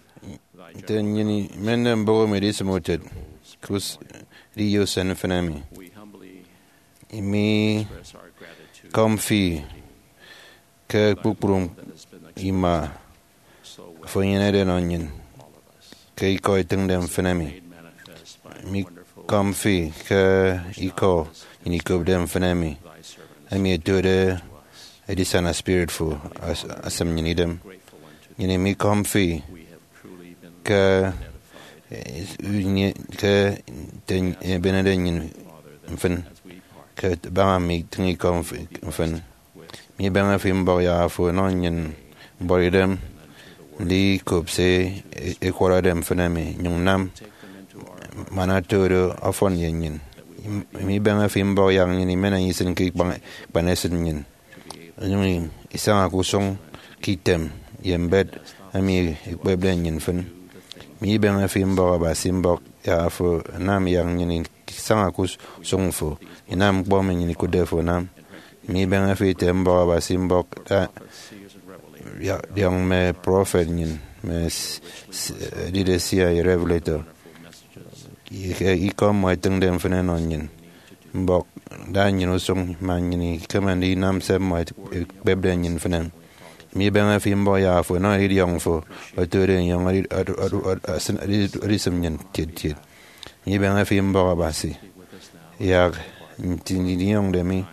Thy nte nnyịn imende mbụk emi idisịm utịt ke us-, ediye usen mfịn emi, we humbly imi express our gratitude kọm fi ke kpukpru ima afo enyenede nọ nnyịn ke ikọ etịñde mfịn emi. Mikọm fi ke ikọ nnyịn ikopde mfịn emi, emi ẹtode edisana spirit fo as-, asịm nnyịn idem. Nnyịn imikọm fi ke, eh, ke nte ebenede nnyịn mfịn ke baña mme itịñ ikọ mf-, mfịn. Mibeñe fi mbọk yak afo ọnọ nnyịn mbuọtidem ndikop se e-, ẹkwọrọde mfịn emi, nyụñ nam man oto do ọfọn ye nnyịn. Mibeñe fi mbọk yak nnyịn imen enye isịn ke ikpan, ikpan esịt nnyịn, onyụñ isaña ke usụñ ke item ye mbet emi ekpepde nnyịn mfịn. Mibeñe fi mbọk Abasi mbọk yak afo anam yak nnyịn isaña ke usụñ fo, inam ñkpọ emi nnyịn ikụtde fo anam. Mibeñe fi ete mbọk Abasi mbọk da, ya-, diọñ mme prọfet nnyịn, mme s-, s-, edide seer ye revelator. Ye ke ikọ mmọ etịñde mfịn ẹnọ nnyịn. Mbọk da nnyịn usụñ, man nnyịn ikeme ndinam se mmọ ekpepde nnyịn mfịn. Mibeñe fi mbọk yak afo ọnọ idiọñ fo, otode enyọñ edi-, edi-, edi-, edi-, esịn-, edi-, edisịm nnyịn tiet tiet. Mibeñe fi mbọk Abasi, yak nti ndinyọñde mi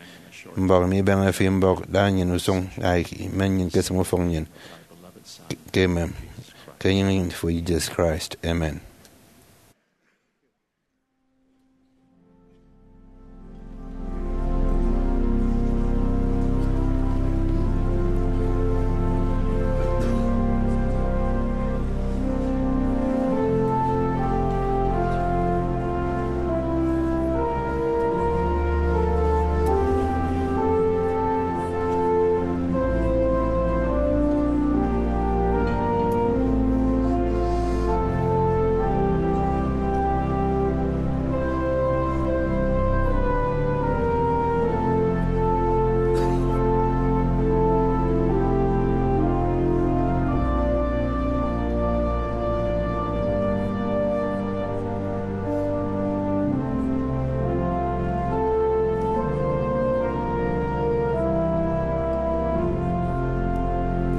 mbọk. Mibeñe fi mbọk da nnyịn usụñ, yak imen nnyịn kesịm ufọk nnyịn ke, ke emem, ke enyịñ fo Jesus Christ. Amen.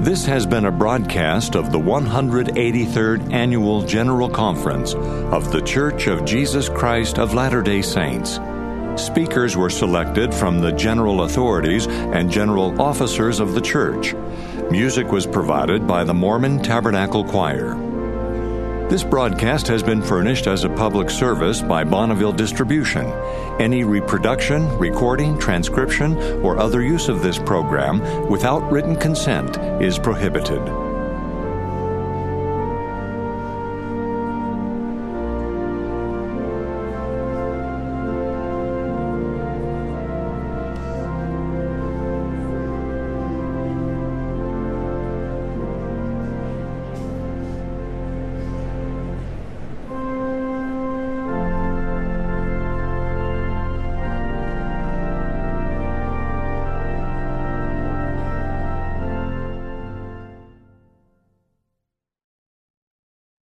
This has been a broadcast of the one hundred eighty-third Annual General Conference of The Church of Jesus Christ of Latter-day Saints. Speakers were selected from the general authorities and general officers of the church. Music was provided by the Mormon Tabernacle Choir. This broadcast has been furnished as a public service by Bonneville Distribution. Any reproduction, recording, transcription, or other use of this program without written consent is prohibited.